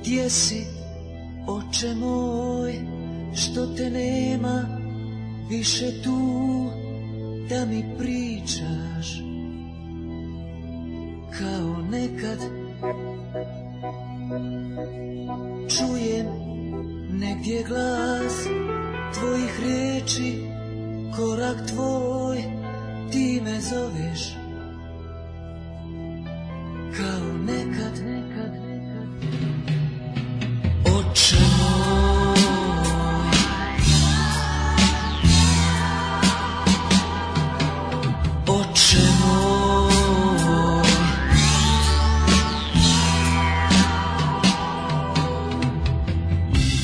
Gdje si, oče moj, što te nema više tu da mi pričaš kao nekad? Čujem negdje glas tvojih riječi, korak tvoj, ti me zoveš kao nekad. Oče moj, oče moj,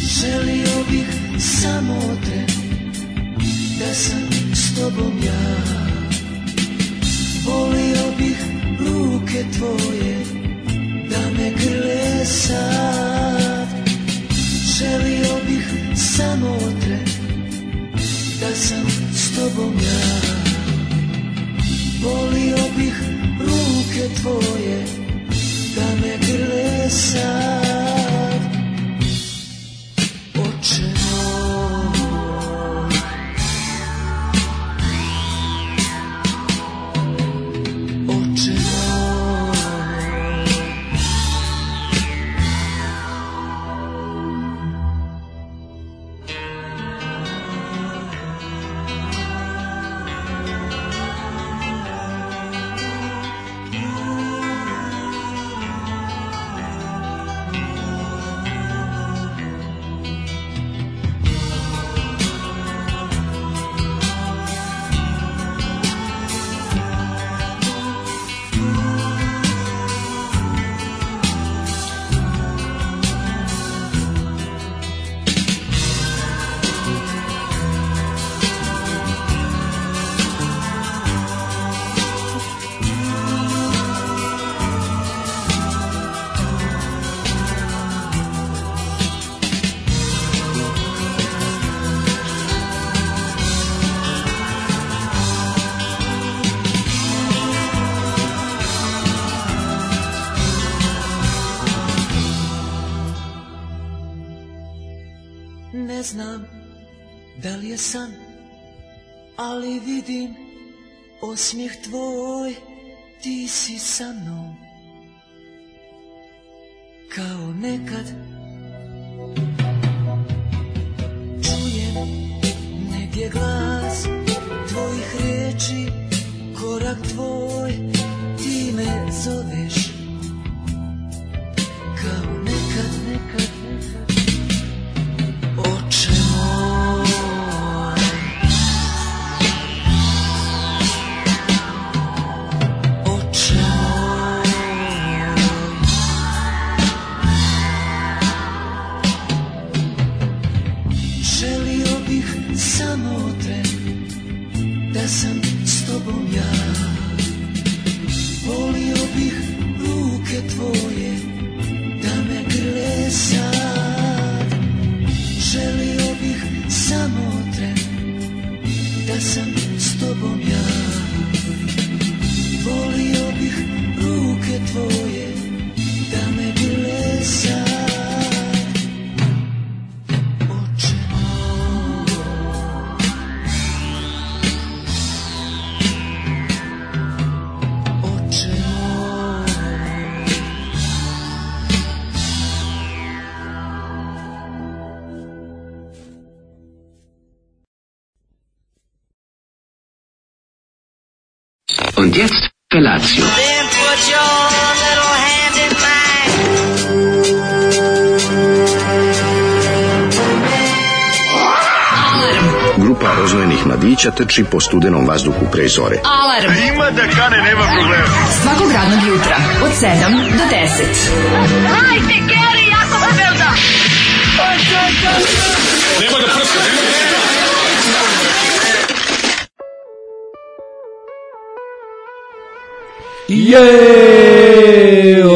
želio bih samo te, da sam s tobom ja. Volio bih ruke tvoje, da me grle sad. Želio bih samo te, da sam s tobom ja. Volio bih ruke tvoje, da me grle sad. Oče moj, oče moj, ne znam da li je san, ali vidim osmijeh tvoj, ti si sa mnom kao nekad. Čujem negdje glas tvojih riječi, korak tvoj, ti me zoveš kao nekad. Oče moj, oče moj, želio bih samo te, da sam s tobom ja. Volio bih ruke tvoje, da me grle sad. Želio bih samo te, da sam s tobom ja. Volio bih ruke tvoje, da me grle sad. Oče moj, oče moj, Und jetzt Felatio. Then put your little hand in mine. Grupa rozvojenih mladića trči po studenom vazduhu pre zore. Alarm. Ima da kane, nema problema. Svakog radnog jutra od 7 do 10. Hajde, Geri, jako se velda. Nema da prska, nema da prska.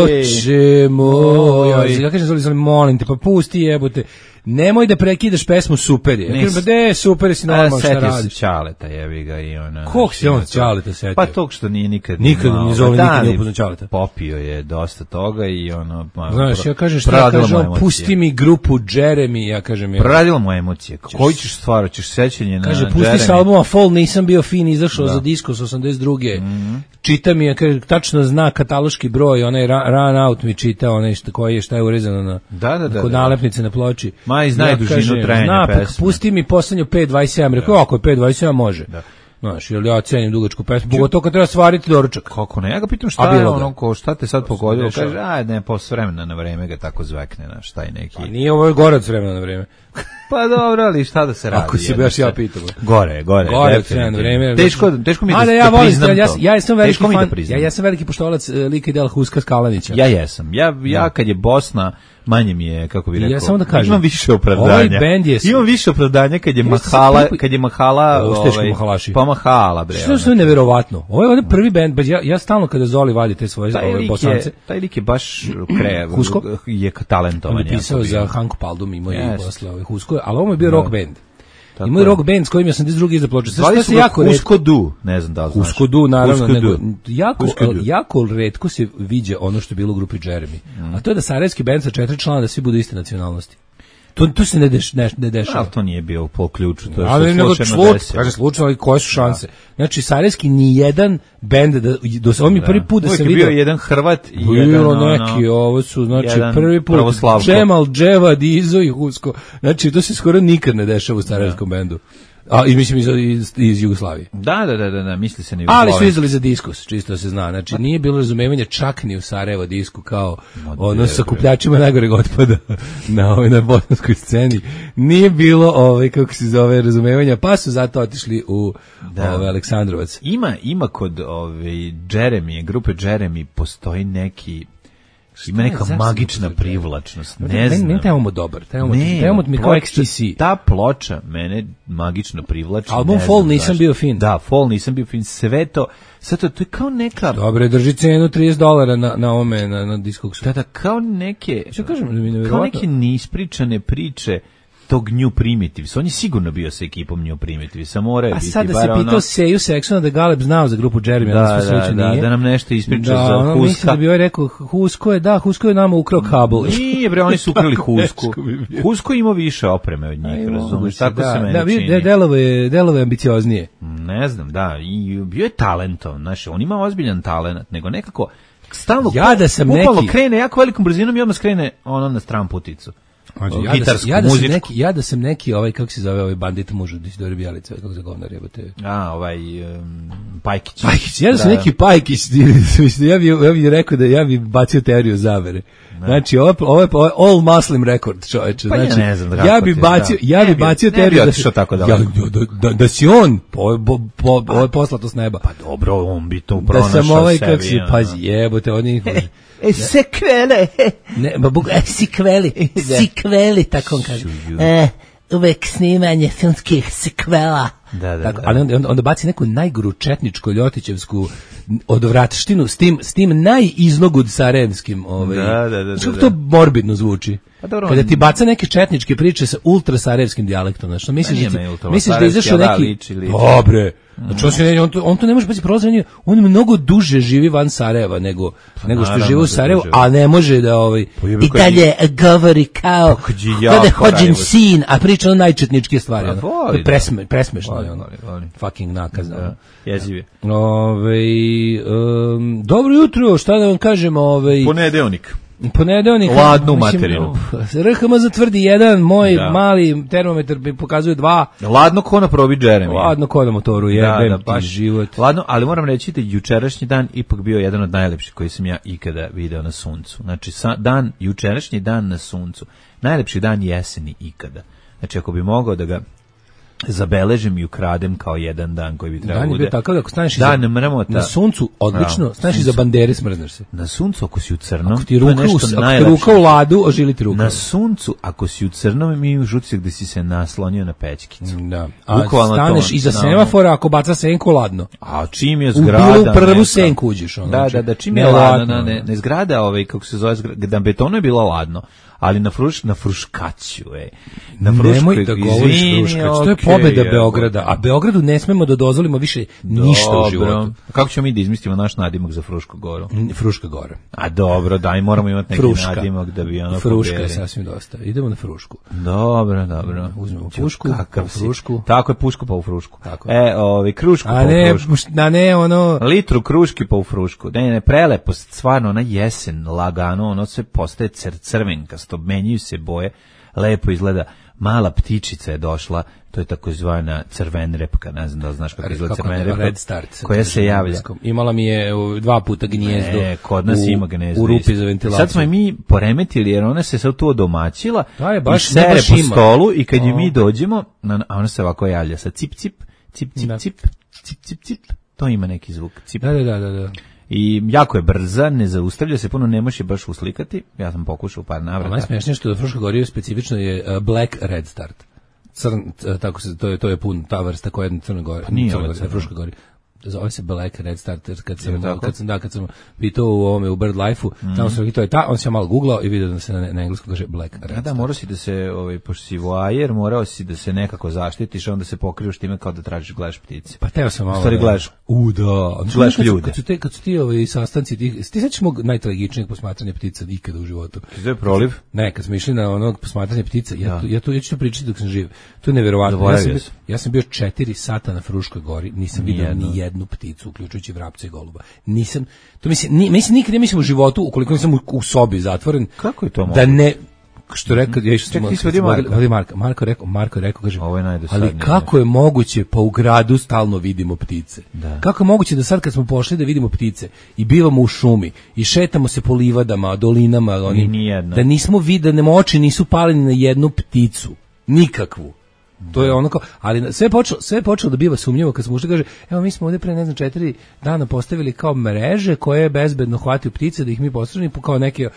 Oče moj, ja kažem, molim te, pa pusti, jebote. nemoj da prekidaš pesmu, super je. Ja kažem, de, super je, si normalno šta Setio radiš. se Ćaleta, jebi ga i ona. Kog se on Ćaleta setio? Pa tog što nije nikad ni zove, nikad nije upoznao Ćaleta. Popio je dosta toga i ono... Znaš, ja kažem šta, kaže on, pusti mi grupu Jeremy, ja kažem... Proradila mu emocije. Koji ćeš stvar, ćeš sećanje na Jeremy? Kaže, pusti sa albuma Fall, nisam bio fin, izašao za Discos 82. Čita mi je, kaže, tačno zna kataloški broj, onaj Run Out mi čita, onaj šta je urezano na kod nalepnice na ploči. Ma i znaju dužinu trajanja pesme. Pusti mi poslednju 5.27, rekao, ako je 5.27 može. Znaš, jer ja cenim dugačku pesmu, pogotovo kad treba stvariti doručak. Kako ne? Ja ga pitam šta je ono, šta te sad pogodilo? Kaže, ne, posle vremena na vreme ga tako zvekne, znaš, taj neki... Pa nije ovo gore od vremena na vreme. Pa dobro, ali šta da se radi? Ako si baš ja pitam. Gore. Gore od vremena na vreme. Teško mi je da priznam to. Ja sam veliki fan, ja sam veliki poštovalac lika i dela Huska Skalanića. Ja jesam. Ja kad je Bosna, manje mi je, kako bih rekao, ja samo da kažem, imam više opravdanja. Imam više opravdanja kad je Mahala, pa Mahala, bre. Što je neverovatno. Ovo je prvi bend, ja stalno kada Zoli vadi te svoje Bosance. Taj lik je baš Husko je talentovan. On je pisao za Hanku Paldum, imao je posle Husko, ali ovo je bio rock band. Imao je rock band s kojim ja sam 82. iza ploče. Zvali su ga Husko Du, ne znam da li znaš. Husko Du, naravno. Jako retko se viđe ono što je bilo u grupi Jeremy. A to je da sarajevski band sa 4 člana da svi budu iste nacionalnosti. To se ne dešava. Ali to nije bio po ključu, to je što slučajno desilo. Kaže slučajno, ali koje su šanse? Znači, sarajevski ni jedan bend, ovo mi prvi put da se vidio. Bio jedan Hrvat i jedan neki, ovo su, znači, prvi put Džemal, Dževad, Izo i Husko. Znači, to se skoro nikad ne dešava u sarajevskom bendu. A i mislim iz Jugoslavije. Da, misli se na Jugoslaviju. Ali su izdali za Diskus, čisto da se zna. Znači nije bilo razumevanja čak ni u Sarajevo Disku kao ono sa kupljačima najgoreg otpada na bosanskoj sceni. Nije bilo kako se zove razumevanja, pa su zato otišli u Aleksandrovac. Ima kod Jeremy, grupe Jeremy postoji neki ima neka magična privlačnost. Ne znam. Meni taj omot dobar. Taj omot mi kao XTC. Ta ploča mene magično privlači. Album Fall nisam bio fin. Da, Fall nisam bio fin. Sve to je kao neka... Dobre, drži cenu $30 na ovome, na Discogsu. Da, kao neke... Što kažem? Kao neke neispričane priče tog New Primitives. On je sigurno bio sa ekipom New Primitives. Samo moraju biti. A sad da se pitao Seju Seksona da Galeb znao za grupu Jeremy. Da nam nešto ispriča za Huska. Mislim da bi ovaj rekao, Husko je nama ukrao kabel. Nije bre, oni su ukrali Husku. Husko ima više opreme od njih, razumiješ? Tako se meni čini. Delove ambicioznije. Ne znam, da. I bio je talentovan. Znaš, on ima ozbiljan talent, nego nekako stalno krene jako velikom brzinom i odmah skrene ono na stran puticu. Ja da sam neki kako se zove ovaj bandit muž od Isidore Bjelice, kako se govnar jebote. Pajkić. Ja da sam neki Pajkić, ja bih rekao da ja bih bacio teoriju zavere. Znači ovo je all Muslim record, čoveče. Znači ja ne znam ja bih bacio teoriju da si on ovo je poslato s neba. Pa dobro, on bi to pronašao sebi. Da sam kako si, pazi, jebote, oni sekvele. Ne, sikveli, tako on kaže. Uvek snimanje filmskih sikvela. Da. Ali onda baci neku najgoru četničku ljotićevsku odvratštinu s tim najiznogud sarajevskim. Kako to morbidno zvuči? Kada ti baca neke četničke priče sa ultra sarajevskim dijalektom, znači misliš da izašao neki dobre. Znači on to ne može biti prolaziti, on mnogo duže živi van Sarajeva nego što živi u Sarajevu, a ne može da i dalje govori kao da hođen sin, a priča o najčetničke stvari. Presmešno je ono. Fucking nakazno. Jeziv je. Dobro jutro, šta da vam kažem? Ponedeljnik. Ladnu materinu. RHM zatvrdi 1, moj mali termometar mi pokazuje 2. Ladno ko na probi Jeremy. Ladno ko na motoru, jebem ti život. Ladno, ali moram reći da jučerašnji dan ipak bio jedan od najlepših koji sam ja ikada video na suncu. Znači, jučerašnji dan na suncu. Najlepši dan jeseni ikada. Znači, ako bi mogao da ga zabeležem i ukradem kao jedan dan koji bi trebao bude. Dan je bio takav, ako staneš na suncu, odlično, staneš iza bandere, smrzneš se. Na suncu, ako si u crnom, ako ti ruka u ladu, ožili ti ruka. Na suncu, ako si u crnom, imaš utisak da si se naslonio na pećkicu. Da. A staneš iza semafora, ako baca senku, ladno. A čim je zgrada... U prvu senku uđeš. Da, čim je ladno, ne zgrada, kako se zove, da betonu je bilo ladno. Ali na Fruškaću, nemoj da govoriš Fruškać, to je pobeda Beograda, a Beogradu ne smemo da dozvolimo više ništa u životu. Kako ćemo mi da izmislimo naš nadimak za Frušku goru? Fruška gora. A dobro, daj, moramo imati neki nadimak da bi ono Fruška pobjeli. Je sasvim dosta, idemo na Frušku. Dobro. Uzmemo pušku, pa u Frušku. Tako je, pušku pa u Frušku. Krušku pa u Frušku. A ne, ono... Litru kruški pa u Frušku. Ne, prelepo, stvarno, ona jesen, lagano, ono sve postaje crvenkasto, menjaju se boje, lepo izgleda. Mala ptičica je došla, to je takozvana crvenrepka, ne znam da znaš kako izgleda crvenrepka, Red Start, koja se javlja. Imala mi je 2 puta gnijezdo. Kod nas ima gnijezdo. U rupi za ventilaciju. Sad smo je mi poremetili jer ona se sad tu odomaćila i sere po stolu i kad je mi dođemo, a ona se ovako javlja sa cip, cip, cip, cip, cip, cip, cip, cip, to ima neki zvuk. Cip. Da. I jako je brza, ne zaustavlja se, puno ne može baš uslikati. Ja sam pokušao par navrata. Najsmešnije što do Fruška Gori specifično je Black Red Start. Tako se to je pun ta vrsta koja je na Crnoj Gori. Pa nije Fruška Gori. Zove se Black Red Start, kad sam pitao u Bird Life-u, tamo sam to je on se malo googlao i vidio da se na engleskom kaže Black Red Start. Da, morao si da se, pošto si voajer, morao si da se nekako zaštitiš, onda se pokrivaš time kao da tražiš, gledaš ptice. Pa teo sam malo. Stvari gledaš. Gledaš ljude. Kad su ti sastanci, ti sećaš mog najtragičnijeg posmatranja ptica ikada u životu. To je proliv? Ne, kad smo išli na onog posmatranja ptica, ja ću to pričati dok sam živ. To je neverovatno. Ja sam bio 4 sata na Fruškoj Gori, nisam vidio ni jednu pticu, uključujući vrapca i goluba. Nisam, to mislim nikad u životu, ukoliko nisam u sobi zatvoren. Kako je to moguće? Da ne, što rekao, ja išao sam Marko je rekao, kaže, ali kako je moguće, pa u gradu stalno vidimo ptice. Da. Kako je moguće da sad kad smo pošli da vidimo ptice i bivamo u šumi i šetamo se po livadama, dolinama, da nismo videli, oči nisu pali ni na jednu pticu, nikakvu. To je ono kao, ali sve je počelo da biva sumnjivo kad smo ušli, kaže, evo mi smo ovdje pre 4 dana postavili kao mreže koje bezbedno hvataju ptice da ih mi postražimo kao neke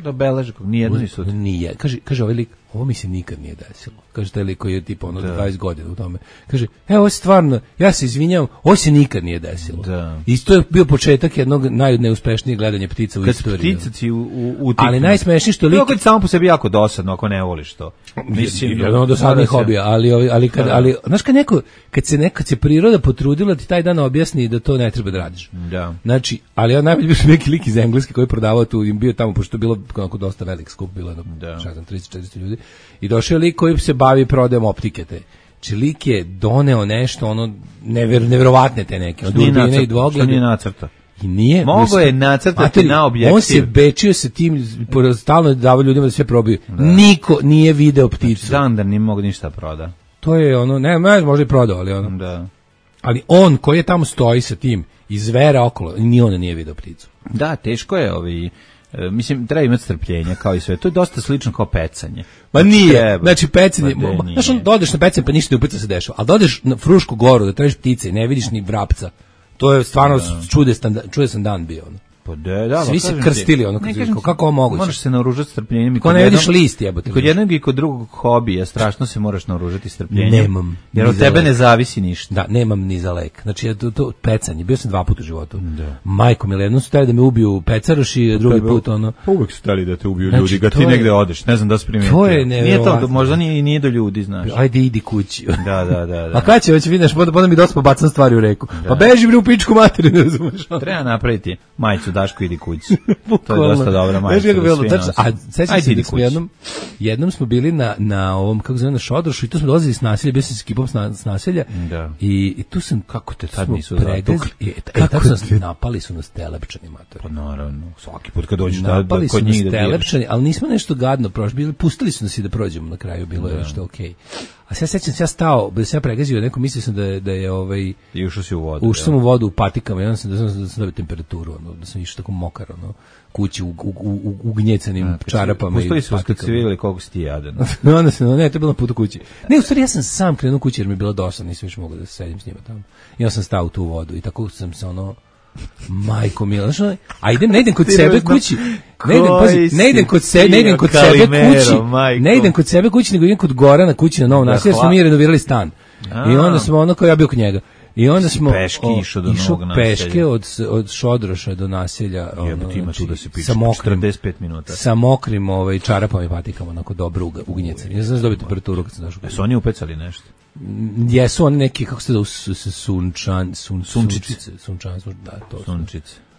da beleže, nijedno nisu. Nije, kaže ovaj lik, ovo mi se nikad nije desilo. Kaže taj lik koji je tipa 20 godina u tome. Kaže, evo stvarno, ja se izvinjavam, ovo se nikad nije desilo. I to je bio početak jednog najneuspešnijeg gledanja ptica u istoriji. Kad ptice u ali najsmešnije što lik... Kad samo po sebi jako dosadno ako ne voliš to. Mislim, jedno dosadnih hobija, ali znaš kad se priroda potrudila ti taj dan objasni da to ne treba da radiš. Da. Znači, ali ja najbolje bio neki lik iz Engleske koji je prodavao tu, im bio tamo, pošto je bilo onako dosta velik skup, bilo 30-40 ljudi. I došao je lik koji se bavi prodajom optike te. Znači lik je doneo nešto, ono, neverovatne te neke. Od urbine i dvoglede. Što nije nacrta? I nije. Mogo je nacrtati na objektiv. On se bečio sa tim, stalno davao ljudima da sve probiju. Da. Niko nije video pticu. Znači, da nije mogu ništa proda. To je ono, ne, možda i prodao, ali ono. Da. Ali on koji je tamo stoji sa tim, iz zvera okolo, ni on nije video pticu. Da, teško je mislim, treba imati strpljenja kao i sve. To je dosta slično kao pecanje. Ma nije, znači pecanje, znaš, dodeš na pecanje pa ništa ne upica se dešava, ali dodeš na Frušku Goru da tražiš ptice i ne vidiš ni vrapca, to je stvarno čudesan dan bio. Pa da, svi se krstili, kako ovo moguće? Možeš se naoružati strpljenjem. Ko ne vidiš list, jebote. Kod jednog i kod drugog hobija strašno se moraš naoružati strpljenjem. Nemam. Jer od tebe ne zavisi ništa. Da, nemam ni za lek. Znači, to pecanje, bio sam 2 puta u životu. Majko mi, jednom su htjeli da me ubiju pecaroši, drugi put ono... Pa uvek su htjeli da te ubiju ljudi, kad ti negde odeš, ne znam da si primijetio. To je nevjerovatno. Možda nije do ljudi, znaš. Ajde, idi kući. Da. A kada će već vidiš, onda mi dosta pobacam stvari u reku. Pa beži bre u pičku materinu, ne razumeš. Treba napraviti majicu Daško idi kući. To je dosta dobra majica. A sećam se da smo jednom smo bili na ovom, kako zove, na Šodrošu i tu smo dolazili s naselja, bio sam s ekipom s naselja i tu sam, kako te tad nisu napali su nas telepčani, matori. Pa naravno, svaki put kad dođeš napali su nas telepčani, ali nismo nešto gadno prošli, pustili su nas i da prođemo na kraju, bilo je nešto okej. A sad sećam se ja stao, da se ja pregazio, neko mislio sam da je I ušao si u vodu. Ušao sam u vodu u patikama, ja sam da sam dobio temperaturu, da sam išao tako mokar, kući u gnjecanim čarapama. Postoji se kad si vidjeli koliko si ti jadan. Onda se, ne, to je bilo na putu kući. Ne, u stvari ja sam sam krenuo kući jer mi je bilo dosadno, nisam više mogao da se sedim s njima tamo. I onda sam stao u tu vodu i tako sam se majko mila, znaš, a ne idem kod sebe kući, ne idem kod sebe kući, nego idem kod Gorana kući na Novom Naselju, smo mi renovirali stan. I onda smo kao ja bio kod njega. I onda smo išao do Novog Naselja. Peške od Šodroša do naselja, ima tu da se piše 45 minuta. Sa mokrim čarapama i patikama, onako dobro ugnjecani. Ja znam da dobio temperaturu kad sam došao. Jesu oni upecali nešto? Jesu oni neki, kako se da, sunčice.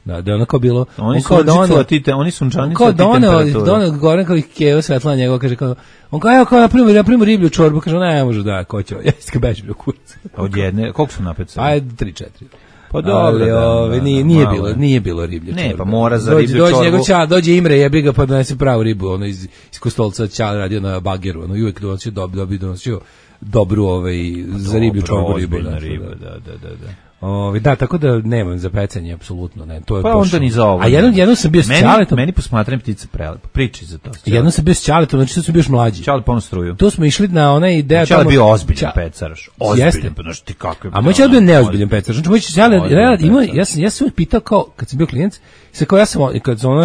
Da, ono kao bilo... Oni sunčicu, a ti oni sunčanicu, a ti temperaturu. Kao Goran kao ih keo svetla njegov, kaže kao... On kao, evo kao napravimo riblju čorbu, kaže, ne može da, ko će, ja iska beži bio kurac. Od jedne, koliko su napecali? Ajde, 3-4. Pa dobro, nije bilo riblje čorbe. Ne, pa mora za riblju čorbu. Dođe Imre, jebi ga, pa donese pravu ribu, iz Kostolca Ćale radio na bageru, i uvijek donosio dobru za riblju čorbu ribu. Da, tako da nemam za pecanje, apsolutno ne. To je pa onda ni za ovo. A jednom sam bio s Ćaletom. Meni posmatram ptice prelepo. Priči za to. Jednom sam bio s Ćaletom, znači to sam bio još mlađi. Ćale ponu struju. To smo išli na onaj ideja tamo. Ćale bio ozbiljan pecaraš. Ozbiljan, znači ti kako je. A moj Ćale bio neozbiljan pecaraš. Znači moj Ćale ja sam uvijek pitao kao kad sam bio klijent, se kao ja sam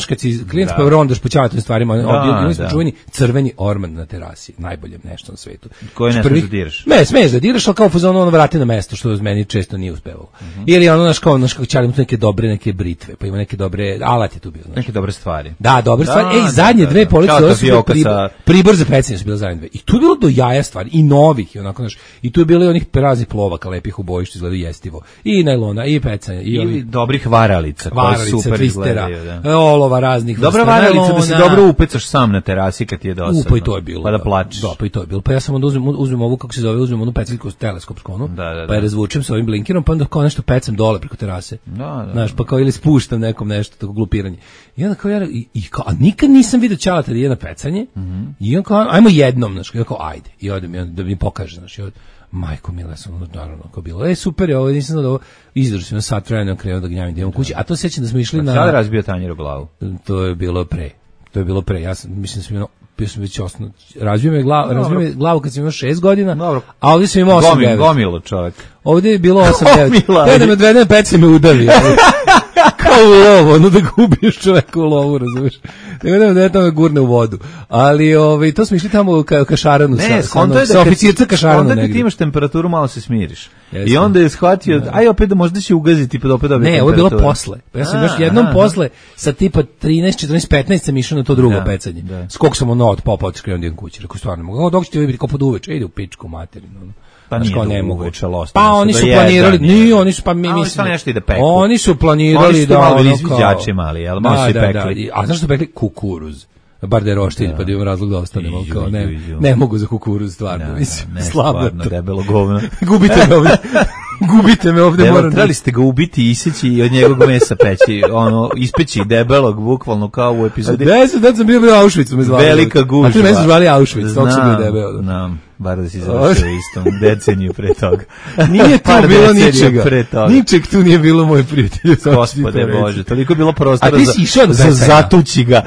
kad si klijent pa rondaš po Ćaletovim stvarima, oni su čuveni crveni orman na terasi, najbolje nešto na svetu. Koje ne smeš da diraš? Ne, smeš da diraš, al kao fazon vrati na mesto što meni često nije uspevalo. Ili naš kako Ćale neke dobre neke britve, pa ima neke dobre alat je tu bio, neke dobre stvari. Da, dobre stvari. Zadnje dve police Pribor za pecanje su bile zadnje dve. I tu je bilo do jaja stvari i novih i onako i tu je bilo i onih raznih plovaka lepih u boji što izgledaju jestivo. I najlona i pecanja i ili dobrih varalica koje super izgledaju, olova raznih. Dobra varalica da se dobro upecaš sam na terasi kad ti je dosadno. Pa i to je bilo. Pa da plačeš. Da, pa i to je bilo. Pa ja sam onda uzmem ovu kako se zove, uzmem onu peciljku teleskopsku onu. Pa je razvučem sa ovim blinkerom, pa onda kao nešto pecam dole preko terase. Znaš, pa kao ili spuštam nekom nešto, tako glupiranje. I onda kao a nikad nisam vidio Ćaleta da je na pecanje. I on kao, ajmo jednom, znaš, kao ajde. I odem da mi pokaže, znaš, majko mila sam, naravno, kao bilo. Super je ovo, nisam znao da ovo izdržao sam na sat vremena krenuo da gnjavim da imam kući. A to sećam da smo išli na... Sada razbio tanjir u glavu. To je bilo pre. Ja sam, mislim da sam bio sam već razbio me glavu kad sam imao 6 godina, a ovdje sam imao 8-9. Gomilo čovjek. Ovdje je bilo 8-9. Da me odvede na pec me udavi. Kao u lovu, da gubiš čoveka u lovu, razumiješ. Nego da je tamo gurne u vodu. Ali to smo išli tamo u Kašaranu, sa oficirca Kašaranu negdje. Onda kad ti imaš temperaturu, malo se smiriš. I onda je shvatio, aj opet da možda će ugaziti, pa da opet dobije temperaturu. Ne, ovo je bilo posle. Ja sam još jednom posle, sa tipa 13, 14, 15 sam išao na to drugo pecanje. Skok sam od popa otiskrenuo jedan kući. Rekao, stvarno mogu. Dok ćete vi biti kao pod uveče, ide u pičku materinu. Pa nije uveče, pa oni su planirali, oni su oni su planirali da malo izviđači mali, jel, malo su i pekli. A znaš što pekli? Kukuruz. Bar da je roštilj, pa da imam razlog da ostanemo, kao ne mogu za kukuruz, stvarno, mislim, slabo to. Debelo govno. Gubite me ovde, moram. Trebali ste ga ubiti, iseći i od njegovog mesa peći, ispeći debelog, bukvalno kao u epizodi. Da sam bio u Auschwitzu, me zvali. Velika gužva. A ti me su zvali Auschwitz, tog sam bio debelo. Znam, bar da si završio istom deceniju pre toga. Nije tu bilo ničega. Ničeg tu nije bilo, moj prijatelj. Gospode Bože, toliko je bilo prostora za zatući ga.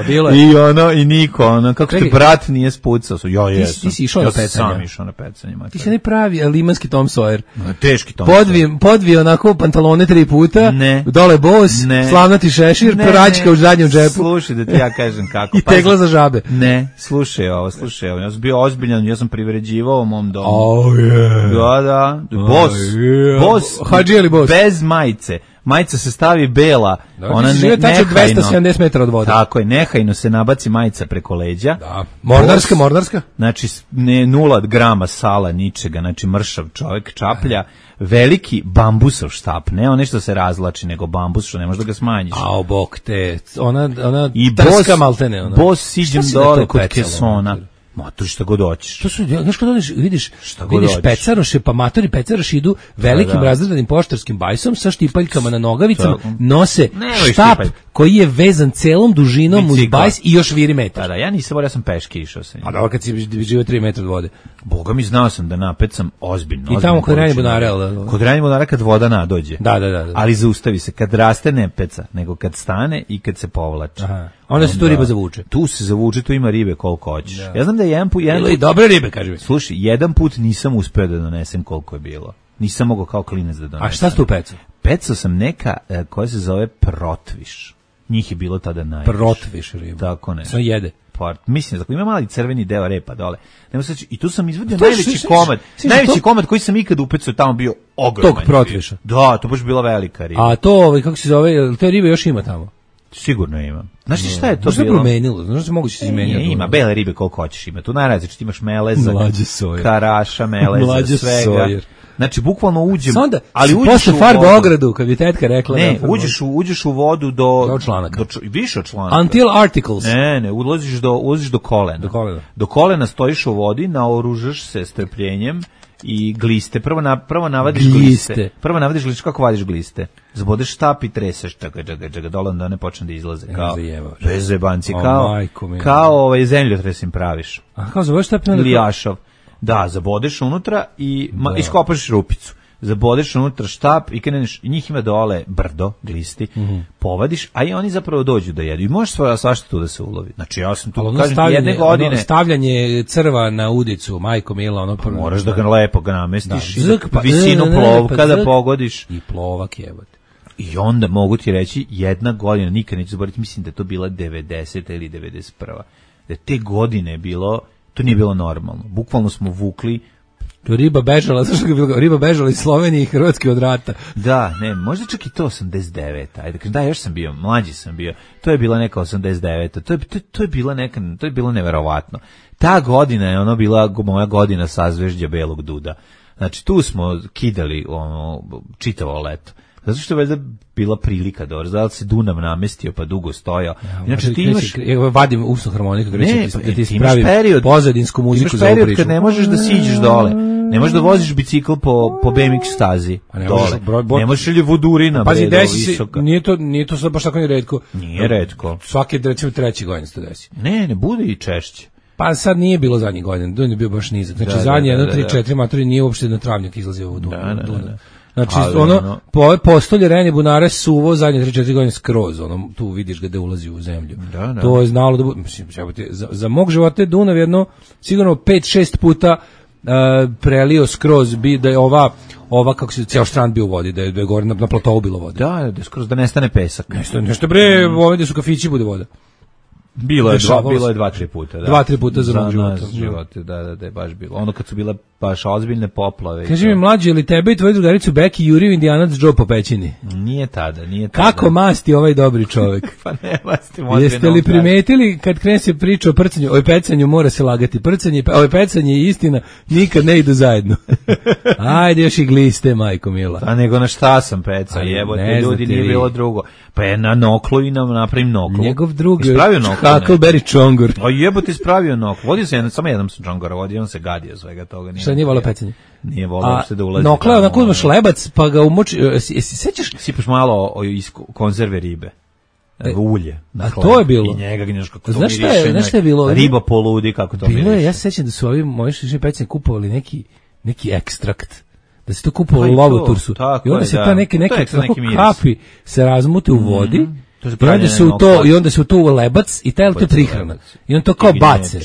I niko, kako te brat nije spucao. Ja jesam. Ti si išao na pecanje. Ja sam išao na pecanje. Ti si ne pravi limanski Tom Sawyer. Teški Tom Sawyer. Podvio onako pantalone 3 puta, dole bos, slavnati šešir, praćka u zadnjem džepu. Slušaj da ti ja kažem kako. I tegla za žabe. Ne, slušaj ovo. Ja sam bio ozbiljan, ja sam privređivao u mom domu. Da. Bos. Hadži ili bos? Bez majice. Majica se stavi bela, ona nehajno. 270 metara od vode. Tako je, nehajno se nabaci majica preko leđa. Da. Mornarska. Znači, ne 0 grama sala, ničega, znači mršav čovjek, čaplja, veliki bambusov štap, ne ono što se razlači, nego bambus, što ne možeš da ga smanjiš. Ao, bok te, ona trska maltene. Bos siđem dole kod kesona. Matori šta god hoćeš. To su, znaš kad odeš, vidiš hoćeš. pecaroše, pa matori pecaroši idu velikim razredanim poštarskim bajsom sa štipaljkama na nogavicama, nose štap koji je vezan celom dužinom uz bajs i još viri metar. Da, ja nisam, ja sam peške išao sa njim. A dobro kad si živio 3 metra od vode. Boga mi, znao sam da napecam ozbiljno. I tamo kod Rajne Bunare. Kod Rajne Bunare kad voda nadođe. Da. Ali zaustavi se, kad raste ne peca, nego kad stane i kad se povlači. Onda se tu riba zavuče. Tu se zavuče, tu ima ribe koliko hoćeš. Da. Ja znam da je jedan put... Ili dobre ribe, kaži mi. Slušaj, jedan put nisam uspeo da donesem koliko je bilo. Nisam mogao kao klinac da donesem. A šta si tu pecao? Pecao sam neka koja se zove protviš. Njih je bilo tada najviše. Protviš riba. Tako ne. Sve jede. Mislim, ima mali crveni deo repa dole. I tu sam izvadio najveći komad. Najveći komad koji sam ikad upecao tamo bio ogroman. Tog protviša. Da, to baš bila velika riba. A to, kako se zove, te ribe još ima tamo? Sigurno ima. Znaš šta je to bilo? Što je promenilo? Znaš se moguće se izmenjati? Ima bele ribe koliko hoćeš ima. Tu najrazličite imaš meleza, karaša, meleza, svega. Znači bukvalno uđem, ali uđeš posle farba ogradu, kad bi tetka rekla. Ne, uđeš u vodu do članaka. Više od članaka. Until articles. Ne, ulaziš do kolena. Do kolena stojiš u vodi, naoružaš se strpljenjem i gliste. Prvo navadiš gliste. Kako vadiš gliste? Zabodeš štap i treseš, čega dole onda ne počne da izlaze. Bez zebanci, kao zemljotres im praviš. A kao zabodeš štap? Lijašov. Da, zabodeš unutra i iskopaš rupicu. Zabodeš unutra štap i kreneš, njih ima dole brdo, glisti, povadiš, a i oni zapravo dođu da jedu. I možeš svašta tu da se ulovi. Znači ja sam tu, kažem, jedne godine... Stavljanje crva na udicu, majko mila, moraš da ga lepo namestiš, visinu plovka da pogodiš. I plovak jebote. I onda mogu ti reći, jedna godina, nikad neću zaboraviti, mislim da je to bila 90. ili 91. Da te godine bilo... To nije bilo normalno. Bukvalno smo vukli. Riba bežala iz Slovenije i Hrvatske od rata. Da, ne, možda čak i to 89. Ajde, da, još sam bio, mlađi sam bio. To je bila neka 89. To je bilo neverovatno. Ta godina je bila moja godina sazvežđa Belog Duda. Znači, tu smo kidali čitavo leto. Zato što je valjda bila prilika dobro, da se Dunav namestio pa dugo stojao. Inače ti imaš... Vadim usnu harmonika, da ti spravim pozadinsku muziku za ovu priču. Imaš period kad ne možeš da siđeš dole, ne možeš da voziš bicikl po BMX stazi dole. Ne možeš ili vodurina. Pazi, desi se, nije to sad baš tako ni redko. Nije redko. Svake, recimo, 3. godine se to desi. Ne bude i češće. Pa sad nije bilo zadnjih godina, Dunav je bio baš nizak. Znači zadnje 1, 3, 4 matori nije uopšte na travnjak izlazio u Dunav. Znači, po postolje Rajne Bunare suvo zadnje 3-4 godine skroz, tu vidiš ga da ulazi u zemlju. To je znalo da bude, mislim, za mog života je Dunav jedno, sigurno 5-6 puta prelio skroz, da je ova kako se ceo strand bio u vodi, da je gore na platovu bilo vode. Da skroz da nestane pesak. Nešto bre, ovdje su kafići bude voda. Bilo je 2-3 puta. 2-3 puta za mog života. Da je baš bilo. Ono kad su bile baš ozbiljne poplave. Kaži mi, mlađe, ili tebe i tvoju drugaricu Beki jurio Indijanac Joe po pećini? Nije tada. Kako masti ovaj dobri čovjek? Pa ne masti. Jeste li primetili kad krene se priča o prcanju, o pecanju mora se lagati. Pecanje i istina nikad ne idu zajedno. Ajde još i gliste, majko mila. A nego na šta sam pecao? Jebote, ljudi, nije bilo drugo. Pa je na noklu i napravim noklu. Njegov drug Huckleberry Čongor. A jebote, ispravio noklu. Vodio se samo jednom sam Čongora vodio, on se gadio svega toga. Šta nije volio pecanje? Nije volio uopšte da ulazi. Nokla, onako uzmaš lebac, pa ga umoči, sećaš? Sipaš malo iz konzerve ribe. Ulje. A to je bilo. I njega gnješ kako to miriše. Znaš šta je bilo? Riba poludi kako to miriše. Bilo je, ja se sećam da su ovi moji pecanje kupovali neki ekstrakt. Da se to kupovalo u Lovotursu. I onda se ta neke kapi se razmute u vodi. I onda se u to u lebac i taj to prihrana. I on to kao bace.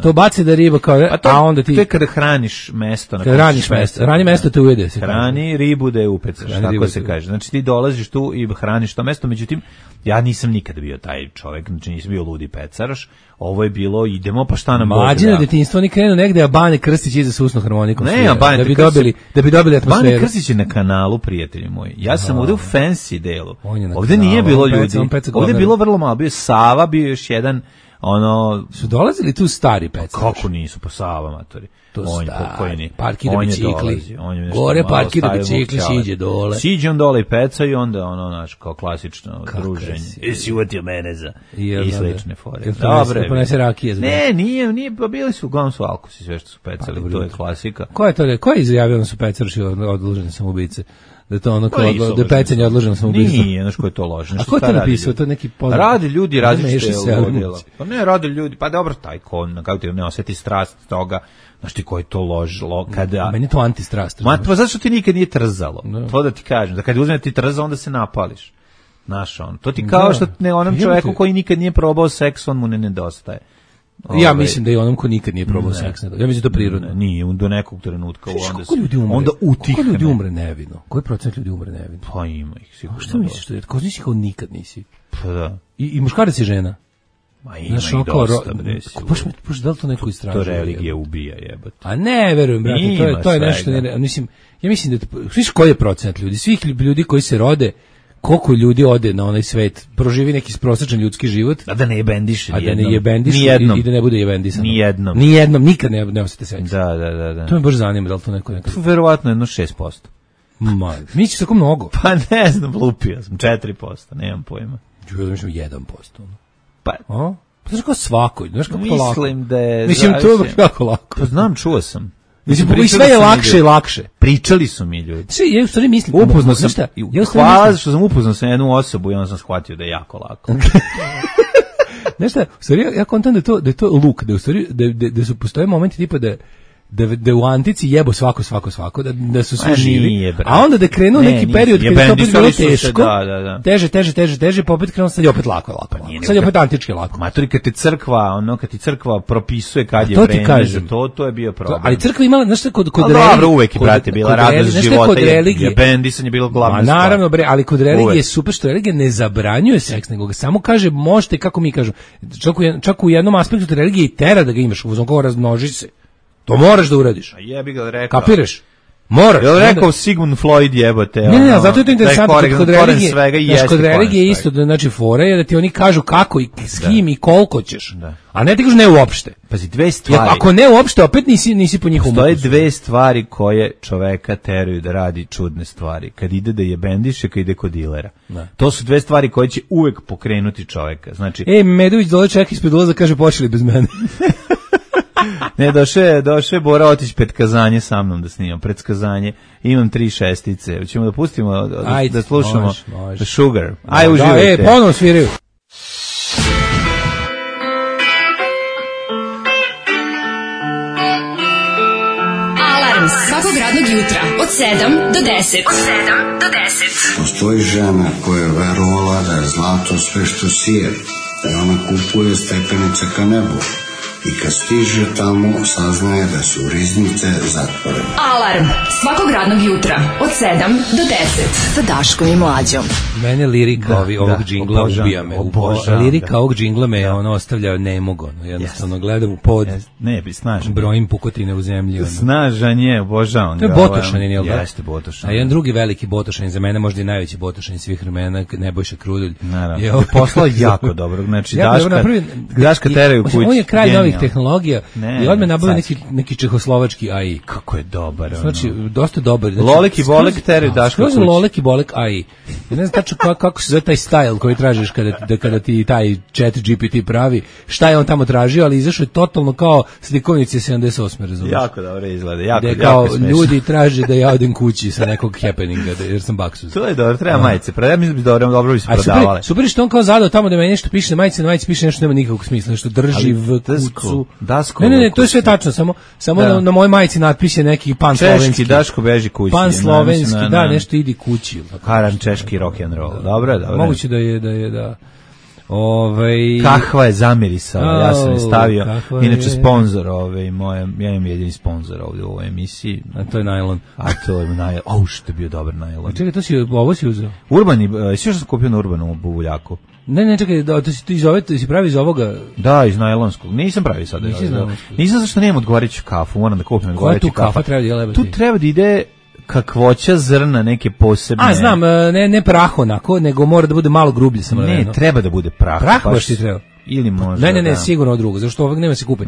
To bace da riba kao, a onda ti... To je kada hraniš mesto. Hrani mesto te ujede. Hrani ribu da je upecaš, tako se kaže. Znači ti dolaziš tu i hraniš to mesto, međutim, ja nisam nikada bio taj čovjek, znači nisam bio ludi pecaraš, ovo je bilo, idemo pa šta nam Bog da. Mlađe na detinjstvo, oni krenu negde, a Bane Krstić iza sa usnom harmonikom. Da bi dobili atmosferu. Bane Krstić je na kanalu, prijatelji moji. Ja sam ovde u fancy delu. Ovde nije bilo ljudi. Ovde je bilo vrlo malo. Bio je Sava, bio još jedan ono... Su dolazili tu stari pecaroši? Kako nisu, pa Sava, matori. To on stari, pokojni. parkira bicikli. Gore parkira bicikli, siđe dole. Siđe on dole i peca i onda ono, znaš, kao klasično druženje. Jesi uvatio mene za i slične fore. Dobre. Ponese rakije. Ne, nije, pa bili su, uglavnom su alkosi, sve što su pecali, to je klasika. Ko je izjavio da su pecaroši odloženi samoubice? Da to ono kao da pecanje odloženo samoubistvo. Nije, znaš ko je to loženo. A ko je to napisao? To neki poznat. Rade ljudi različite odjela. Pa ne, rade ljudi, pa dobro, taj ko, kako ti ne osjeti strast toga, znaš ti ko je to ložilo, kada... Meni je to antistrast. Pa zašto ti nikad nije trzalo? To da ti kažem, da kad uzme ti trza, onda se napališ. Znaš on, to ti kao što ne onom čoveku koji nikad nije probao seks, on mu ne nedostaje. Ja mislim da je onom ko nikad nije probao seks. Ja mislim da to prirodno. Nije, do nekog trenutka onda utihne. Koliko ljudi umre nevino? Koji procent ljudi umre nevino? Pa ima ih sigurno. Što misliš? Ko nisi kao nikad nisi? Pa da. I muškarac i žena? Ma ima ih dosta, bre. Baš da li to neko istražuje? To religija ubija, jebote. A ne, verujem, brate, to je nešto... Ja mislim da... Sviš koji je procent ljudi? Svih ljudi koji se rode, koliko ljudi ode na onaj svet, proživi neki prosječan ljudski život, a da ne jebendiše i da ne bude jebendisano. Nijednom, nikad ne osjete seks. Da. To me baš zanima, da li to neko nekako... Verovatno 6%. Ma, misliš tako mnogo? Pa ne znam, lupio sam, 4%, nemam pojma. Ja mislim 1%. Pa... Pa znaš kao svako, znaš kako to lako. Mislim da je... Mislim, to je baš kako lako. Pa znam, čuo sam. Mislim, sve je lakše i lakše. Pričali su mi ljudi. Ja u stvari mislim... Upoznao sam... Hvala što sam upoznao sa jednu osobu i onda sam shvatio da je jako lako. Znaš šta, u stvari ja kontam da je to luk, da u stvari da su postoje momenti tipa da u antici jebo svako, da su svi živi, a onda da krenu neki period kada je to opet bilo teško, teže, pa opet krenu sad je opet lako. Sad je opet antički lako. Matori, kad ti crkva propisuje kad je vreme za to je bio problem. Ali crkva imala, znaš šta, kod religije... Dobro, uvek je, brate, bila radost života, je bendisanje bilo glavna stvar. Naravno, bre, ali kod religije je super što religija ne zabranjuje seks, nego ga samo kaže, možete, kako mi kažu, čak u jednom aspektu religije i tera da ga imaš, uzom kao razmnoži se. To moraš da uradiš. A jebi ga rekao. Kapiraš? Moraš. Jel rekao Sigmund Freud jebote? Ne, zato je to interesantno kod religije. Kod religije isto, znači fora je da ti oni kažu kako i s kim i koliko ćeš. A ne ti kažu ne uopšte. Pazi, dve stvari. Ako ne uopšte, opet nisi po njihovom ukusu. Postoje dve stvari koje čoveka teraju da radi čudne stvari. Kad ide da jebendiše, kad ide kod dilera. To su dve stvari koje će uvek pokrenuti čoveka. Znači, Medović dole čeka ispred ulaza, kaže počeli bez mene. Ne, došao Bora Otić pred kazanje sa mnom da snimam, pred kazanje. Imam 3 šestice. Hoćemo da pustimo, da slušamo može. Sugar. Aj, uživajte. Ponovno sviraju. Alarm svakog radnog jutra od 7 do 10. Postoji žena koja je verovala da je zlato sve što sije. I ona kupuje stepenice ka nebu. I kad stiže tamo, saznaje da su riznice zatvorene. Alarm svakog radnog jutra od 7 do 10 sa Daškom i Mlađom. Mene lirika ovog džingla ubija me. Lirika ovog džingla me ostavlja nemog. Jednostavno gledam u pod. Ne, snažan. Brojim pukotine u zemlji. Snažan je, obožavam ga. To je Botošanin, jel da? Jeste Botošanin. A jedan drugi veliki Botošanin, za mene možda i najveći Botošanin svih vremena, Nebojša Krudulj. Naravno. Je poslao jako dobro. Znači, Daška teraju kući. On je kralj novih tehnologija i odmah nabavio neki čehoslovački AI. Kako je dobar. Znači, dosta dobar. Lolek i Bolek teraju Daška kući. Lolek i Bolek AI. Ja ne znam tačno kako se zove taj style koji tražiš kada ti taj chat GPT pravi. Šta je on tamo tražio, ali izašao je totalno kao slikovnici 78. razumiješ. Jako dobro izgleda. Jako smešno. Ljudi traže da ja odem kući sa nekog happeninga, jer sam baksuz. To je dobro, treba majice. Ja mislim da bi dobro bi se prodavale. Super što on kao zadao tamo da meni nešto piše na majici piše nešto nema nikakvog smisla, nešto drži v kucu. Ne, to je sve tačno, samo na mojoj majici natpis je neki pan slovenski. Češki Daško beži kući. Pan slovenski, da, nešto idi kući. Karan češki rock and roll. Dobro. Moguće da je. Kahva je zamirisala, ja sam je stavio. Inače sponzor ja imam jedini sponzor ovdje u ovoj emisiji. A to je najlon. To je najlon. Što je bio dobar najlon. Čekaj, ovo si uzeo? Urbani, sve što sam kupio na Urbanu buvuljaku. Ne, čekaj, to si pravi iz ovoga? Da, iz najlonskog. Nisam pravi sada. Nisam zašto nemam odgovarajuću kafu, moram da kupim odgovarajuću kafu. Koja tu kafa treba da je? Tu treba da ide kakvoća zrna, neke posebne. A, znam, ne prah onako, nego mora da bude malo grublje. Ne, treba da bude prah. Prah baš ti treba. Ili možda. Ne, sigurno drugo, zašto ovog nema se kupi.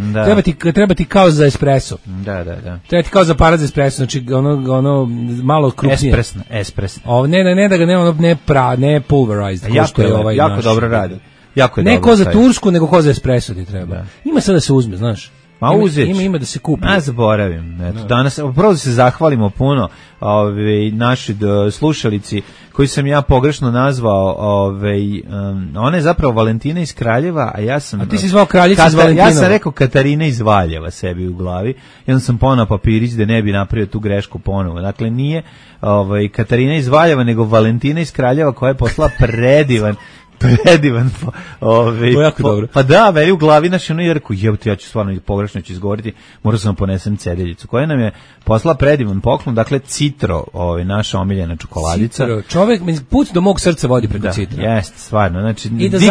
Treba ti kao za espresso. Da. Treba ti kao za aparat za espresso, znači ono malo krupnije. Espresso. Ne da ga ne pulverized. Jako dobro radi. Ne ko za tursku, nego ko za espresso ti treba. Da. Ima sad da se uzme, znaš. Ima da se kupi. Zaboravim. Eto, danas prvo se zahvalimo puno naši slušalici koji sam ja pogrešno nazvao, ona je zapravo Valentina iz Kraljeva, a ja sam... A ti si zvao Kraljica iz Valentinova. Ja sam rekao Katarina iz Valjeva sebi u glavi, i onda sam ponao papirić da ne bi napravio tu grešku ponovo. Dakle, nije Katarina iz Valjeva, nego Valentina iz Kraljeva koja je poslala predivan dobro. Pa da, meni u glavi je rekao, ja ću stvarno pogrešno izgovoriti, morao sam ponesem cedeljicu, koja nam je poslala predivan poklon, dakle Citro, naša omiljena čokoladica. Citro, čovjek, put do mog srca vodi preko Citra. Jeste, stvarno, znači, nikad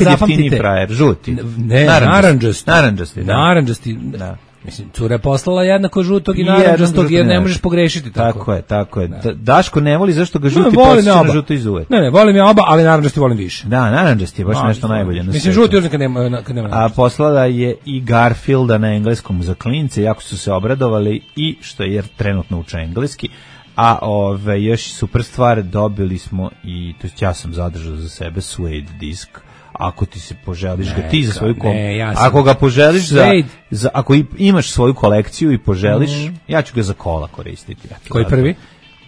jeftiniji frajer, žuti. Ne, naranđasti. Da. Mislim, cura je poslala jednako žutog i naranđastog, jer ne možeš pogrešiti tako. Tako je. Daško ne voli zašto ga žuti podsjeća na žuto iz uvek. Ne, volim ja oba, ali naranđasti volim više. Da, naranđasti je baš nešto najbolje. Mislim, žuti još kad nema a poslala je i Garfielda na engleskom za klince, jako su se obradovali i što je trenutno uče engleski. A još super stvar, dobili smo i, to ja sam zadržao za sebe, Suede disk. Ako ti se poželiš ga ti za svoju ako ga poželiš ako imaš svoju kolekciju i poželiš, ja ću ga za kola koristiti. Koji prvi?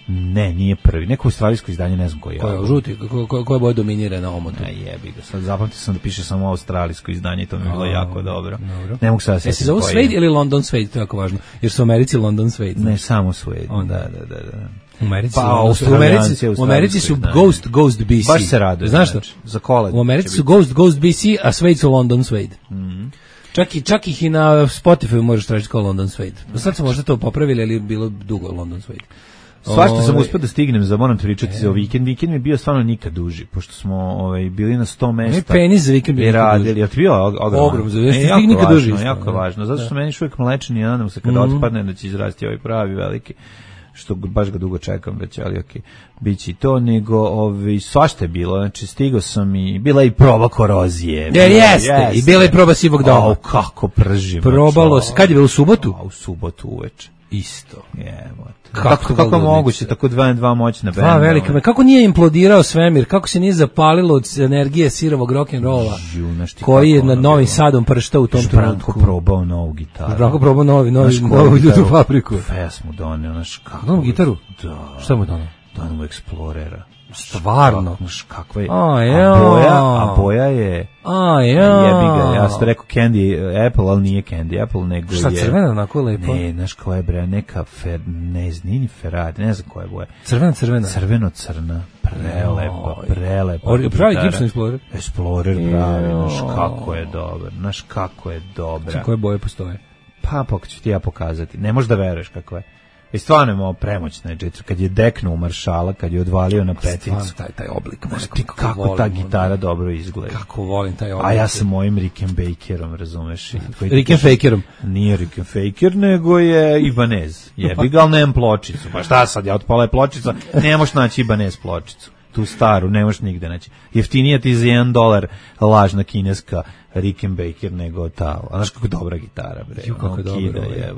Ne, nije prvi. Neko australijsko izdanje, ne znam koji je. Ko je žuti? Koja boja dominira na omotu? Jebi ga. Sad zapamtio sam da piše samo australijsko izdanje i to mi je bilo jako dobro. Ne mogu sada se zove Suede ili London Suede, to je jako važno. Jer su u Americi London Suede. Ne, samo Suede. Da. U Americi su Ghost BC. Baš se raduje. Znaš što? Za kola. U Americi su Ghost BC, a Suede su London Suede. Čak ih i na Spotify možeš tražiti kao London Suede. Sad su možda to popravili, ali je bilo dugo London Suede. Svašta sam uspio da stignem, moram te pričati za vikend. Vikend mi je bio stvarno nikad duži, pošto smo bili na 100 mesta. Ne, penis za vikend bi radili. Jel ti bio ogrom za vikend? Nikad duži. Jako važno, zato što meni uvijek mlečan i nadam se kada otpadne da će izrasti ovaj pravi veliki, što baš ga dugo čekam već, ali okej, bit će i to, nego svašta je bilo, znači stigao sam i bila i proba korozije. Jeste, i bila i proba sivog doma. Kako pržim. Probalo se, kad je bilo u subotu? U subotu uveče. Isto. Kako moguće, tako dva moćna benda. Velika, kako nije implodirao svemir, kako se nije zapalilo od energije sirovog rock'n'rolla, koji je nad Novim Sadom prštao u tom trenutku. Branko probao novu gitaru. Branko probao novu ljudu fabriku. Pesmu donio, novu gitaru? Da. Šta mu donio? Donio mu Explorera. Stvarno? Kakva je? A boja je... Jebi ga, ja sam rekao Candy Apple, ali nije Candy Apple, nego je... Šta, crvena onako lepo? Ne, znaš koja je bre, neka nije ni Ferrari, ne znam koja je boja. Crvena? Crveno-crna, prelepa. Pravi Gibson Explorer? Explorer pravi, znaš kako je dobra. Koje boje postoje? Pa ću ti ja pokazati, ne možeš da veruješ kako je. I stvarno je malo premoćna je, kad je deknuo u Maršala, kad je odvalio na peticu. Taj oblik. Kako ta gitara dobro izgleda. Kako volim taj oblik. A ja sam mojim Rickenbackerom, razumeš? Rickenfakerom? Nije Rickenfaker, nego je Ibanez. Jebi ga, ali nemam pločicu. Pa šta sad, ja otpala je pločica, ne možeš naći Ibanez pločicu. Tu staru, ne možeš nigde naći. Jeftinija ti za $1 lažna kineska Rickenbacker nego ta. A znaš kako dobra gitara, bre. Kako dobro je.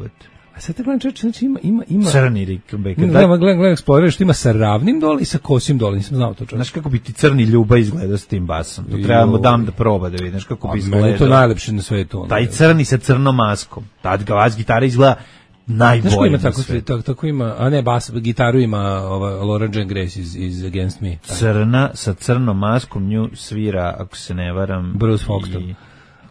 A sad te gledam čovječ, znači ima... Crni Rickenbacker. Gledam Explorer što ima sa ravnim dole i sa kosim dole, nisam znao to čovječ. Znaš kako bi ti crni Ljuba izgledao s tim basom? To trebamo da proba da vidiš kako bi izgledao. Meni to najlepše na svetu. Taj crni sa crnom maskom. Tad ga vas gitara izgleda najbolje na svetu. Tako ima, a ne, bas, gitaru ima Laura Jane Grace iz Against Me. Crna sa crnom maskom, nju svira, ako se ne varam... Bruce Foxton.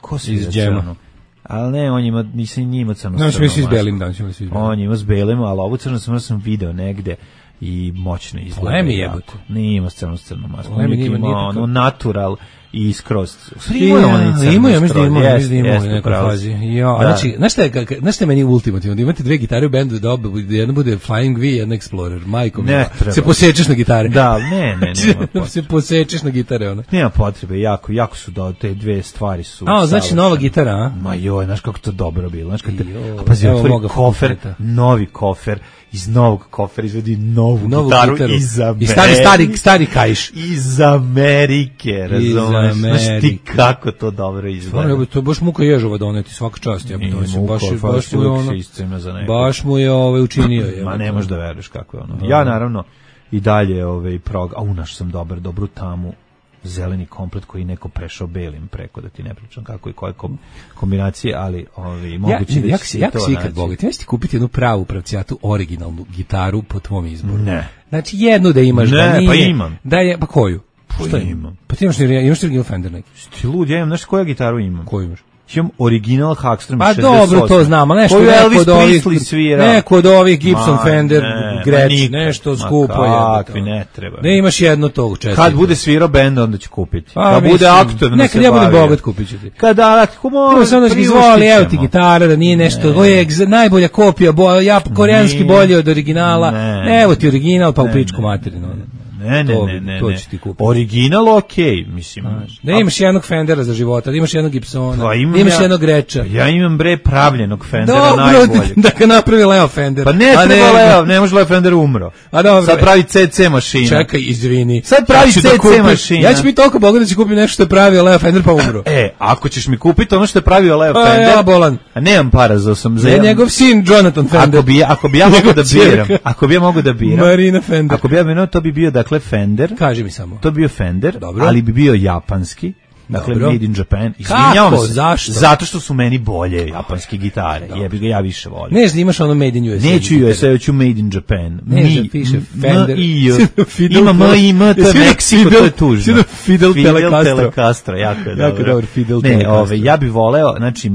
Ko svira crnu? Ali ne, on ima, nisam njima crno s crnom maskom. On ima s belim, ali ovu crnu sam video negde i moćno izgleda. Lemi jebote. Nije ima s crnom maskom. Lemi nije ono natural i skroz. Imaju, mislim da imaju u nekoj fazi. Znači, znaš šta je meni ultimativno? Da imate dve gitare u bendu, da jedna bude Flying V, jedna Explorer. Majko mi, se posečeš na gitare. Da, ne, nema potrebe. Se posečeš na gitare, ona. Nema potrebe, jako su te dve stvari su. Znači nova gitara, a? Ma joj, znaš kako to dobro bilo. Znaš kako pazi, otvori kofer, novi kofer, iz novog kofera izvedi novu gitaru iz Amerike. I stari kaiš. Iz Amerike, razumiješ? Znaš ti kako to dobro izgleda. To je baš muka ježova doneti, svaka čast. Baš mu je učinio. Ma ne možeš da veruješ kako je ono. Ja naravno i dalje našao sam dobru tamu, zeleni komplet koji neko prešao belim preko, da ti ne pričam kako i koje kombinacije, ali moguće da će se to naći. Ja ikad bogati, ja ću ti kupiti jednu pravu pravcijatu originalnu gitaru po tvom izboru. Ne. Znači jednu da imaš, da nije. Pa imam. Pa koju? Što imam? Pa ti imaš original Fender neki? Ti lud, ja imam, znaš koju gitaru imam? Koju imaš? Imam original Hackstrom 68. Pa dobro, to znam, ali neko od ovih Gibson Fender Gretsch, nešto skupo je. Kakvi, ne treba. Ne imaš jedno tog četiri. Kad bude svirao bend, onda ću kupiti. Kad bude aktivno se bavi. Nekad ja budem bogat, kupit ću ti. Kada, samo da izvoli, evo ti gitara, da nije nešto, ovo je najbolja kopija, koreanski bolje od originala, evo ti original, pa u pičku materinu. Ne. To ću ti kupiti. Original okej, mislim. Da imaš jednog Fendera za života, da imaš jednog Gibsona, da imaš jednog Gretcha. Ja imam pravljenog Fendera najboljeg. Dobro, da ga napravi Leo Fender. Pa ne treba Leo, ne može Leo Fender umro. Sad pravi CC mašina. Čekaj, izvini. Sad pravi CC mašina. Ja ću biti toliko bogat da ću kupiti nešto što je pravio Leo Fender pa umro. Ako ćeš mi kupiti ono što je pravio Leo Fender. Ja bolan. A nemam para za njegov sin Jonathan Fender. Ako bi ja mogu da biram. Marina Fender. Ako bi ja biram, to bi bio dakle Fender. Kaži mi samo. To bi bio Fender, dobro, ali bi bio japanski. Dakle, dobro, made in Japan. Kako? Zašto? Zato što su meni bolje japanske gitare. Jebi ga, ja više volim. Ne znam, imaš ono made in USA. Neću USA, ću made in Japan. Ne, piše Fender. Ima to je Meksiko, to je tužno. Fidel Telecastro, jako je dobro. Fidel Telecastro. Ja bi voleo, znači,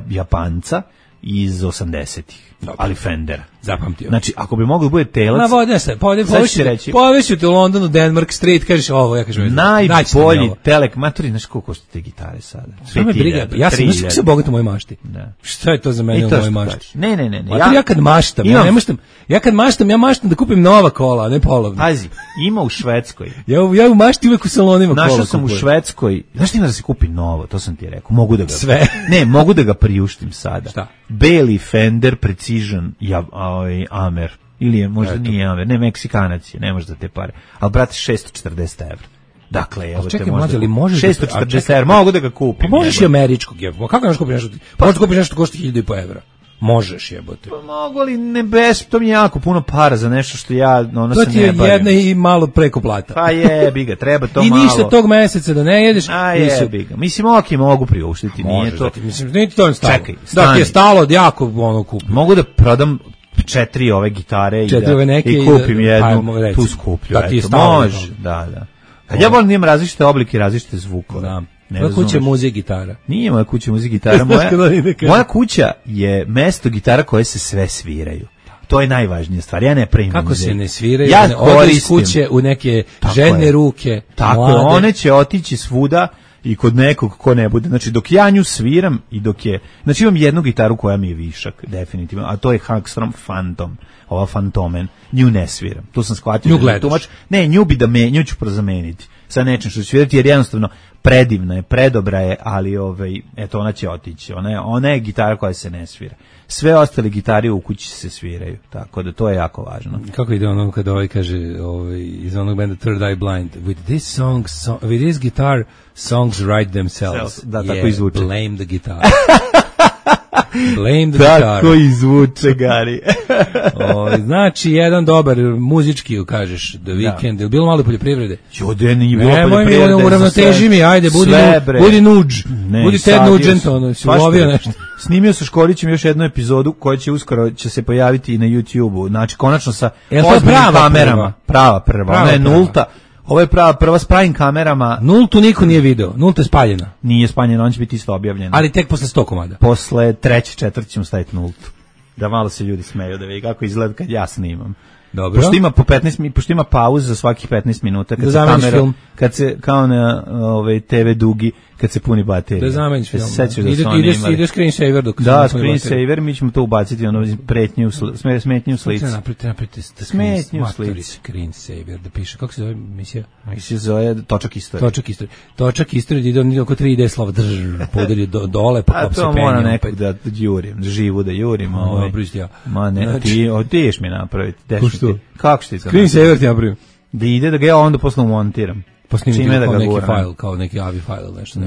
Japanca iz 80-ih. Ali Fender. Zapamtio. Znači, ako bi moglo bude telac... Povešću te u Londonu, Denmark Street, kažeš ovo, ja kažem... Najbolji telek... Maturi, znaš koliko košta te gitare sada? Sve me briga, ja sam se bogat u mojoj mašti. Šta je to za mene u mojoj mašti? Ne. Ja kad maštam, ja maštam da kupim nova kola, a ne polovna. Pazi, ima u Švedskoj. Ja u mašti uvek u salonima kola kupujem. Našao sam u Švedskoj, znaš ti ima da se kupi novo, to sam ti rekao, mogu da ga... Sve. Ne, mogu da ga priuštim sada. Šta? Beli Fender Precision Amer, ili je možda nije Amer, ne, Meksikanac je, ne može da te pare, ali brate 640 €. Dakle, evo te možda 640 €, mogu da ga kupim. Pa možeš i američkog, kako nemaš kupiti nešto? Možeš kupiti nešto košta 1.500 €. Možeš, jebote. Pa mogu li to mi je jako puno para za nešto što ja se ne bavim. To ti je jedna i malo preko plata. Pa jebi ga, treba to i malo. I ništa tog meseca da ne jedeš. A jebi ga. Mislim, mogu priuštiti, nije to. Mislim, nije ti to stalo. Čekaj, da ti je stalo od jako kup. Mogu da prodam 4 ove gitare i kupim jednu, tu skuplju. Da ti je stalo. Može, da. Ja volim da imam različite oblike, različite zvukove. Da. Moja kuća je muzej gitara. Nije moja kuća muzej gitara. Moja kuća je mesto gitara koje se sve sviraju. To je najvažnija stvar. Ja ne pravim kako muzej. Se ne sviraju? Ja ode iz kuće u neke žene ruke. Tako, one će otići svuda i kod nekog ko ne bude. Znači, dok ja nju sviram i dok je... Znači, imam jednu gitaru koja mi je višak, definitivno, a to je Hackstrom Phantom, ova Phantomen. Nju ne sviram. Tu sam shvatio. Nju gledaš? Ne, nju ću prozameniti sa nečim što ću svirati, jer jednostavno predivna je, predobra je, ali eto, ona će otići. Ona je gitara koja se ne svira. Sve ostale gitare u kući se sviraju, tako da to je jako važno. Kako ide ono kada kaže iz onog benda Third Eye Blind, with this guitar songs write themselves. Da, tako izvuče. Blame the guitar. Blame the guitar. Tako izvuče, Gari. Znači, jedan dobar muzički, kažeš, The Weeknd, je bilo malo poljoprivrede? Jode, nije bilo poljoprivrede. Nemoj mi, uravnoteži mi, ajde, budi nuđ. Budi Ted Nugent, si ulovio nešto. Snimio sa Škorićem još jednu epizodu koja će uskoro se pojaviti i na YouTube-u. Znači, konačno sa ozbiljnim kamerama. Prava prva. Ona je nulta. Ovo je prva s pravim kamerama. Nultu niko nije video. Nulta je spaljena. Nije spaljena, on će biti isto objavljena. Ali tek posle 100 komada. Posle 3. 4. ćemo staviti nultu. Da malo se ljudi smeju, da vidi kako izgleda kad ja snimam. Dobro. Pošto ima pauza za svakih 15 minuta kad da se kamera film. Kad se kao na TV dugi kad se puni baterija. Da zameniš film. Ide screensaver dok da, screensaver, mi ćemo to ubaciti smetnju u slici. Smetnju u slici. Screensaver, da piše, kako se zove emisija? Se zove Točak istorije. Točak istorije, ide oko 3 ide slova podeli dole, pa se penje. To mora nekog da jurim, živu da jurim. Ma ne, ti odiješ mi napraviti. Što? Kako što ti to? Screensaver ti napravim. Da ide da ga ja onda posle montiram. Čime da ga neki guram? fajl, kao neki AVI fajl ili nešto.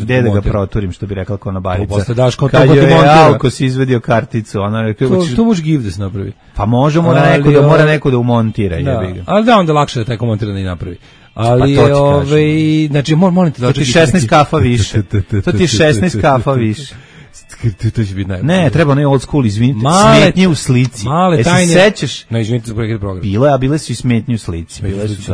Gde da ga proturim, što bi rekao Konobarica. Posle daš kao to kad ko ti je montira. Alko si izvedio karticu, ona rekao... To može give da se napravi. Pa može, mora neko da umontira. Da, ali da, onda lakše da taj ko montira da i napravi. Ali pa to ti znači molim te da to ti 16 kafa više. To ti 16 kafa više. To će biti najbolje. Ne, treba ne old school, izvinite, smetnje u slici. Male tajne. Se sećaš? No, izvinite za prekid programa. Bile su i smetnje u slici. Bile su.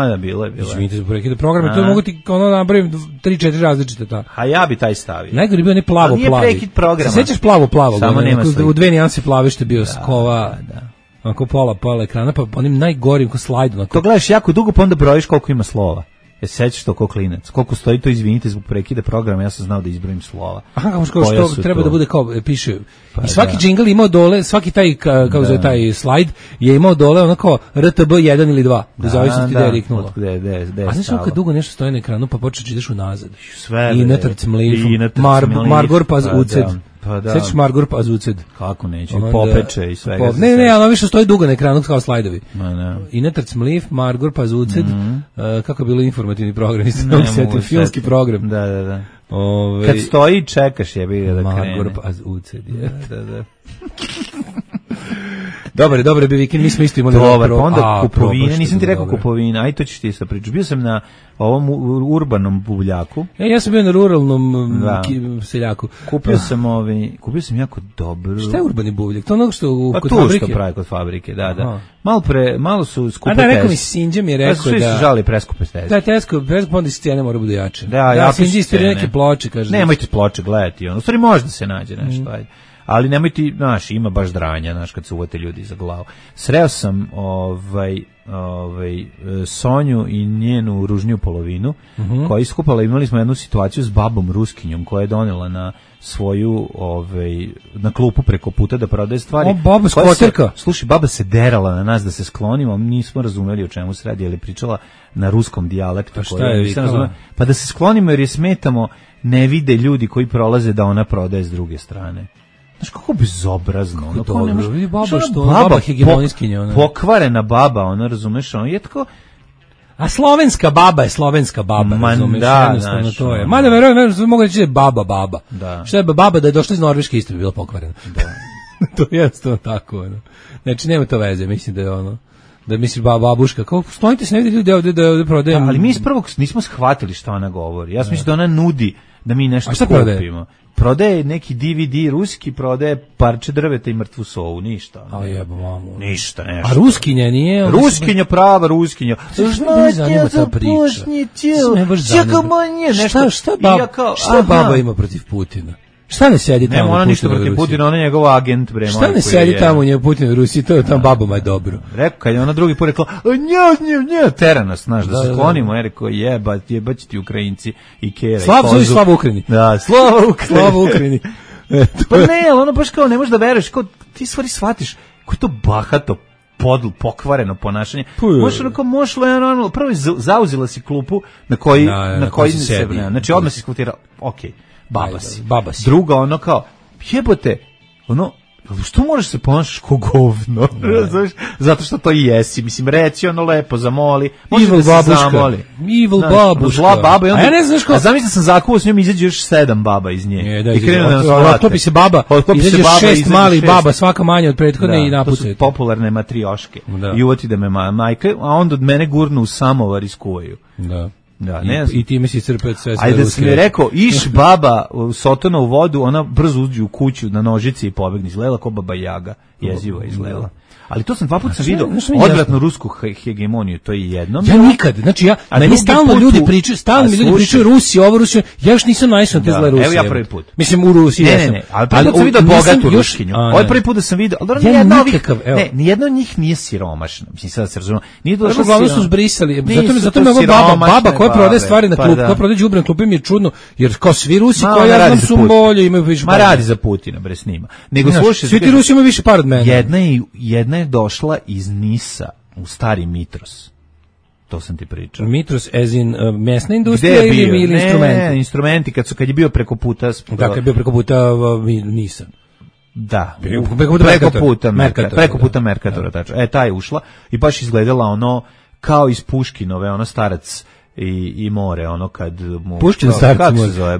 Da, bilo je. Izvinite za prekid programa, to mogu ti ono napravim 3-4 različite ta. A ja bi taj stavio. Najgori bio ne plavo plavi. Nije prekid programa. Se sećaš plavo? Samo nema slike. U dve nijanse plave što je bio skova. Da. Onako pola ekrana, pa onim najgorim ko slajd. To gledaš jako dugo, pa onda brojiš koliko ima slova. Sećaš to ko klinac. Koliko stoji to, izvinite zbog prekida programa, ja sam znao da izbrojim slova. Aha, što treba to? Da bude kao piše. Pa i svaki džingl imao dole, svaki taj kao zove taj slajd je imao dole onako RTB 1 ili 2, u zavisnosti gde je riknulo. A znaš kad dugo nešto stoji na ekranu, pa počeš ideš unazad. I natrc mlif, Margor pa uced. Pa da. Sećaš Margor pa uced. Kako neće, popeče i svega. Ne, ali više stoji dugo na ekranu kao slajdovi. Ma I natrc mlif, Margor pa uced. Kako je bilo informativni program, filmski program. Da. Kad stoji čekaš je bi da krene. Margor pa uced. Da. Dobar bi vikend, mi smo isto imali dobar, pa onda kupovine, nisam ti rekao kupovine, aj to ćeš ti sa priču. Bio sam na ovom urbanom buvljaku. Ja sam bio na ruralnom seljaku. Kupio sam jako dobro. Šta je urbani buvljak? To ono što kod fabrike? Što pravi kod fabrike, da. Malo su skupe teste. A da, rekao mi Sinđa mi je rekao da... Svi su žali preskupe teste. Da, preskupe, onda iz cijene mora bude jače. Da, Sinđa ispiri neke ploče, kaže. Nemojte ploče gledati, u stvari možda se nađe nešto, ajde. Ali nemoj ti, ima baš dranja, kad se uvate ljudi za glavu. Sreo sam Sonju i njenu ružniju polovinu, koja je iskupala, imali smo jednu situaciju s babom Ruskinjom, koja je donela na svoju, na klupu preko puta da prodaje stvari. O, baba skoterka. Slušaj, baba se derala na nas da se sklonimo, nismo razumeli o čemu se radi, jer je pričala na ruskom dijalektu. Pa šta je vikala? Pa da se sklonimo jer je smetamo, ne vide ljudi koji prolaze da ona prodaje s druge strane. Znaš kako bezobrazno. Baba hegemonijskinja. Pokvarena baba, ona, razumeš, ona je tako... A slovenska baba je slovenska baba, razumeš, jednostavno to je. Mada verujem, mogu reći da je baba. Da. Šta je baba da je došla iz Norveške isto bi bila pokvarena. Da. To je jednostavno tako. Znači, nema to veze, mislim da je ono... Da misliš babuška, kao stojite se, ne vidi ljudi ovde da prodajem. Ali mi iz prvog nismo shvatili šta ona govori. Ja mislim da ona nudi da mi nešto kupimo. Prodaje neki DVD ruski, prodaje parče drveta i mrtvu sovu, ništa. A jebo mamu. Ništa, nešto. A ruskinja nije? Ruskinja, prava ruskinja. Šta zanima ta priča? Šta baba ima protiv Putina? Šta ne sedi tamo? Nema ona ništa protiv Putina, ona je njegov agent, bre. Šta ne sedi tamo u njegu Putin u Rusiji, to je tamo babama je dobro. Rekao, kad je ona drugi put rekla, tera nas, znaš, da se sklonimo, je rekao, jebaći ti Ukrajinci i Kera. Slava Ukrajini. Da, Slava Ukrajini. Pa ne, ali ono baš kao ne možeš da veruješ, kao ti stvari shvatiš, koji to bahato, pokvareno ponašanje. Mošlo je normalno, prvo je zauzela si klupu na koji se vrne. Znači, odmah si skutira, okej. Baba si. Druga, ono kao, jebote, ono, što možeš se ponašaš ko govno? Zato što to i jesi. Mislim, reci ono lepo, zamoli. Može da se zamoli. Evil babuška. Zla baba. A ja ne znaš kao... A zamisli sam zakuvao s njom, izađe još 7 baba iz nje. I krenu da nas vrate. Otopi se baba, izađe 6 malih baba, svaka manja od prethodne i napucaju. To su popularne matrioške. I uvoti da me majka, a onda od mene gurnu u samovar i skuvaju. Da. Da, I time si crpet sve ruske. Ajde da sam je rekao, iš baba sotona u vodu, ona brzo uđe u kuću na nožici i pobegne. Izgledala ko baba Jaga, jezivo izgledala. Ali to sam dva puta vidio, odvratnu rusku hegemoniju, to je jednom. Ja nikad, znači meni stalno ljudi pričaju Rusi, ovo Rusi, ja još nisam naišao na te zle Rusije. Evo ja prvi put. Mislim u Rusiji jesam. Ne, ali prvi put sam vidio bogatu Ruskinju. Ovo prvi put da sam vidio, ali nijedno od njih nije siromašno. Mislim, sad se razumemo. Nije došlo uglavnom su zbrisali. Zato me ova baba koja prodaje stvari na klub, koja prodaje đubre na klupi mi je čudno, jer kao svi Rusi koji ja znam su bolje, imaju više para. Ma radi za Putina, bre, s njima. Nego slušaj, svi ti Rusi imaju više para od mene. Jedna je došla iz Nisa u stari Mitros. To sam ti pričao. Mitros as in mesna industrija ili instrumenti? Ne, instrumenti, kad je bio preko puta... Dakle, je bio preko puta Nisa. Da, preko puta Merkatora, tačno. Ta je ušla i baš izgledala ono kao iz Puškinove, ono starac i more, ono kad mu... Puškin starci kako more. se zove?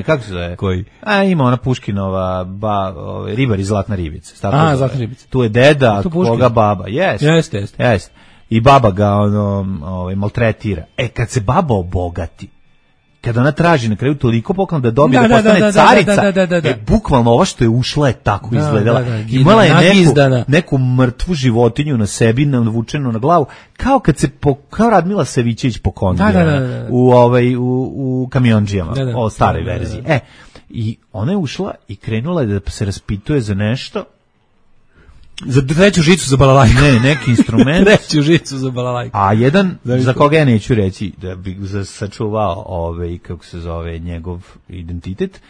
Kako se zove? Koji? Ima ona Puškinova, ribar iz Zlatna ribica. Zlatna ribica. Tu je deda, koga baba. Jeste. I baba ga maltretira. Kad se baba obogati, kada ona traži na kraju toliko poklon da dobije da postane carica, bukvalno ovo što je ušla je tako izgledala. Imala je neku mrtvu životinju na sebi, navučenu na glavu, kao Radmila Savićević po kondijama u Kamionđijama, o staroj verziji. I ona je ušla i krenula je da se raspituje za nešto. Za treću žicu za balalajku. Ne, neki instrument. Treću žicu za balalajku. A jedan, za koga ja neću reći, da bi sačuvao, kako se zove, njegov identitet.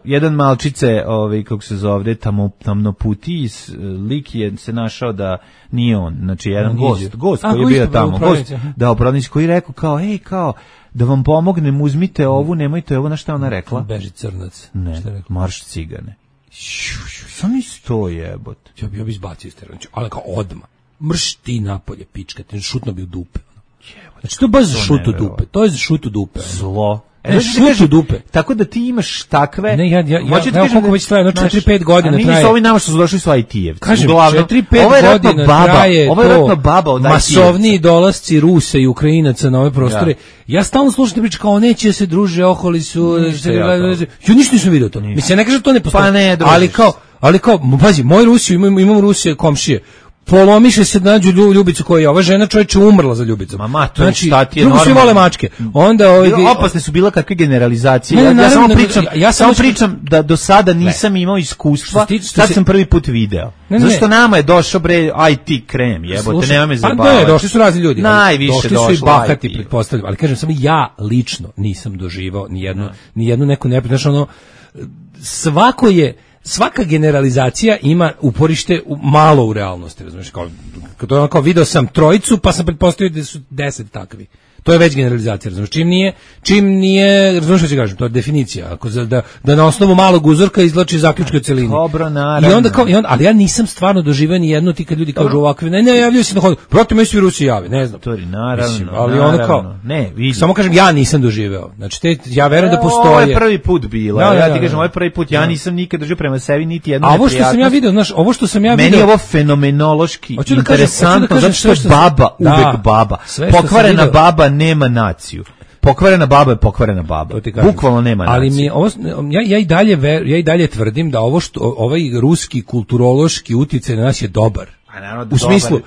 Jedan malčice, kako se zove, tamnoputi, lik je se našao da nije on. Znači, jedan gost koji je bio tamo. Upravnici koji je rekao kao, da vam pomognem, uzmite ovu, nemojte ovo, na šta ona rekla? Beži crnac. Ne, marš cigane. Sam isto jebot. Ja bi izbacio iz terena, ali kao odmah. Mrš ti napolje, pička, te šutno bi u dupe. Znači, to je baš za šut u dupe. To je za šut u dupe. Zlo. Šut u dupe. Tako da ti imaš takve... Ne, ja koliko već traje, 4-5 godina traje. Nisu ovi nama što su došli su IT-evci. Kažem, 4-5 godina traje to masovniji dolasci Rusa i Ukrajinaca na ove prostore. Ja stalno slušam te priče kao neće se druže, oholi su... Ja ništa nisam vidio to. Mislim, ja ne kažem da to ne postoji. Ali kao, pazi, moj Rusiju, imam Rusije komšije. Polomiše se nađu Ljubicu koja je ova žena čovječe umrla za Ljubicom. Mama, to znači, šta ti je normalno. Drugo svi vole mačke. Onda opasne su bila kakve generalizacije. Ja samo pričam da do sada nisam imao iskustva. Sad sam prvi put video. Zašto nama je došao IT krem, jebote, nema me zabavati. Ne, došli su razni ljudi. Najviše došli su i bahati, pretpostavljam. Ali kažem, samo ja lično nisam doživao ni jednu neku neprijatno. Svaka generalizacija ima uporište malo u realnosti, razumiješ, kao video sam trojicu, pa sam pretpostavio da su 10 takvi. To je već generalizacija, razumiješ, čim nije, razumiješ što ću kažem, to je definicija, da na osnovu malog uzorka izvlači zaključke u celini. Dobro, naravno. Ali ja nisam stvarno doživio ni jedno, ti kad ljudi kažu ovakve, ne javljaju se na hodu, protiv me svi Rusi jave, ne znam. Naravno, ali ono kao, samo kažem, ja nisam doživeo, znači ja verujem da postoje. Ovo je prvi put bilo, ja ti kažem, ovo je prvi put, ja nisam nikad doživio prema sebi niti jednu neprijatnost. Ovo što sam ja vidio, meni je ovo fenomenološki interesantno, zato što je baba uvek baba, pokvarena baba nema naciju. Pokvarena baba je pokvarena baba. Bukvalno nema naciju. Ali ja i dalje tvrdim da ovaj ruski kulturološki uticaj na nas je dobar. U smislu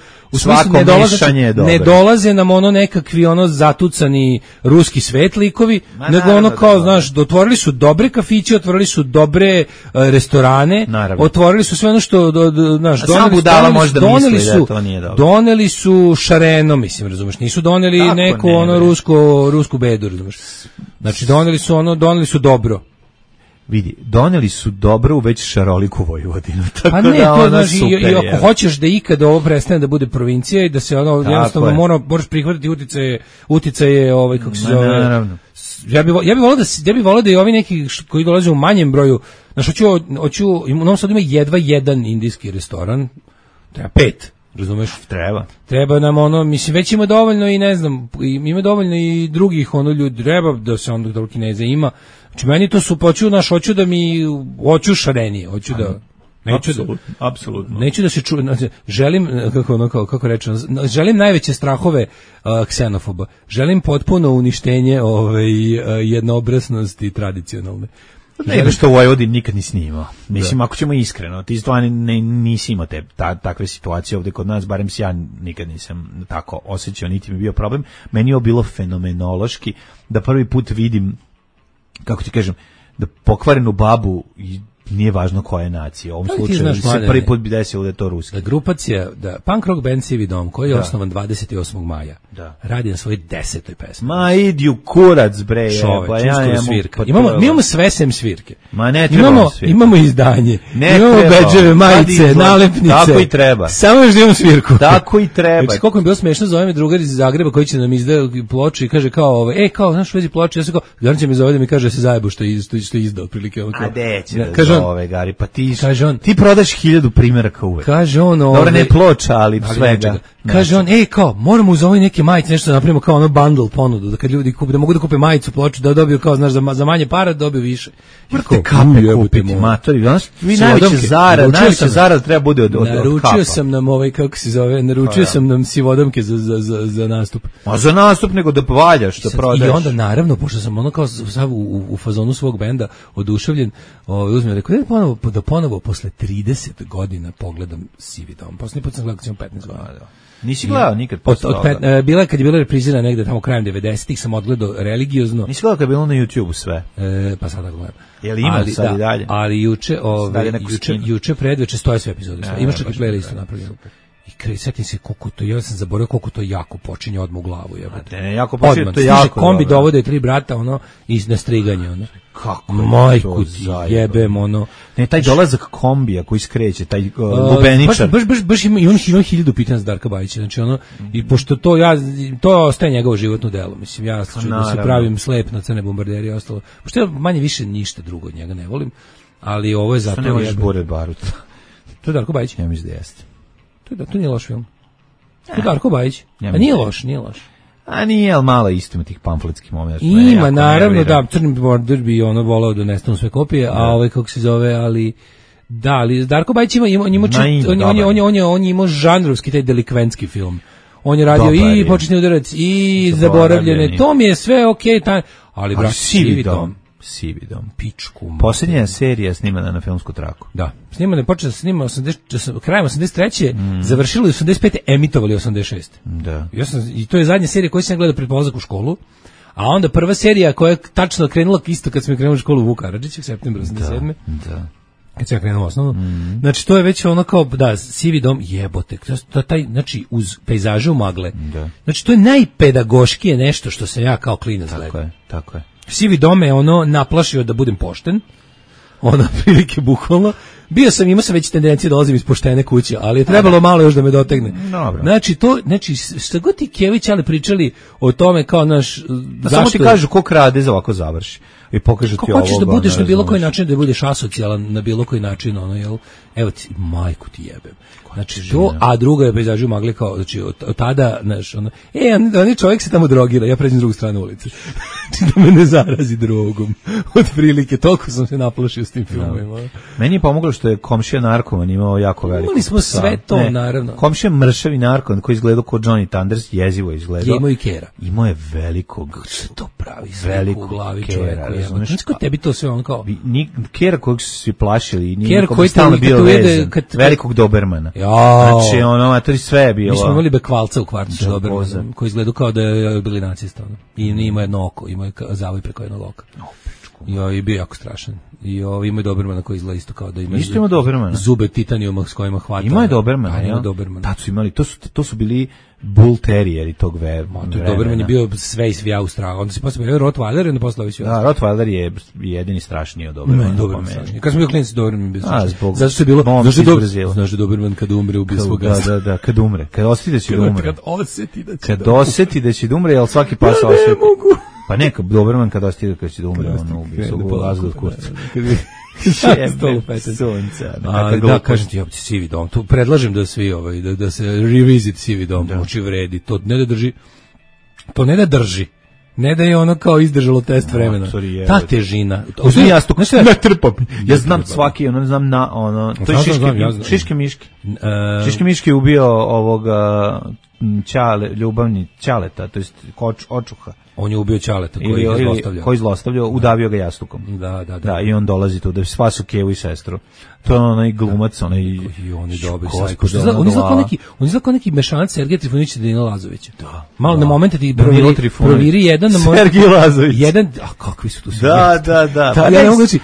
ne dolaze nam ono nekakvi zatucani ruski svetlikovi, nego ono kao, znaš, otvorili su dobre kafiće, otvorili su dobre restorane, otvorili su sve ono što, znaš, doneli su šareno, mislim, razumeš, nisu doneli neku rusku bedu, razumeš. Znači, doneli su dobro. Vidi, doneli su dobro u već šaroliku Vojvodinu. Pa ne, to znači, i ako hoćeš da ikada ovo prestane da bude provincija i da se jednostavno moraš prihvatiti uticaje kako se zove. Naravno. Ja bih volao da i ovi neki koji dolaze u manjem broju, znači u Novom Sadu ima jedva jedan indijski restoran, treba 5. Razumeš? Treba nam mislim, već ima dovoljno i ne znam, ima dovoljno i drugih ljudi, treba da se onda toliko Kineza ima. Znači, meni to su hoću šarenije, apsolutno. Neću da se želim, kako rečem, želim najveće strahove ksenofoba, želim potpuno uništenje jednoobraznosti tradicionalne. Ne, što u Vojvodini nikad nisi imao. Mislim, ako ćemo iskreno, ti stvarno nisi imao takve situacije ovdje kod nas, barem ja nikad nisam tako osjećao, niti mi je bio problem. Meni je bilo fenomenološki da prvi put vidim, kako ti kažem, da pokvarenu babu nije važno koja je nacija. U ovom slučaju se prvi put bi desilo da je to ruski. Grupacija, punk rock band Sivi dom, koji je osnovan 28. maja, radi na svojoj 10. pesmi. Ma idi u kurac, bre. Svirka. Mi imamo sve sem svirke. Ma ne trebamo svirke. Imamo izdanje, imamo bedževe, majice, nalepnice. Tako i treba. Samo još da imamo svirku. Tako i treba. Znači, koliko mi je bilo smešno, zove me drugar iz Zagreba koji će nam izdati ploču i kaže kao, znaš u vezi ploče, ja sam kao, Garan će mi zove da mi kaže da se zajebo što je izdao, otprilike. A deće pa ti prodaš 1000 primjeraka uvek. Kaže on, dobro, ne ploča, ali svega. Kaže on, kao, moramo uz ovaj neke majice nešto da napravimo kao ono bundle ponudu, da kad ljudi kupe, da mogu da kupe majicu, ploču, da dobiju kao, znaš, za manje para da dobiju više. Morate kape kupiti, matori. Vi najveće zarada treba bude od kapa. Naručio sam nam kako se zove, sam nam sivodomke za nastup. A za nastup nego da valjaš, da prodaš. I onda, naravno, pošto sam ono kao sav u fazonu svog benda oduševljen, uzmem, rekao, da ponovo posle 30 godina pogledam Sivi dom. Poslednji put sam gledao kad sam 15 godina. Nisi gledao nikad posle toga? Kad je bila reprizirana negde tamo krajem 90-ih, sam odgledao religiozno. Nisi gledao kad je bilo na YouTube sve? Pa sada gledam. Jel ima sad i dalje? Ali juče predveče stoje sve epizode. Imaš čak i playlistu napravljenu. I setim se koliko to, ja sam zaboravio koliko to jako počinje odmah u glavu. Jako počinje, to je jako. Kombi dovode 3 brata, i na striganje, Kako? Majku ti jebem, Ne, taj dolazak kombija koji skreće, taj lubeničar. Baš ima 1000 pitanja za Darka Bajića, znači i pošto to ostaje njegovo životno delo, mislim, ja da se pravim slep na crne bombarderije i ostalo, pošto ja manje više ništa drugo od njega ne volim, ali ovo je zato... Što ne možeš Bored Barut? To je Darko Bajić? Ja mislim da jeste. To nije loš film. To je Darko Bajić. A nije loš. A nije, ali malo isto ima tih pamfletskih momenta. Ima, naravno, da, Crni border bi volao da nestanu sve kopije, a kako se zove, ali Darko Bajić on je imao žanrovski taj delikventski film. On je radio i Početni udarac i Zaboravljene. To mi je sve okej, ali brat, Sivi dom, pičku. Posljednja serija snimana na filmsku traku. Da, snimana je počela snima krajem 83. Završili 85. emitovali 86. Da. I to je zadnja serija koju sam gledao pred polazak u školu, a onda prva serija koja je tačno krenula isto kad smo krenuli u školu Vuk Karadžić u septembru 87. Da. Kad sam krenuo osnovno. Znači, to je već ono kao, Sivi dom, jebote. Znači, uz pejzaže u magle. Da. Znači, to je najpedagoškije nešto što sam ja kao klinac gledao. Tako je. Sivi dom je naplašio da budem pošten, prilike bukvalno. Imao sam već tendencije da dolazim iz poštene kuće, ali je trebalo malo još da me dotegne. Dobro. Znači, šta god ti Kević ali pričali o tome kao naš... Samo ti kažu ko krade za ovako završi. I pokažu ti ovo. Kako hoćeš da budeš na bilo koji način, da budeš asocijalan na bilo koji način, jel? Evo ti, majku ti jebem. Znači, a druga je pejzažu magli kao, znači, od tada, znaš, oni čovjek se tamo drogira, ja pređem s drugu stranu ulice. Da me ne zarazi drogom. Od prilike, toliko sam se naplašio s tim filmovima. Meni je pomoglo što je komšija narkoman imao jako veliko. Imali smo sve to, naravno. Komšija mršavi narkoman koji izgledao kao Johnny Thunders, jezivo izgledao. Je imao i kera. Imao je velikog. Što to pravi sliku u glavi čovjeku. Znači, kod tebi to sve kao... Kera kojeg su svi plašili. Kera koji stalno bio vezan. Velikog Dobermana. Znači, to sve je bilo. Mi smo imali Bekvalca u kvartu sa Dobermanom, koji izgledao kao da je bili nacista. I ima jedno oko, ima zavoj preko jednog oka. I bio jako strašan. I ima Dobermana koji izgleda isto kao da ima zube titanijuma s kojima hvata. Ima je Dobermana, ja? Tad su imali, to su bili Bull Terrieri tog vremena. Doberman je bio sve i svija u strahu. Onda se posle bio Rottweiler i onda posle sve. Da, Rottweiler je jedini strašniji od Dobermana. Doberman strašniji. Kad smo bio klinici, Doberman bio strašniji. Zato što je bilo... Znaš da Doberman kad umre ubije svog gasa. Da, kad umre. Kad osjeti da će umre. Kad osjeti da će umre, jel svaki pas osjeti? Pa neka, Doberman kad osjeti da će umre, on ubije svog gasa od kurca. Da, kažem ti, Sivi dom, tu predlažem da svi da se revisit Sivi dom, uči vredi, to ne da drži, ne da je ono kao izdržalo test vremena, ta težina, uzmi jastuk, ne trpam, ja znam svaki, znam to je Šiške Miške, Šiške Miške je ubio ovoga ljubavni Ćaleta, to jest očuha. On je ubio Ćaleta koji zlostavljao, udavio ga jastukom. Da, i on dolazi tu da spasu Kevu i sestru. To je onaj glumac, onaj... I on je dobri sajko. On izgleda kao neki mešanac Sergeja Trifunića i Danila Lazovića. Da. Malo na momente ti proviri jedan... Sergej Lazović. A kakvi su tu svi? Da. Ja ne mogu reći...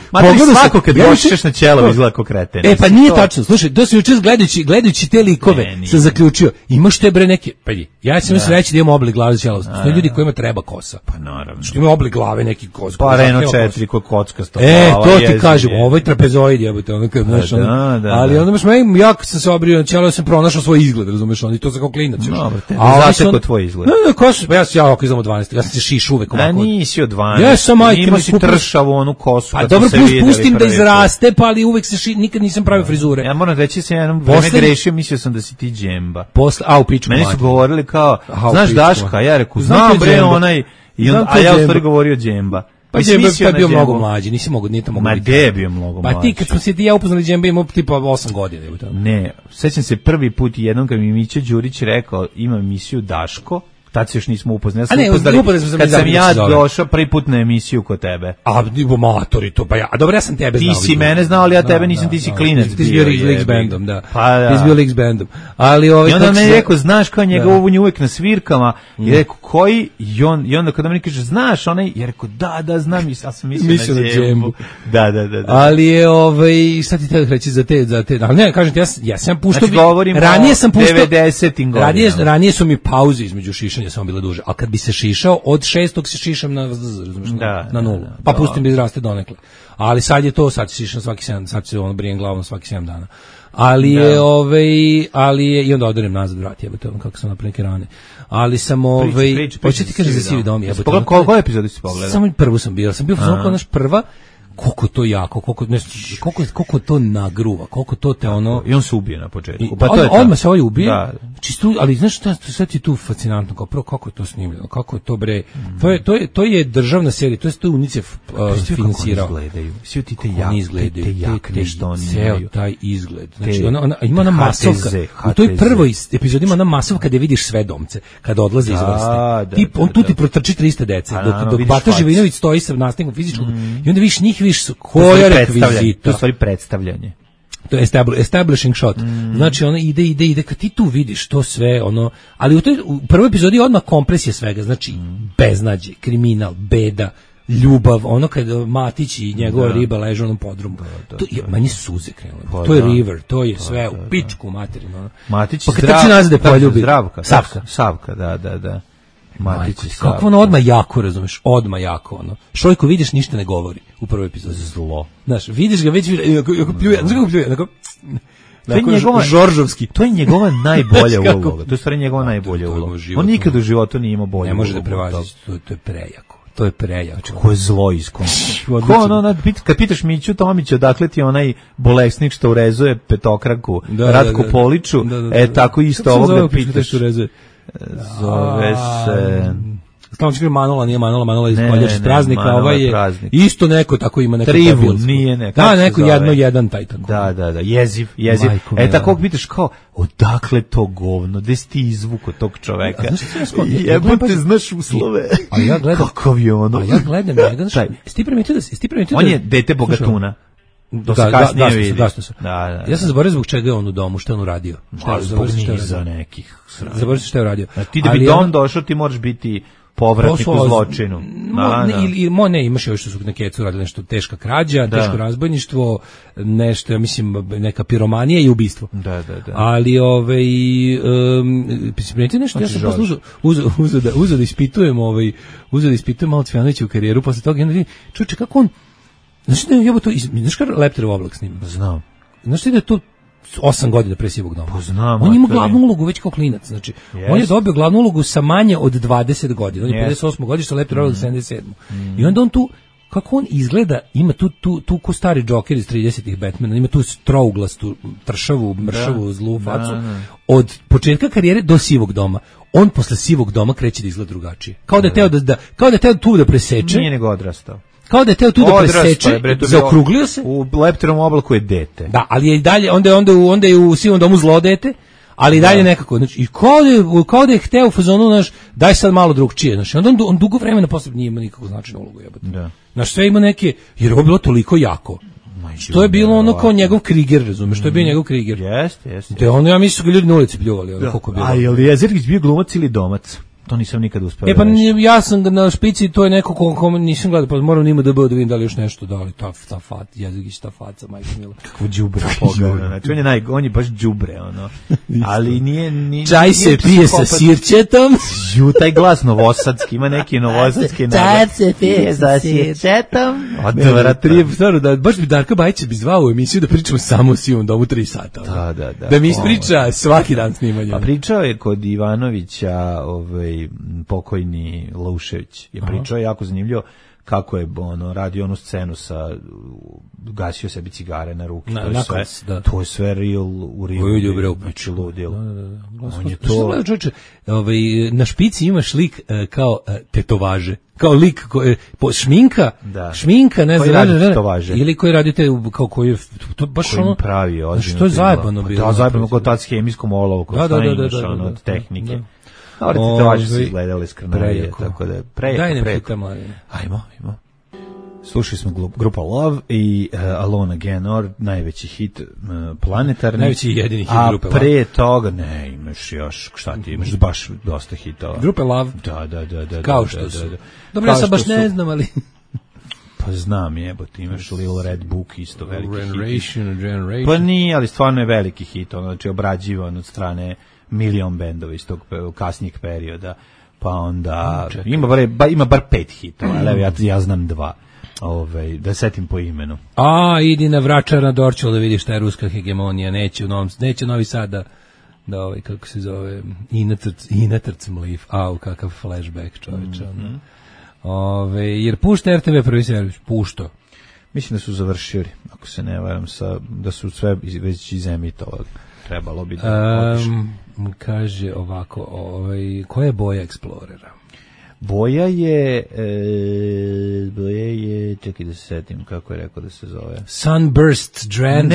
Svako kad gošiš na ćelo izgleda kao kreten. Pa nije tačno. Slušaj, to sam jučer gledajući te likove sam zaključio. Imaš te bre neke... Ja sam reći da imamo oblik glave za ćelo. Ljudi kojima treba kosa. kosa. Pa naravno. Što ima oblik glave neki kos. Pa Reno 4 kod kockasto. To ti kažem, ovo je trapezoid, jebote, ono kad znaš, ali onda baš ja kad sam se obrio, ćelo sam pronašao svoj izgled, razumeš, on i to za kao klinac još. A zato kod tvoj izgled. Ja ovako izam od 12, ja sam se šiš uvek ovako. Da nisi od 12. Ja sam majke, ima si tršavu onu kosu. Pa dobro, pustim da izraste, pa ali uvek se nikad nisam pravio frizure. Ja moram reći se jednom vreme grešio, mislio sam da si ti džemba. U pičku. Meni su govorili kao, znaš Daška, ja rekao, znam bre onaj, a ja u stvari govorio džemba. Pa Džemba je bio mnogo mlađi, nisi mogo, nije to mogo. Ma gde je bio mnogo mlađi? Pa ti kad smo se ti ja upoznali Džemba imao tipa 8 godina. Ne, sećam se prvi put jednom kad mi Mića Đurić rekao, ima emisiju Daško, tad se još nismo upoznali. Kad sam ja došao prvi put na emisiju kod tebe. A matori to, pa ja, dobro, ja sam tebe znao. Ti si mene znao, ali ja tebe nisam, ti si klinac. Ti si bio X bandom, da. Ti si bio X bandom. Ali i onda me rekao, znaš kao njega on je uvek na svirkama, i rekao, koji? I onda kada mi kaže, znaš onaj, ja rekao, da, znam, ja sam mislio na Džembu. Da. Ali je, šta ti treba reći za te, ali ne, kažem ti, ja sam puštao, ranije sam puštao, 90-im godinama. Ranije su mi pauze između šišanja samo bile duže, ali kad bi se šišao, od 6. se šišam na 0, pa pustim da izraste donekle. Ali sad je to, sad se šišam svaki 7, sad se brijem glavom svaki 7 dana. Ali je, i onda odanem nazad vrat, jebote, kako sam napravio neke rane. Ali sam, hoće ti kaže za Sivi dom, jebote. Koju epizodu si pogledao? Samo prvu sam bio naš prva, koliko to jako, koliko to nagruva, koliko to te ono... I on se ubije na početku. Odmah se ovaj ubije, čisto, ali znaš šta, sve ti tu fascinantno, kao prvo kako je to snimljeno, kako je to bre, to je državna serija, to je UNICEF finansirao. Kako oni izgledaju, svi ti te jakne što oni imaju. Ceo taj izgled, znači ima ona masovka, u toj prvoj epizodi ima ona masovka gde vidiš sve domce, kada odlaze iz vrste. On tu ti protrči 300 dece, dok Bata Živinović stoji sa nastavnikom fizičkog, i onda vidiš njih, koja rekvizita. To je stvari predstavljanje. To je establishing shot. Znači ono ide, kad ti tu vidiš to sve, ono, ali u prvoj epizodi je odmah kompresija svega, znači beznađe, kriminal, beda, ljubav, ono kad Matić i njegova riba leže u onom podrumu. To je manje suze krenule. To je river, to je sve u pičku materinu. Matić pa kad trči nazad da poljubi. Savka, da. Kako ono odmah jako, razumeš, odmah jako, ono. Šojko vidiš ništa ne govori u prvoj epizodi. Zlo. Znaš, vidiš ga već, ako pljuje, znaš kako pljuje, Žoržovski. To je njegova najbolja uloga. To je stvari njegova najbolja uloga. On nikad u životu nije imao bolju ulogu. Ne može da prevazi, to je prejako. To je prejako. Znači, ko je zlo iskončno. Kad pitaš Miću Tomića, dakle ti onaj bolesnik što urezuje petokraku, Ratku Poliču, tako isto ovog da pitaš. Zove se... Stavno ću Manola, nije Manola iz Koljač iz praznika, ovaj je isto neko tako ima neko Trivun, nije neko. Da, neko jedan taj tako. Da, jeziv. Tako pitaš kao, odakle to govno, gde si ti izvuko tog čoveka? Jebote, znaš uslove. Kakav je ono? A ja gledam njega, znaš, sti primetio da... On je dete bogatuna. To se kasnije vidi. Da. Ja sam zaboravio zbog čega je on u domu, što je on uradio. Zbog niza nekih. Zaboravio što je uradio. Ti da bi dom došao, ti moraš biti povratnik u zločinu. Ne, imaš još što su na kecu radili nešto teška krađa, teško razbojništvo, nešto, ja mislim, neka piromanija i ubistvo. Da. Ali, primetio nešto, ja sam posle uzeo da ispitujem malo Cvijanoviću u karijeru, posle toga, čuče, kako on, znaš kada Lepterov oblak snima? Znam. Znaš da je to 8 godina pre Sivog doma? Poznam. On ima glavnu ulogu već kao klinac, znači. On je dobio glavnu ulogu sa manje od 20 godina. On je 58 godišta, Lepterov oblak 77. I onda on tu, kako on izgleda, ima tu ko stari Joker iz 30-ih Batmana, ima tu trouglastu, tršavu, mršavu, zlu facu. Od početka karijere do Sivog doma. On posle Sivog doma kreće da izgleda drugačije. Kao da je teo tu da preseče. Nije nego odrastao. Kao da je teo tu da preseče, zaokruglio se. U Lepterovom oblaku je dete. Da, ali je i dalje, onda je u Sivom domu zlo dete, ali i dalje nekako. Znači, i kao da je hteo u fazonu, znaš, daj sad malo drugčije. Znači, onda on dugo vremena posle nije ima nikakvu značajnu ulogu. Znaš, sve ima neke, jer ovo bilo toliko jako. To je bilo ono kao njegov Kriger, razumeš, to je bio njegov Kriger. Jeste. Da ono, ja mislim su ga ljudi na ulici pljuvali. A je li Jezergić bio glumac ili domac? To nisam nikad uspeo. Pa ja sam na špici, to je neko ko nisam gledao, pa moram njima da vidim da li još nešto, da li ta fat, jezikić ta faca, majko mila. Kakvo đubre. Znači on je baš đubre, ono. Ali nije čaj se pije sa sirćetom. Taj glas novosadski, ima neki novosadski naglas. Čaj se pije sa sirćetom. Stvarno, da baš bi Darka Bajić bi zvao u emisiju da pričamo samo o Sivom domu 3 sata. Da mi ispriča svaki dan snimanja. Pa pričao je kod Ivanovića, pokojni Laušević je pričao jako zanimljivo kako je radio onu scenu sa gasio sebi cigare na ruke, to je sve real u real, znači ludilo. On je to na špici imaš lik kao tetovaže, kao lik šminka, ne znam, ili koji radi te kao koji je to baš ono pravi ozbiljno. Što je zajebano bilo. Da, zajebano kod tad s hemijskom olovkom, od tehnike. Te važe su izgledali skrnarije, tako da je prejako. Ajmo. Slušali smo grupa Love i Alone Again, najveći hit planetarni. Najveći i jedini hit grupe Love. A pre toga, ne, imaš još, šta ti imaš, baš dosta hitova. Grupe Love? Da. Kao što su. Dobro, ja sad baš ne znam, ali... Pa znam, jebote, imaš Little Red Book, isto veliki Generation. Pa nije, ali stvarno je veliki hit, znači obrađivan od strane milion bendova iz tog kasnijeg perioda, pa onda ima bar 5 hitova, ali ja znam 2. Da setim po imenu. Idi na Vračar na Dorćol da vidiš šta je ruska hegemonija, neće Novi Sad da kako se zove, Inatrc Mlif, kakav flashback čoveče. Jer pušta RTV prvi servis, pušto. Mislim da su završili, ako se ne varam, da su sve već izemitovali. Trebalo bi da kaže ovako, koja je boja Explorera? Boja je, čekaj da se setim kako je rekao da se zove. Sunburst Jan.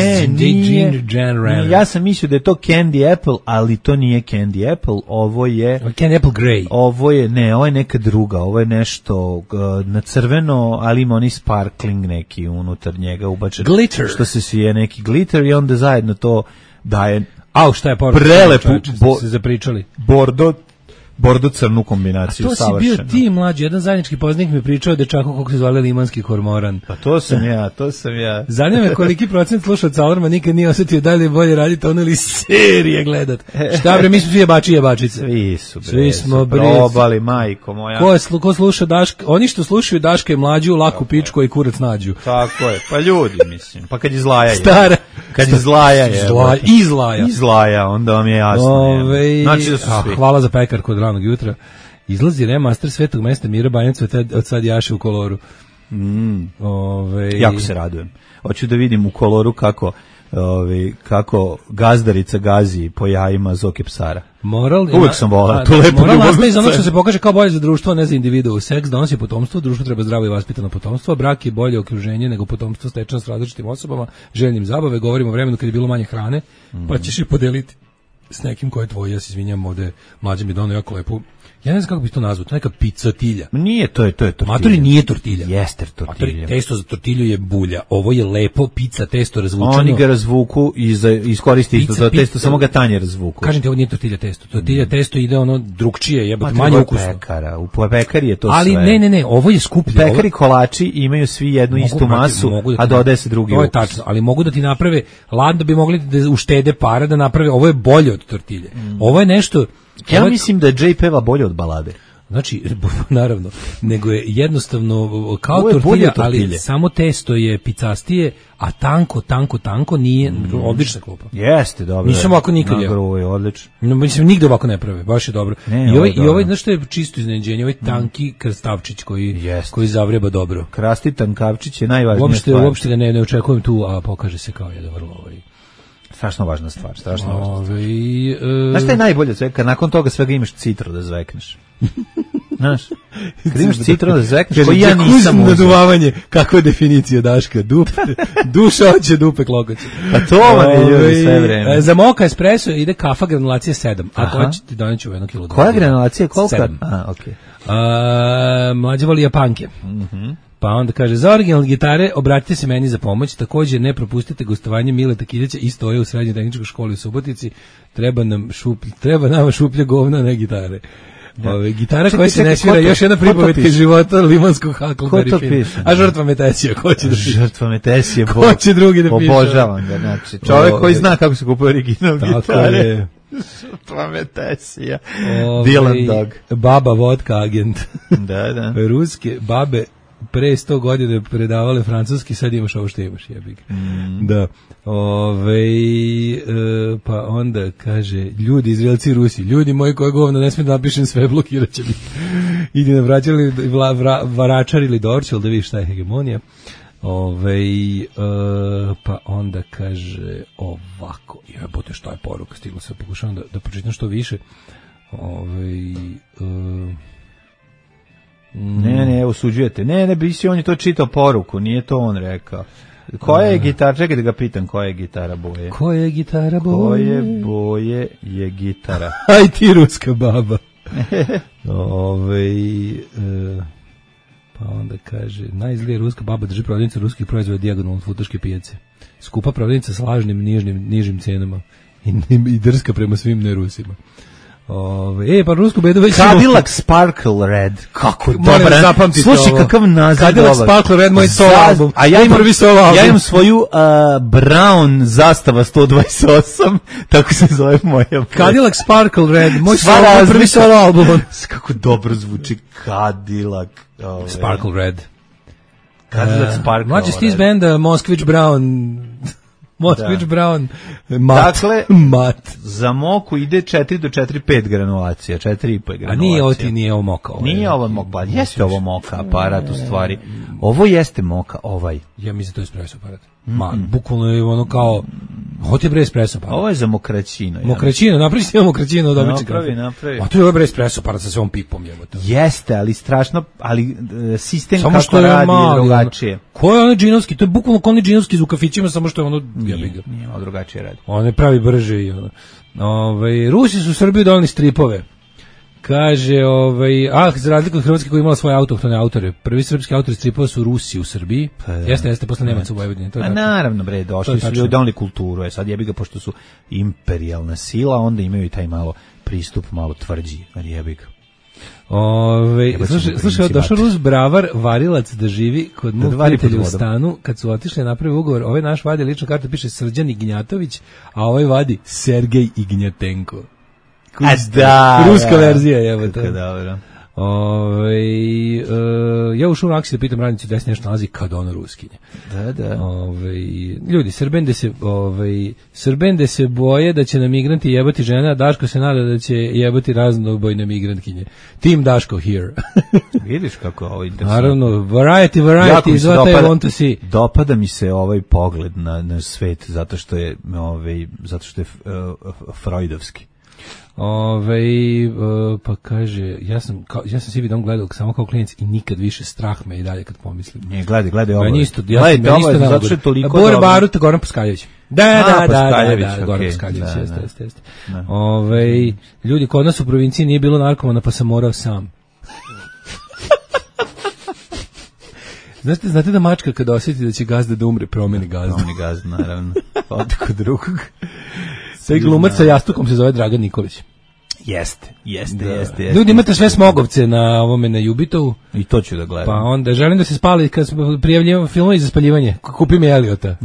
Ja sam mislio da je to Candy Apple, ali to nije Candy Apple, ovo je Candy Apple Grey. Ovo je neka druga, ovo je nešto na crveno, ali ima oni sparkling neki unutar njega ubačen. Glitter. Što se svije neki glitter i onda zajedno to daje šta je poruka? Prelepu se zapričali. Bordo crnu kombinaciju, savršeno. A to si bio ti mlađi, jedan zajednički poznanik mi pričao o dečaku kako se zvali Limanski kormoran. Pa to sam ja. Zanima me koliki procent slušaoca Alarma nikad nije osjetio da li je bolje raditi ono ili serije gledat. Šta bre, mi smo svi jebači i jebačice. Svi smo probali, majko moja. Ko sluša Daška, oni što slušaju Daška i Mlađu, laku pičku i kurac nađu. Tako je, pa ljudi mislim, pa kad izlaja je. Stara. Kad izlaja je. Izlaja, onda vam je jasno. Znači da su svi. Hvala za pekar kod ranog jutra. Izlazi remaster Svetog mesta Mira Banjac od sad jaše u koloru. Jako se radujem. Hoću da vidim u koloru kako gazdarica gazi po jajima Zoke Psara. Uvijek sam volao tu lepu moral nastaje iz onog što se pokaže kao bolje za društvo, ne za individu. Seks donosi potomstvo, društvo treba zdravo i vaspitano potomstvo, brak je bolje okruženje nego potomstvo stečeno s različitim osobama, željnim zabave. Govorimo o vremenu kad je bilo manje hrane, pa ćeš je podeliti s nekim ko je tvoj. Ja se izvinjam, ovde Mlađe mi donao jako lepu. Ja ne znam kako bi to nazvao, to je neka picotilja. Nije, to je tortilja. Matori nije tortilja. Jeste tortilja. Testo za tortilju je bulja. Ovo je lepo pizza testo razvučeno. Oni ga razvuku i iskoristi isto za testo, samo ga tanje razvuku. Kažem ti, ovo nije tortilja testo. Tortilja testo ide ono drugčije, jebote, manje ukusno. U pekari je to ali sve. Ali ne, ovo je skuplje. Pekari kolači imaju svi jednu istu masu, a dodaje se drugi ukus. To je tačno, ali mogu da ti naprave, ladno bi mogli da uštede para da naprave, ovo je bolje od tortilje. Ovo je nešto. Ja mislim da je Jay peva bolje od balade. Znači, naravno, nego je jednostavno kao tortilja, ali samo testo je picastije, a tanko nije odlična klupa. Jeste, dobro. Nisam ovako nikad jeo. Ovo je odlično. Mislim, nigde ovako ne prave, baš je dobro. I ovaj, znaš što je čisto iznenađenje, ovaj tanki krastavčić koji zavreba dobro. Krasti tankavčić je najvažnija stvar. Uopšte ga ne očekujem tu, a pokaže se kao jedan vrlo strašno važna stvar, Znaš šta je najbolje od svega? Kad nakon toga svega imaš citru da zvekneš. Znaš, kad imaš citru da zvekneš, koji ja nisam uzeo. Naduvavanje, kakva je definicija Daška? Duša hoće, dupe klokoće. Pa to vam je ljudi sve vreme. Za moka espresso ide kafa granulacija 7. Ako hoćete, doneću 1 kg. Koja granulacija? Koliko? 7. Okay. Mlađe voli Japanke. Pa onda kaže, za originalne gitare obratite se meni za pomoć, također ne propustite gostovanje Mileta Kiljeća i stoje u srednjoj tehničkoj školi u Subotici, treba nama šuplje govna, ne gitare. Gitara koja se ne svira, još jedna pripovetka iz života limanskog Huckleberry Finn. A žrtva Metesija, ko će da piše? Žrtva Metesija, ko će drugi da piše? Obožavam ga, znači, čovjek koji zna kako se kupuje original gitare. Tako je. Žrtva Metesija. Dylan Dog. Baba vodka agent. Da. Ruske babe pre 100 godina predavale francuski, sad imaš ovo što imaš, jebik. Da. Pa onda kaže, ljudi, Izraelci i Rusi, ljudi moji koje govno, ne smijem da napišem sve, blokirat će mi. Idi na Vračar ili Dorčel, da vidiš šta je hegemonija. Pa onda kaže ovako, jebote šta je poruka, stigla se, pokušavam da pročitam što više. Ne, osuđujete. Ne, bisi, on je to čitao poruku, nije to on rekao. Koja je gitara? Čekaj da ga pitam, koja je gitara boje? Koja je gitara boje? Koje boje je gitara? Aj ti ruska baba. Pa onda kaže, najzlija ruska baba drži prodavnica ruskih proizvoda dijagonalno od futoške pijace. Skupa prodavnica s lažnim nižim cenama i drska prema svim nerusima. Pa rusku bedu već Cadillac Sparkle Red. Kako dobro. Slušaj kakav naziv. Cadillac Sparkle Red, moj solo album. A ja imam svoju Brown Zastava 128, tako se zove moja. Cadillac Sparkle Red, moj prvi solo album. Kako dobro zvuči Cadillac Sparkle Red. Cadillac Sparkle Red. Mlađi stiz benda Moskvić Brown. Moskvić Brown, dakle, mat. Za moku ide 4 do 4,5 granulacija, 4,5 granulacija. A nije ovo moka. Nije ovo moka, pa jeste ovo moka aparat u stvari. Ovo jeste moka, ovaj. Ja mislim da to je espresso aparat. Bukvalno je ono kao, ovo ti je bre espresso aparat. Ovo je za mokraćino. Mokraćino, napravi mokraćino od obične kafe. Napravi. A to je ovo bre espresso aparat sa svom pipom. Jeste, ali strašno, ali sistem samo kako radi je drugačije. Ko je onaj džinovski? To je bukvalno kao onaj džinovski u kafićima, samo što je ono... Nije malo drugačije radi. On je pravi brže i ono. Rusi su u Srbiji donali stripove. Kaže, za razliku od Hrvatske koja je imala svoje autohtone autore. Prvi srpski autori stripova su Rusi u Srbiji. Jeste, posle Nemaca u Vojvodini. A naravno, bre, došli su ljudi, donali kulturu. Sad jebi ga, pošto su imperijalna sila, onda imaju i taj malo pristup, malo tvrđi. Jebi ga. Slušaj, došao Rus bravar varilac da živi kod mog prijatelja u stanu. Kad su otišli napravi ugovor, ovaj naš vadi ličnu kartu, piše Srđan Ignjatović, a ovaj vadi Sergej Ignjatenko. Ruska verzija, evo to. Dobro. Ja ušao u aksiju da pitam radnicu da se nešto nalazi kad ono ruskinje. Da. Ljudi, Srbende se boje da će na migranti jebati žena, a Daško se nada da će jebati raznobojne migrantkinje. Team Daško here. Vidiš kako ovo interesantno. Naravno, variety is what I want to see. Dopada mi se ovaj pogled na svet zato što je freudovski. Pa kaže, ja sam svi vidom gledao samo kao klinac i nikad više strah me i dalje kad pomislim. Ne, gledaj ovo. Meni isto zato što je toliko dobro. Baruta Goran Paskaljević. Da, Goran Paskaljević, jeste. Ljudi, kod nas u provinciji nije bilo narkomana, pa sam morao sam. Znate da mačka kada osjeti da će gazda da umre, promeni gazdu. Promeni gazdu, naravno. Ode kod drugog. Taj glumac sa jastukom se zove Dragan Nikolić. Jeste. Ljudi, imate sve smogovce na ovome na Jubitovu. I to ću da gledam. Pa onda želim da se spali kad smo prijavljivali filmove za spaljivanje. Kupi mi Eliota.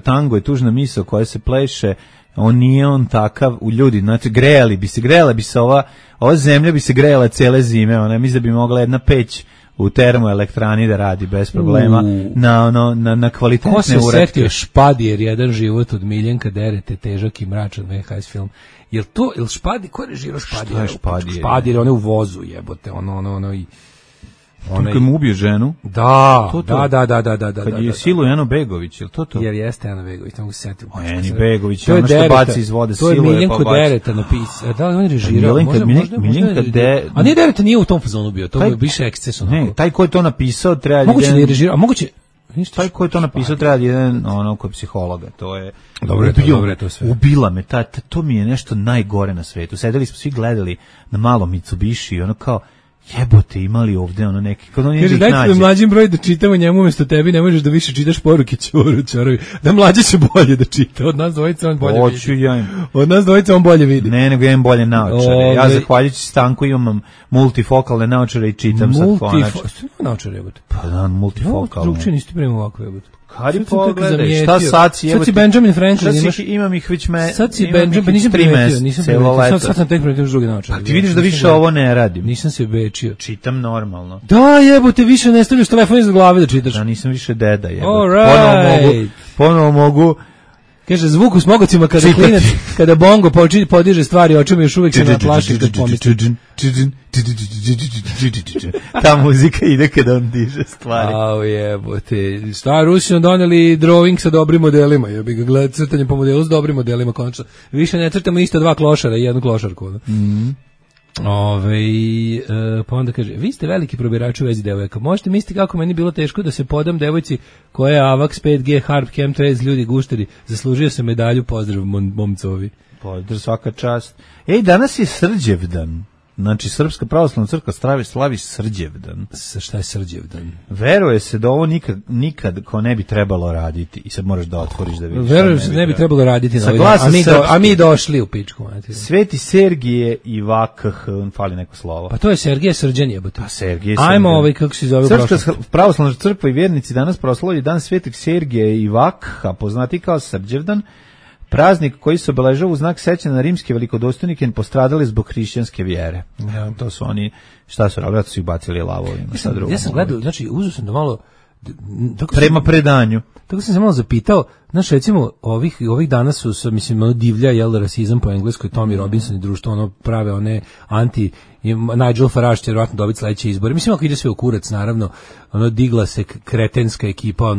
Tango je tužna misao koja se pleše. On nije on takav u ljudi. Znači, grejala bi se ova zemlja bi se grejala cele zime. Ona mislim da bi mogla jedna peć u termoelektrani da radi bez problema na kvalitetne uratke. Ko se setio Špadijer, jedan život od Miljenka Derete, težak i mračan VHS film. Jel Špadijer, ko je režirao Špadijer? Špadijer, on je u vozu, jebote, Kad mu ubije ženu? Da. Kad je siluje Eno Begović, je li to? Jer jeste Eno Begović, tamo se setio. Eni Begović, ono što baci iz vode, siluje pa baci. To je Miljenko Dereta napisao. Da li on je režirao? Miljenka Dereta. A nije Dereta, nije u tom fazonu bio, to je više eksces. Ne, taj ko je to napisao treba... Moguće da je režirao, a moguće... Taj ko je to napisao treba jedan kod psihologa, to je... Dobro je to sve. Ubila me, to mi je nešto najgore na svetu. Sedeli smo, svi gledali na malo Mitsubishi, kao... jebote, imali ovde ono neki, kod on kaže, dajte mi mlađim broj da čitamo njemu umjesto tebi, ne možeš da više čitaš poruke čorovi. Da mlađi će bolje da čita, od nas dvojica on bolje vidi. Od nas dvojica on bolje vidi. Ne, nego imam bolje naočare. Ja zahvaljujući Stanku imam multifokalne naočare i čitam sad konačno. Što ima naočare, jebote? Pa da, multifokalne. Drugče niste prema ovako, jebote. Kad je pogledaj, šta sad si, sad si Benjamin Franklin, imaš? Imam ih već sad si Benjamin, nisam primetio, sad sam tek primetio druge naočare. A ti vidiš da više ovo ne radim. Nisam se bečio. Čitam normalno. Da, jebote, više ne stavljaš telefon iza glave da čitaš. Da, nisam više deda, jebote. Alright. Ponovo mogu. Kaže, zvuk u smogocima kada klinac, kada bongo podiže stvari očima još uvijek se naplaši kad pomisli. Ta muzika ide kada on diže stvari. Au jebote. Šta, Rusi su doneli drawing sa dobrim modelima. Ja bih ga gledao crtanje po modelu s dobrim modelima konačno. Više ne crtamo isto dva klošara i jednu klošarku. Pa onda kaže, vi ste veliki probirač u vezi devojaka. Možete misliti kako meni bilo teško da se podam devojci koja je AVAX 5G Harp Chemtrails ljudi gušteri. Zaslužio se medalju, pozdrav momcovi. Pozdrav, svaka čast. Ej, danas je Srđevdan. Znači, Srpska pravoslavna crkva slavi Srđevdan. Šta je Srđevdan? Veruje se da ovo nikad ko ne bi trebalo raditi. I sad moraš da otvoriš da vidiš. Veruje se da ne bi trebalo raditi. A mi došli u pičku. Sveti Sergije i Vakh, fali neko slovo. Pa to je Sergije Srđan jebote. Pa Sergije Srđan. Ajmo kako se zove Srpska pravoslavna crkva i vjernici danas proslavljaju dan Svetog Sergija i Vakha, poznati kao Srđevdan. Praznik koji se obeležava u znak sećanja na rimske velikodostojnike postradali zbog hrišćanske vjere. Ja, to su oni, šta su radili, su ih bacili lavovima. Ja sam gledao, znači uzeo sam da malo prema predanju. Tako sam se malo zapitao, znaš, recimo, ovih dana su, mislim, divlja, rasizam po engleskoj, Tommy Robinson i društvo, prave one Nigel Farage će vjerojatno dobiti sledeće izbore. Mislim, ako ide sve u kurac, naravno, digla se kretenska ekipa,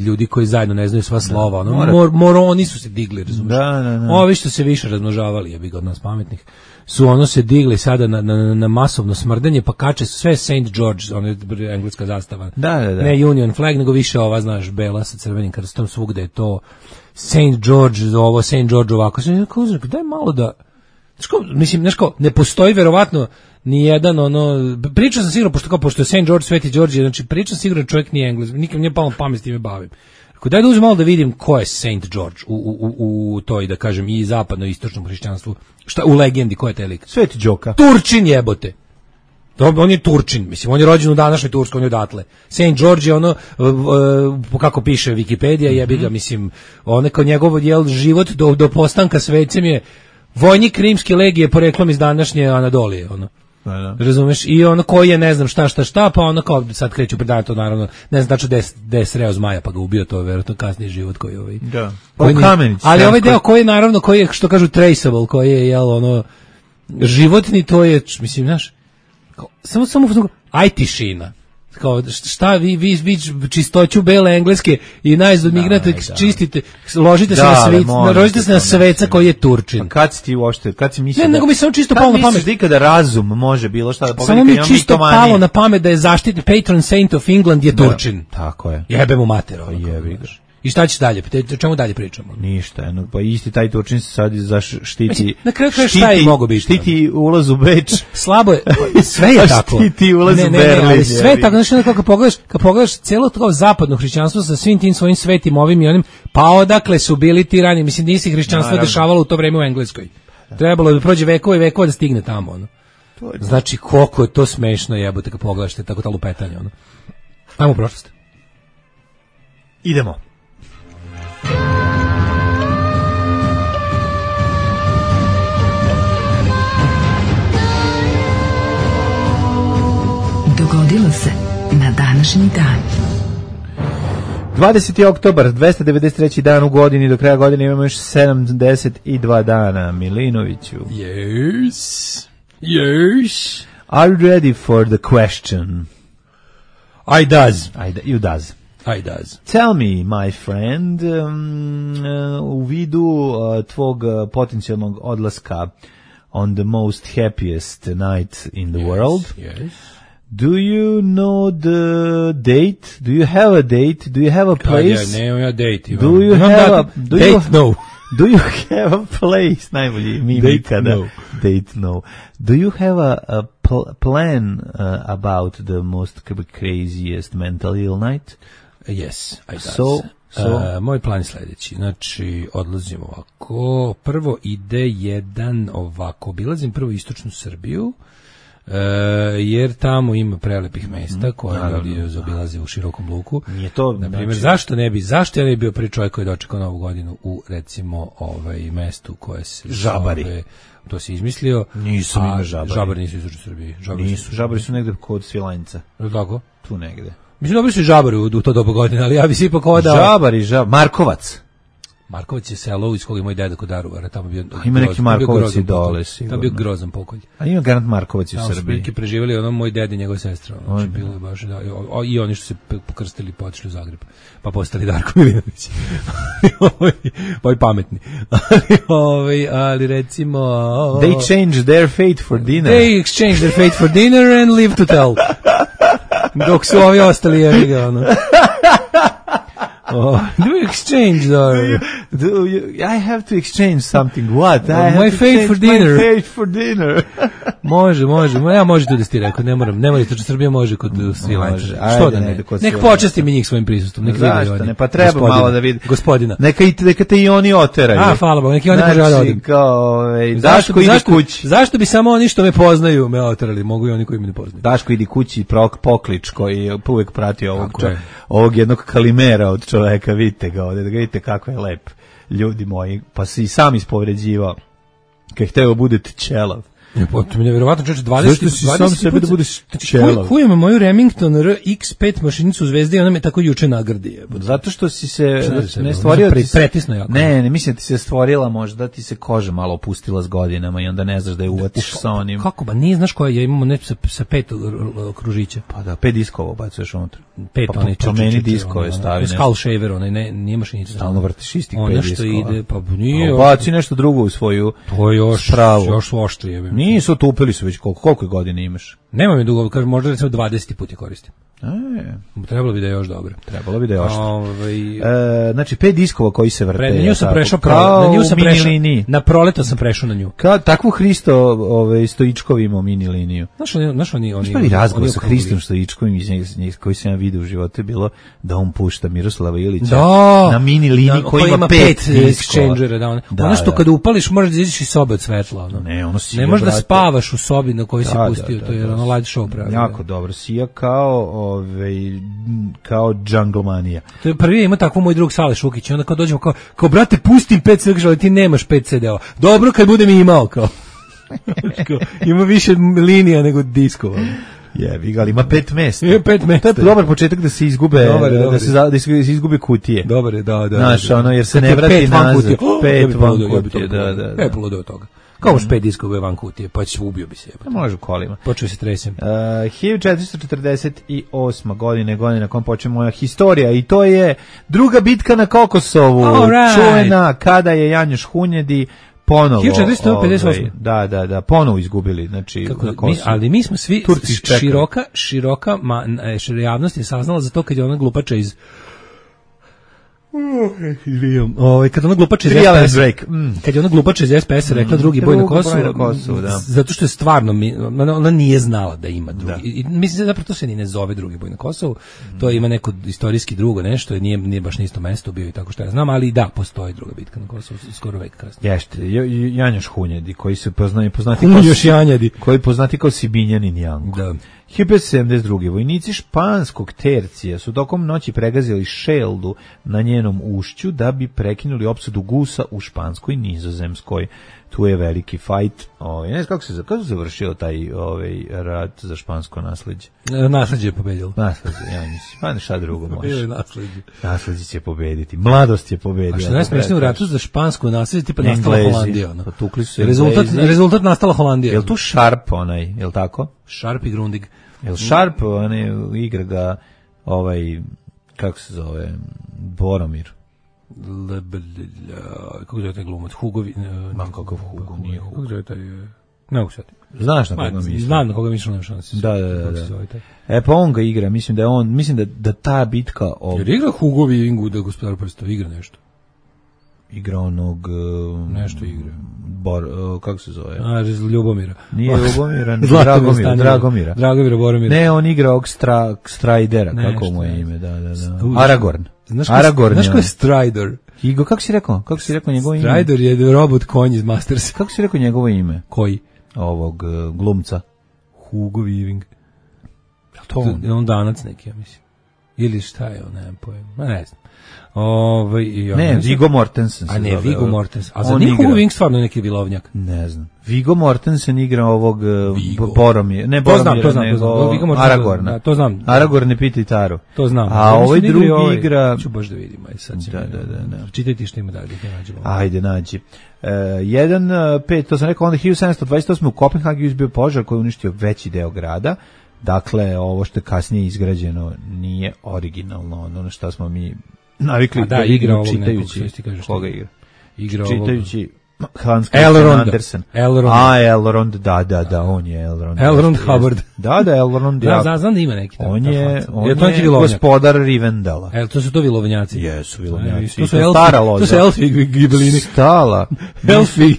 ljudi koji zajedno ne znaju sva slova, moroni su se digli, razumiješ? Da. Ovi što se više razmnožavali, jebi ga od nas pametnih, su se digli sada na masovno smrdanje, pa kače sve St. George, engleska zastava. Da. Ne Union flag, nego više ova, znaš, bela sa crvenim krstom, svugde je to St. George, ovo, St. George ovako. Daj malo da... Mislim, ne postoji verovatno ni jedan, pričam sam sigurno, pošto je St. George, Sveti Đorđe, znači pričam sigurno čovjek nije Engles, nikom nije palo pamet s time bavim. Daj da uzem malo da vidim ko je St. George u toj, da kažem, i zapadno-istočnom hrišćanstvu. Šta, u legendi, ko je taj lik? Sveti Đoka. Turčin jebote. On je Turčin, mislim, on je rođen u današnjoj Turskoj, on je odatle. St. George je kako piše Wikipedia, jebi ga, mislim, kao njegov život do postanka svecem je vojnik rimske legije poreklom iz današnje Anadolije, Da. Razumeš? I koji je ne znam šta, pa kao sad kreću predanje to, naravno, ne znam tačno da je sreo zmaja pa ga ubio, to je verovatno kasniji život koji Da. Ali ovaj deo koji je, naravno, koji je, što kažu, traceable, koji je, životni, to je, mislim, znaš, samo aj tišina. Kao, šta vi čistoću bele engleske i najzad migrate čistite, ložite se na sveca koji je Turčin. Kad si ti uopšte, kad si mislio? Ne, nego mi samo čisto palo na pamet. Kad misliš da razum može bilo šta da pobedi? Samo mi čisto palo na pamet da je zaštitni patron saint of England je Turčin. Tako je. Jebe mu mater. Jebi ga. I šta će dalje? O čemu dalje pričamo? Ništa, pa isti taj Turčin se sad štiti. Na kraju šta je mogo biti? Štiti ulaz u Beč. Slabo je, sve je tako. Štiti ulaz u Berlin. Sve je tako, znači kad pogledaš cijelo to zapadno hrišćanstvo sa svim tim svojim svetim ovim i onim, pa odakle su bili ti rani, mislim, nije se hrišćanstvo dešavalo u to vreme u Engleskoj. Trebalo da prođe vekova i vekova da stigne tamo, Znači, koliko je to smešno, jebote, kad pogledaš tako ta lupetanja, Ajmo u prošlost. Idemo. Dogodilo se na današnji dan. 20. oktobar, 293. dan u godini, do kraja godine imamo još 72 dana. Milinoviću. Yes. Are you ready for the question? I does. You does. I does. Tell me, my friend, u vidu tvog potencijalnog odlaska on the most happiest night in the world. Yes. Do you know the date? Do you have a date? Do you have a place? Ne, ja date. Do you have a date? No. Do you have a place? Najbolji mimi ikada. Date no. Do you have a plan about the most craziest mental ill night? Yes, I does. So moj plan je sledeći. Znači, odlazim ovako. Prvo ide jedan ovako. Obilazim prvo istočnu Srbiju, jer tamo ima prelepih mesta koje ljudi obilaze u širokom luku. Nije to, na primjer, znači... zašto ja ne bi bio prvi čovjek koji je dočekao Novu godinu u, recimo, mestu koje se Žabari. To si izmislio. Nisam ima Žabari. Žabari nisu istočnoj Srbiji. Žabari su negde kod Svilajnca. Tako? Tu negde. Mislim, dobri su i Žabari u to doba godine, ali ja bi se ipak odao... Markovac. Markovac je selo iz kog je moj deda kod Daruvara, tamo bio... Ima neki Markovac i dole, sigurno. Tamo bio grozan pokolj. A ima garant Markovac u Srbiji. Tamo su preživjeli moj ded i njegova sestra. Znači, bilo je baš, da, i oni što se pokrstili i potišli u Zagreb. Pa postali Darko Milinović. Ovi pametni. Ali recimo... They changed their fate for dinner. They exchanged their fate for dinner and live to tell. Dok su ovi ostali jeviga, ono. Do you exchange, I have to exchange something. What? My fate for dinner. My fate for dinner. Može. Ja može tu da ti rekao, ne moram istočna Srbija, može kod Svilajnca. Što da ne? Nek počasti mi njih svojim prisustvom. Zašto ne? Pa treba malo da vidi. Gospodina. Neka te i oni oteraju. Hvala Bogu, neki oni može da odim. Daško ide kući. Zašto bi samo oni što me poznaju me oterali? Mogu i oni koji me ne poznaju. Daško ide kući, poklič koji uvek prati ovog jednog kalimera od čoveka, vidite ga ovdje, da ga vidite kako je lep, ljudi moji, pa se i sam ispovređivao, kad je hteo budete čelav. To mi je vjerovatno čeče 20 Zašto si sam sebe da budeš čelav? Kujem moju Remington RX5 mašinicu Zvezde i ona me tako juče nagrdi. Zato što si se ne stvorio... Pretisno jako. Ne, mislim da ti se stvorila možda, ti se koža malo opustila s godinama i onda ne znaš da je uvatiš sa onim... Kako ba, nije znaš koja, ja imamo nešto sa 5 kružića. Pa da, 5 diskova bacuješ unutra. 5 onih promeni diskove stavi nešto. Skull shaver, nije mašinica. Stalno vrtiš istih 5 diskova. Ona što ide, pa nije... Baci nešto drugo u svoju spravu. To je još oštrije. Nisu, tupili su već koliko godine imaš? Nemam je dugo, kažem, možda recimo 20 puta koristim. Trebalo bi da je još dobro. Trebalo bi da je još. Znači 5 diskova koji se vrte. Na nju sam prešao, na proleto sam prešao na nju. Takvu Hristo Stoičkov imao mini liniju. Znaš oni prvi razgovor sa Hristom Stoičkovim iz njega koji sam ja vidio u životu je bilo da on pušta Miroslava Ilića na mini liniji koji ima 5 exchangera. Ono što kada upališ možeš da izaći iz sobe od svetla. Ne možeš da spavaš u sobi na kojoj si pustio, to je ono light show pravi. Jako dobro, sija kao Džanglemanija. To je prvi ima takvu moj drug Sale Šukić, onda kao dođemo kao brate pustim 5 CD-ova, ali ti nemaš 5 CD-ova. Dobro kad budem imao kao. Ima više linija nego diskova. Jebi ga, ali ima 5 mesta. Ima 5 mesta. To je dobar početak da se izgube, da se izgube kutije. Dobar je, da. Znaš, ono, jer se ne vrati nazad. 5 van kutije, da. Je poludo od toga. Kao už 5 diskova van kutije, pa ubio bi se. Može u kolima. Počeo se tresem. 1448. godina kom počne moja historija i to je druga bitka na Kokosovu. Čuvena kada je Janjoš Hunjedi ponovo 1458. Da, ponovo izgubili, znači na Kosovu. Ali mi smo svi široka javnost je saznala za to kad je ona glupača iz kad ona glupača iz SPS kad je ona glupača iz SPS rekla drugi boj na Kosovu, zato što je stvarno ona nije znala da ima drugi. Mislim zapravo to se ni ne zove drugi boj na Kosovu, to ima neko istorijski drugo nešto, nije baš na isto mesto bio i tako što ja znam, ali da, postoji druga bitka na Kosovu skoro vek kasnije. Jeste, Janjoš Hunjedi koji se poznati kao Sibinjanin Janko. Da. 1972. Vojnici španskog tercija su tokom noći pregazili Šeldu na njenom ušću da bi prekinuli opsadu gusa u Španskoj Nizozemskoj. Tu je veliki fajt. Ne znam kako se završio taj rat za špansko nasleđe. Nasleđe je pobedilo. Nasleđe, ja mislim. Pa ne šta drugo može. Nasleđe će pobediti. Mladost će pobediti. A što najsmešnije u ratu za špansko nasleđe tipa nastala Holandija. Potukli su rezultat nastala Holandija. Jel tu Sharp jel tako? Sharp i Grundig. Jel Sharp, igra ga kako se zove, Boromir. Kako zove taj glumac? Hugovi? Kakav Hugo, nije Hugo. Kako zove taj... Ne mogu sad. Znaš na koga mislim? Znam na koga mislim, nema šanse. Da. Pa on ga igra, mislim da ta bitka... Jer igra Hugovi Ingu da gospodar prstova, igra nešto. igra onog... nešto igra. Kako se zove? Ljubomira. Nije Ljubomira, Dragomira. Dragomira Boromira. Ne, on igra ovog Stridera, kako mu je ime, da. Aragorn. Znaš ko je Strider? Igo, kako si rekao njegovo ime? Strider je robot konj iz Mastersa. Kako si rekao njegovo ime? Koji? Ovog glumca. Hugo Weaving. Je on Danac neki, ja mislim. Ili šta je on, nemam pojma. Ne znam. Viggo Mortensen. A ne, Viggo Mortensen. A za Hugo Weaving stvarno neki vilovnjak. Ne znam. Viggo Mortensen igra ovog Boromira. Ne Boromira, nego Aragorna. To znam. Aragorn ne pita Taru. To znam. A ovaj drugi igra... Ću baš da vidim. Da. Čitaj ti što ima dalje. Ajde, nađi. 1.5, to sam rekao, onda 1728. u Kopenhagenu izbio požar koji je uništio veći deo grada. Dakle, ovo što je kasnije izgrađeno nije originalno, ono što smo mi navikli da igra čitajući. Koga igra? Čitajući Hans Christian Andersen. Elrond, da, on je Elrond. Elrond Hubbard. Da, Elrond. Znam da ima neki. On je gospodar Rivendela. To su to vilovnjaci. Jesu vilovnjaci. To su elfi gibelini. Elfi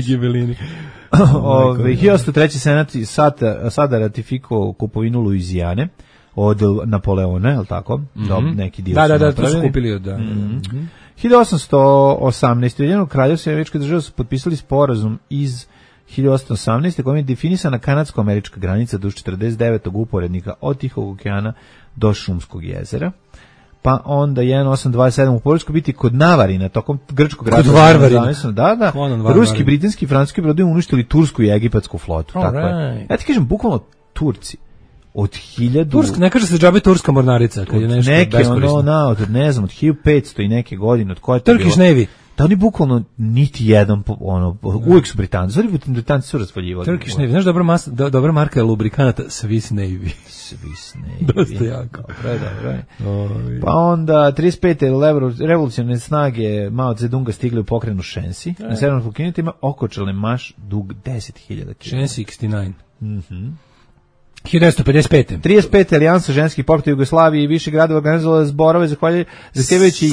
gibelini. 1903. senat sada ratifikovao kupovinu Luizijane od Napoleona, je li tako? Neki dio su napravili. To su kupili od... 1818. Ujedinjeno kraljevstvo i Američke države su potpisali sporazum iz 1818. kojim je definisana kanadsko-američka granica duž 49. uporednika od Tihog okeana do Šumskog jezera. Pa onda 1827 u Poljskoj biti kod Navarina, tokom grčkog rata. Kod Varvarina. Da. Ruski, britanski i francuski brodovi uništili tursku i egipatsku flotu. Tako je. Ja ti kažem, bukvalno Turci od 1000... Tursk, ne kaže se džabe turska mornarica, kad je nešto beskorisno. Ne znam, od 1500 i neke godine, od koje to Turkish Navy. Da oni bukvalno niti jedan, uvijek su Britanci. Znači, Britanci su raspaljivali. Turkish Navy. Znaš, dobra marka je lubrikanata Swiss Navy. Swiss Navy. Dosta jako. Dobro. Pa onda, 35. revolucionarne snage Mao Zedonga stigli u pokrenu Shensi. Na severnom Fukinitu ima okočalni maš dug 10.000 km. Shensi 69. 1955. 35. alijansa ženskih pokreta Jugoslavije i više gradova organizovala zborove zahtevajući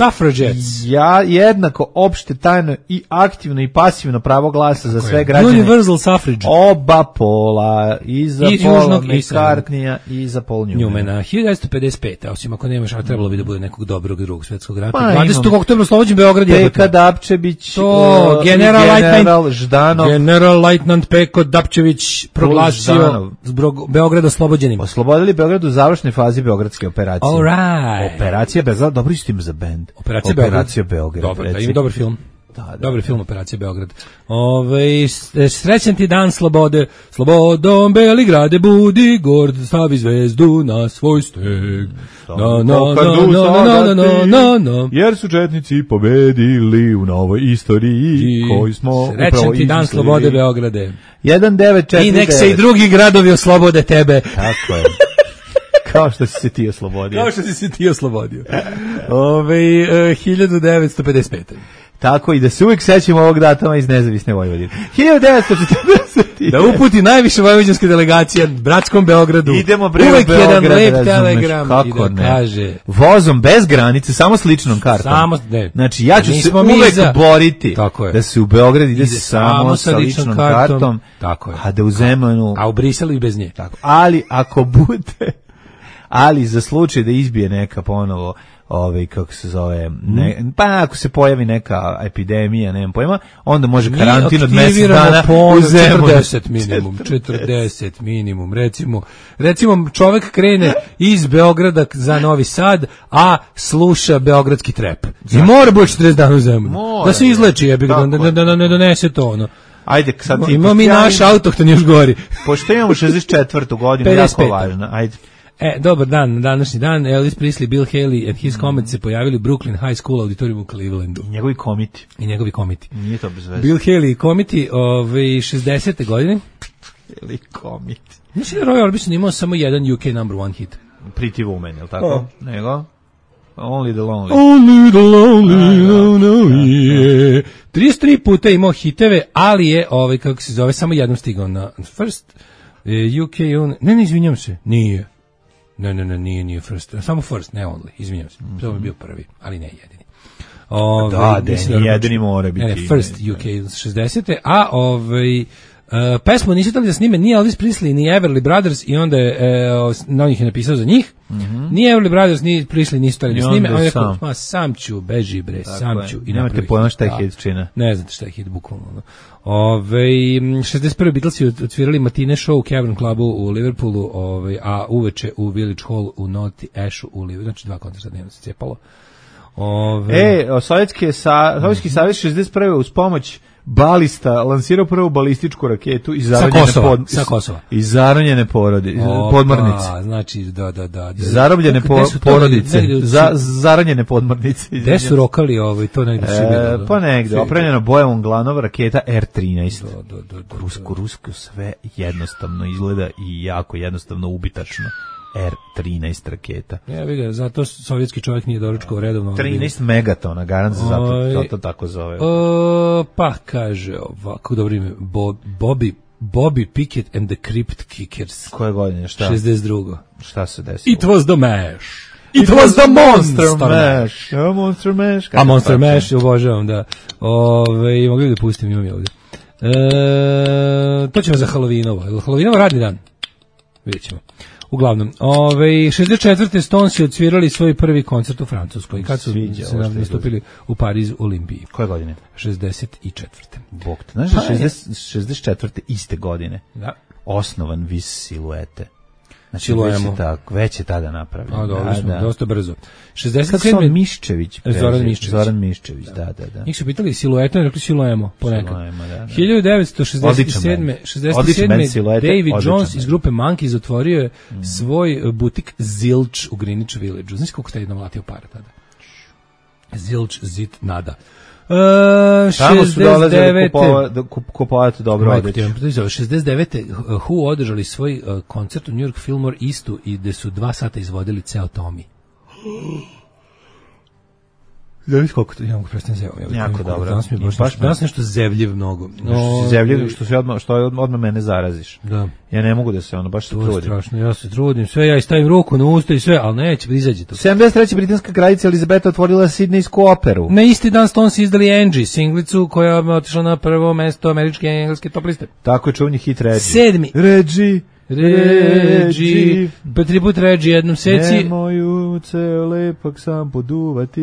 jednako opšte, tajno i aktivno i pasivno pravo glasa za sve građane. Universal suffrage. Oba pola, i za Paula McCartneya i za Paul Newmana. 1955. Osim ako nemaš, a trebalo bi da bude nekog dobrog drugog svjetskog rata. 20. oktobra oslobođen Beograd je. Peka Dapčević, General Leutnant Peko Dapčević proglasio Beograd oslobođenim. Oslobodili Beograd u završnoj fazi beogradske operacije. All right. Operacija Beograd, dobro isto ime za bend. Operacija Beograd. Dobro, ima dobar film. Dobar film Operacija Beograd. Srećan ti dan slobode, slobodom Beligrade budi, gord stavi zvezdu na svoj steg. Jer su četnici pobedili u novoj istoriji koju smo upravo izmislili. Srećan ti dan slobode Beograde. 1949. I nek se i drugi gradovi oslobode tebe. Tako je. Kao što si se ti oslobodio. 1955. Tako i da se uvijek sećamo ovog datuma iz nezavisne Vojvodine. 1940. Da uputi najviše vojvođanske delegacije bratskom Beogradu. Idemo uvijek Beograd, jedan lep telegram kako i da kaže. Vozom bez granice, samo s ličnom kartom. Znači ja ću se uvijek boriti da se u Beograd ide samo sa ličnom kartom. Tako je. A da u Zemunu. A u Briselu i bez nje. Tako. Ali ako bude, ali za slučaj da izbije neka ponovo kako se zove, pa ako se pojavi neka epidemija, nemam pojma, onda može karantin od mjesec dana u Zemunu. 40 minimum, recimo čovjek krene iz Beograda za Novi Sad, a sluša beogradski trep. I mora biti 40 dana u Zemunu. Da se izleči, da ne donese to ono. Ajde, sad ti imamo mi naš autohton još gori. Pošto imamo 64. godinu, jako važno. Ajde. Dobar dan, na današnji dan Elvis Presley, Bill Haley and his Comets se pojavili u Brooklyn High School auditorium u Clevelandu. I njegovi komiti. Nije to bez veze. Bill Haley i komiti 60. godine. Haley komiti. Mislim da Roy Orbison imao samo jedan UK number one hit. Pretty Woman, je li tako? Nego? Only the Lonely. Only the Lonely, yeah. 33 puta imao hiteve, ali je, kako se zove, samo jednom stigao na first UK, ne, izvinjam se, nije. Ne, nije first, samo first, ne only, izvinjam se, to je bio prvi, ali ne jedini. jedini mora biti. First UK 60. A pesmu nisu htjeli da snime ni Elvis Presley, ni Everly Brothers i onda je na njih je napisao za njih. Ni Everly Brothers, ni Presley nisu htjeli da snime. A on je rekao, sam ću, beži bre, sam ću. I nemate pojma šta je hit čina. Ne znate šta je hit, bukvalno. 61. Beatlesi odsvirali matine show u Cavern Clubu u Liverpoolu, a uveče u Village Hall u Naughty Ashu u Liverpoolu. Znači 2 koncerta dnevno se cijepalo. Sovjetski savez 61. uz pomoć balista lansirao prvu balističku raketu iz zarobljene podmornice. Znači, da. Zarobljene porodice, zaranjene podmornice. Gde su rokali to negde su bilo? Pa negde, opremljena bojevom glanova raketa R-13. Rusko sve jednostavno izgleda i jako jednostavno ubitačno. R-13 raketa. Ja vidim, zato sovjetski čovjek nije doručkao redovno. 13 megatona, garant se zato tako zove. Pa kaže ovako, dobro ime, Bobby Pickett and the Crypt Kickers. Koje godine, šta? 62. Šta se desilo? It was the mash. It was the Monster Mash. Monster Mash. A Monster Mash, obožavam, da. Mogli da pustim, imam je ovdje. To ćemo za Halloweenovo. Halloweenovo radni dan. Vidjet ćemo. Uglavnom, 64. Stonesi odsvirali svoj prvi koncert u Francuskoj. Kad su se nastupili u Pariz Olimpiji. Koje godine? 64. Bog te. Znaš da 64. iste godine osnovan Vis Siluete. Znači, već je tada napravljeno. Dosta brzo. 67. Kako se Miščević? Zoran Miščević, da. Njih su pitali Silueta, rekli Siluemo, ponekad. 1967. David Jones iz grupe Monkeys otvorio je svoj butik Zilch u Greenwich Village. Znaš koliko ste nalatio para tada? Zilch, zit, nada. Tamo su dolazili kupovati dobro odeću. 69. Who održali svoj koncert u New York Fillmore Eastu i gde su 2 sata izvodili ceo Tommy. Da vidiš koliko to imam prestan zevom. Jako dobro. Danas nešto zevljiv mnogo. Zevljiv što odmah mene zaraziš. Da. Ja ne mogu da se baš se trudim. Strašno, ja se trudim. Sve ja stavim ruku na usta i sve, ali neće da izađe to. 73. britanska kraljica Elizabeta otvorila Sidnejsku operu. Na isti dan Stones izdali Angie, singlicu koja je otišla na prvo mesto američke i engleske top liste. Tako je čuveni hit Reggie. 7. Reggie, pa 3 put Reggie jednom seci. Nemoju ceo lepak sam poduvati.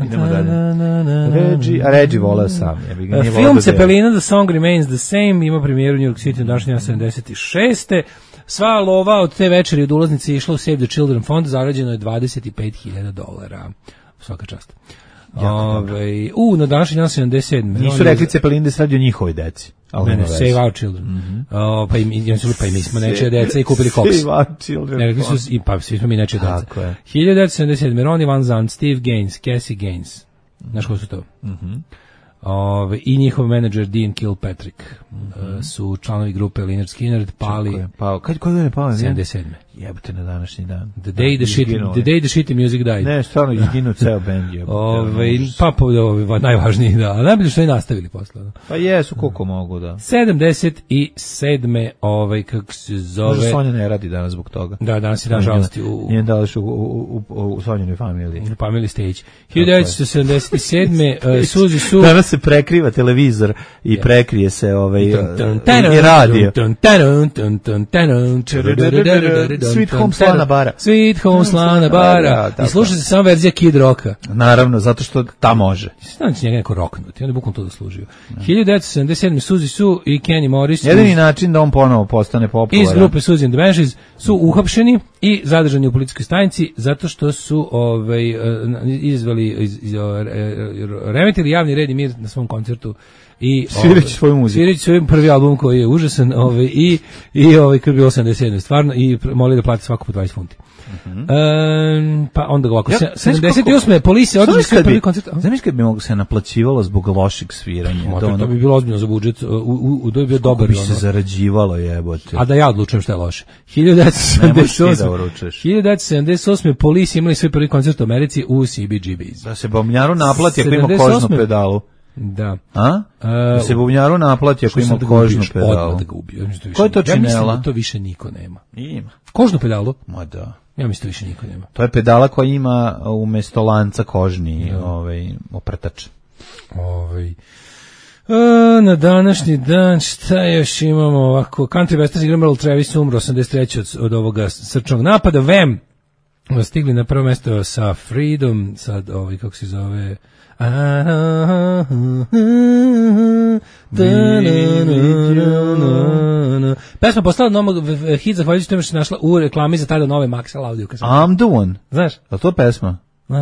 Idemo dalje. Reggie volao sam. Film Cepelina, The Song Remains the Same, ima premijeru u New York City u današnje 76. Sva lova od te večeri od ulaznice išla u Save the Children fond, zarađeno je $25,000. Svaka čast. Na današnji dan 77. Nisu rekli Cepelin da se radi o njihovoj deci. Ne, Save Our Children. Pa i mi smo nečije deca i kupili koks. Save Our Children. Pa svi smo mi nečije deca. 1977. Ronnie Van Zandt, Steve Gaines, Cassie Gaines. Znaš ko su to? I njihov menadžer Dean Kilpatrick su članovi grupe Lynyrd Skynyrd pali. Koji je pao? 77. Jebote na današnji dan. The day the shitty music died. Ne, stvarno izginuo ceo bend. Najvažniji, da. A najbolje što je nastavili posle. Pa jesu, koliko mogu, da. 77. Kako se zove... Možda Sonja ne radi danas zbog toga. Da, danas je dan žalosti. Nije dališ u Sonjinoj familiji. U Family Stage. 1977. Suzy Sue... Danas se prekriva televizor i prekrije se i radio. Sweet Home Slana Bara. Sweet Home Slana Bara. I sluša se samo verzija Kid Rocka. Naravno, zato što ta može. Znači njega neko roknuti, on je bukvalno to zaslužio. 1977. Suzy Sue i Kenny Morris. Jedini način da on ponovo postane popularan. Iz grupe Suzy and the Banshees su uhapšeni i zadržani u policijskoj stanici zato što su remetili javni red i mir na svom koncertu. I svirajući svoju muziku. Svirajući svoj prvi album koji je užasan i kad je bilo 87. Stvarno i moli da plati svako po 20 funti. Pa onda ovako, 78. policija održali svoj prvi koncert. Znaš kad bi mogo se naplaćivalo zbog lošeg sviranja? To bi bilo ozbiljno za budžet, to bi bio dobar. Bi se zarađivalo, jebote. A da ja odlučujem šta je loše. 1978. policija imali svoj prvi koncert u Americi u CBGB's. Da se Bomljaru naplati ako ima kožnu pedalu. Da. A? Se bubnjaru naplati ako ima kožnu pedalu. Odmah da ga ubio. Ko je to činela? Ja mislim da to više niko nema. Ima. Kožnu pedalu? Ma da. Ja mislim da više niko nema. To je pedala koja ima umesto lanca kožni oprtač. Na današnji dan šta još imamo ovako? Country Western igra Merle Travis umro 83. od ovoga srčnog napada. Wham! Stigli na prvo mesto sa Freedom, sad kako se zove... Pesma postala hit zahvaljujući tome što se našla u reklami za tada nove Maxell audio kasete. I'm the one. Znaš? A to pesma?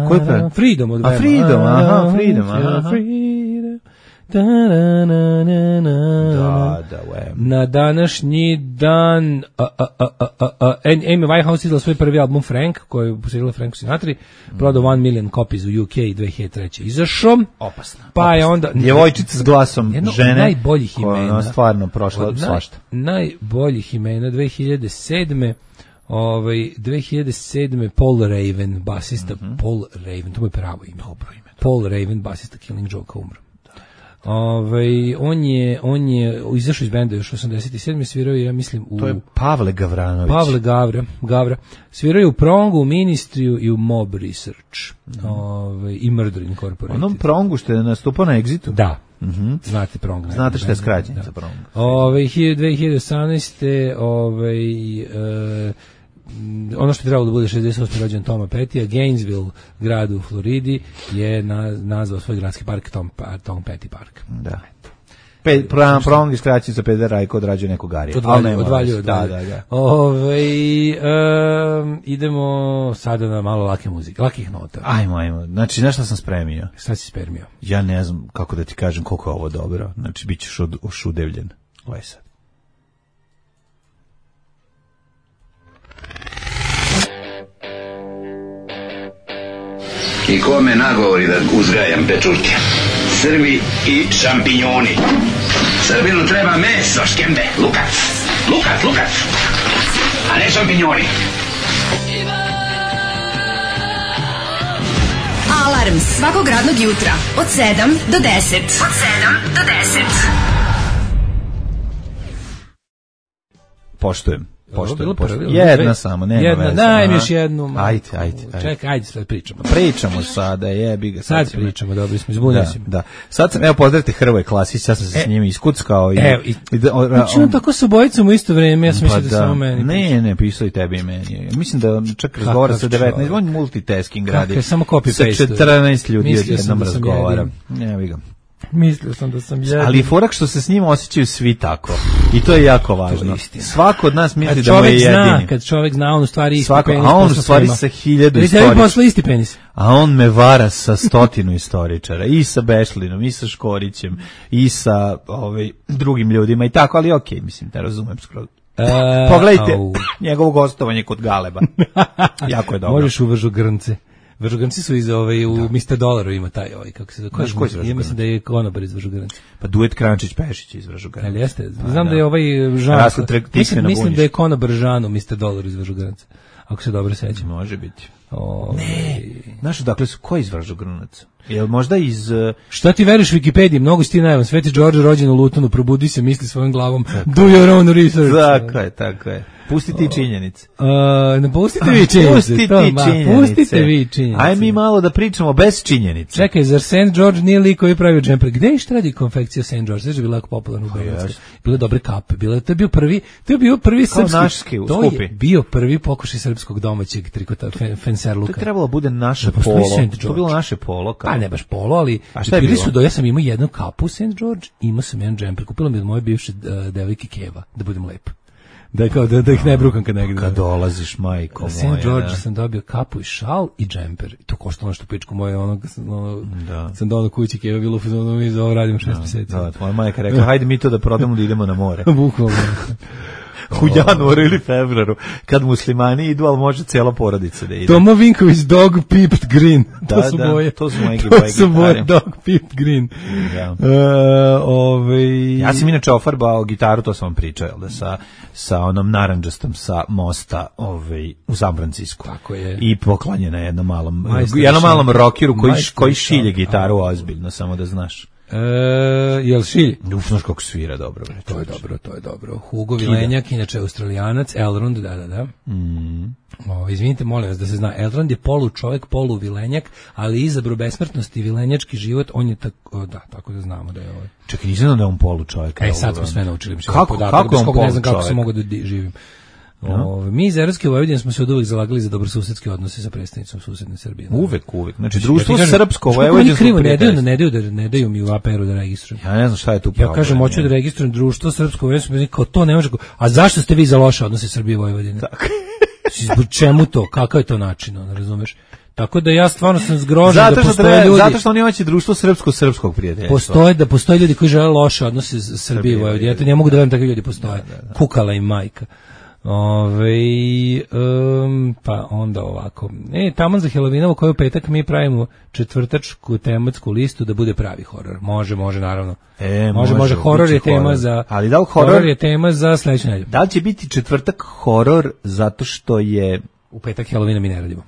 Koji pesma? Freedom od Bema. Freedom, aha, Freedom. Na današnji dan Amy Winehouse izdala svoj prvi album Frank, koji je posjedila Franku Sinatri, prodao 1 million copies u UK 2003. Izašao. Opasna. Pa je onda... Djevojčica s glasom žene. Najboljih imena. Koja stvarno prošla svašta. Najboljih imena 2007. 2007. Paul Raven, basista Paul Raven, to mu je pravo ime. Dobro ime. Paul Raven, basista Killing Joke, umro. On je izašao iz benda još 87. svirao je, ja mislim, to je Pavle Gavranović. Pavle Gavra. Svirao je u Prongu, u Ministriju i u Mob Research. I Murder Incorporated. Onom Prongu što je nastupao na Exitu? Da. Znate Prong. Znate što je skraćenica Prong. 2018. Ono što je trebalo da bude 68. rođen Toma Pettija, Gainesville, grad u Floridi, je nazvao svoj gradski park Tom Petty Park. Da. Prong je skraćenica Peder Rajko odrađuje nekog Garija. Odvaljuju. Da. Idemo sada na malo lake muzike, lakih nota. Ajmo. Znači, znaš šta sam spremio? Šta si spremio? Ja ne znam kako da ti kažem koliko je ovo dobro. Znači, bit ćeš ošudevljen. Ovo je sad. I ko me nagovori da uzgajam pečurke? Srbi i šampinjoni. Srbinu treba meso, škembe, lukac, a ne šampinjoni. Alarm svakog radnog jutra od 7 do 10. Poštujem. Jedna samo, nema veze. Daj mi još jednu. Ajde. Čekaj, ajde sad pričamo. Pričamo sada, jebi ga. Sad pričamo, dobro smo, izbunio si me. Da. Sad sam, pozdravite Hrvoje Klasić, ja sam se s njim iskuckao. Znači on tako sa bojicom u isto vreme, ja sam mislio da samo meni. Ne, pisao i tebi i meni. Mislim da čak razgovara sa 19, on multitasking radi. Kako je, samo copy-paste. Sa 14 ljudi odjednom razgovara. Jebi ga. Mislio sam da sam jedin. Ali forak što se s njima osjećaju svi tako. I to je jako važno. Svako od nas misli da mu je jedini. Kad čovjek zna, on u stvari isti penis. A on u stvari sa 1000 istoričara. Isti penis. A on me vara sa 100 istoričara. I sa Bešlinom, i sa Škorićem, i sa drugim ljudima i tako. Ali okej, mislim, da razumem skroz. Pogledajte njegovo gostovanje kod Galeba. Jako je dobro. Možeš u Vržogrnce. Vržogrnci su u Mr. Dolaru ima taj kako se zove. Ja mislim da je konobar iz Vržogrnca. Pa duet Krančić-Pešić iz Vržogrnca. Ali jeste. Znam da je Žan. Mislim da je konobar Žan u Mr. Dolaru iz Vržogrnca. Ako se dobro sećam. Može biti. Ne. Znaš, dakle su ko iz Vržogrnaca? Jel možda iz... Šta ti veriš Wikipediji? Mnogo si ti najavan. Sveti Đorđe rođen u Lutonu, probudi se, misli svojom glavom. Do your own research. Tako je. Pusti ti činjenice. Ne pustite vi činjenice. Pustite vi činjenice. Aj mi malo da pričamo bez činjenice. Čekaj, zar St. George nije lik koji pravi džemper? Gde je šta radi konfekcija St. George? Znači je bila jako popularna u Beogradskoj. Bile dobre kape. To je bio prvi srpski. To je bio prvi pokušaj srpskog domaćeg trikota fenserluka. To je trebalo bude naše polo. To je bilo naše polo. Pa ne baš polo, ali bili su ja sam imao jednu kapu St. George, imao sam jedan džemper. Kupila mi od moje bivše devojke Keva, da budem lep. Da ih ne brukam kad negdje. Kad dolaziš, majko moja. St. George sam dobio kapu i šal i džemper. I to koštalo što pičku moje, sam donao kući Keva, bilo u mi za ovo radimo 6 mjeseci. Da, tvoja majka rekla, hajde mi to da prodamo da idemo na more. Bukvalno. U januaru ili februaru, kad muslimani idu, ali može cijela porodica da ide. Tomo Vinković, Dog Peeped Green. To su moje gitare. Dog Peeped Green. Ja sam inače ofarbao gitaru, to sam vam pričao, da sa onom naranđastom sa mosta u San Francisco. Tako je. I poklanjena jednom malom rockeru koji šilje gitaru ozbiljno, samo da znaš. Jel Šilj? Znaš kako svira dobro. To je dobro. Hugo Vilenjak, inače Australijanac, Elrond, da. Izvinite, molim vas da se zna, Elrond je polu čovjek, polu Vilenjak, ali izabro besmrtnosti i vilenjački život, on je tako da znamo da je ovaj. Čekaj, nisam da je on polu čovjek. Sad smo sve naučili. Kako je on polu čovjek? Ne znam kako sam mogao da živim. Mi iz Evropske Vojvodine smo se od uvek zalagali za dobrosusedske odnose sa predstavnicom susedne Srbije. Uvek. Znači, društvo srpsko vojvodinsko ne daju mi u APR-u da registrujem. Ja ne znam šta je tu problem. Ja kažem, hoću da registrujem društvo srpsko vojvodinsko, kao to ne može. A zašto ste vi za loše odnose Srbije i Vojvodine? Tako. Čemu to? Kakav je to način, ne razumeš? Tako da ja stvarno sam zgrožen da postoje ljudi. Zato što oni hoće društvo srpskog prijateljstva. Postoje ljudi koji žele loše odnose sa Srbije i Vojvodine. Ja to ne mogu da verujem takvi ljudi postoje. Kukala im majka. Pa onda ovako. Taman za Helovinovo koju petak mi pravimo četvrtačku tematsku listu da bude pravi horor. Može naravno. Može. Horor je tema za. Ali da li horor je tema za sledeću nedelju? Da li će biti četvrtak horor zato što je u petak Helovina mi ne radimo?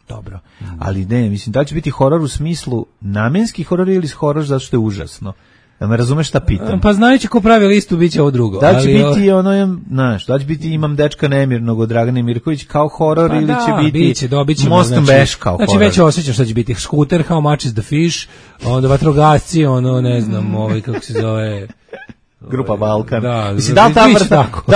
Dobro. Ali ne, mislim da li će biti horor u smislu namenski horor ili horor zato što je užasno? Da me razumeš šta pitam? Pa znajući ko pravi listu, bit će ovo drugo. Da će biti da će biti Imam dečka nemirnog od Dragane Mirković kao horor ili će biti Mostom Beš kao horor? Znači već osjećam šta će biti. Scooter, How Much is the Fish, onda vatrogasci, ne znam, kako se zove... Grupa Balkan. Da, mislim, da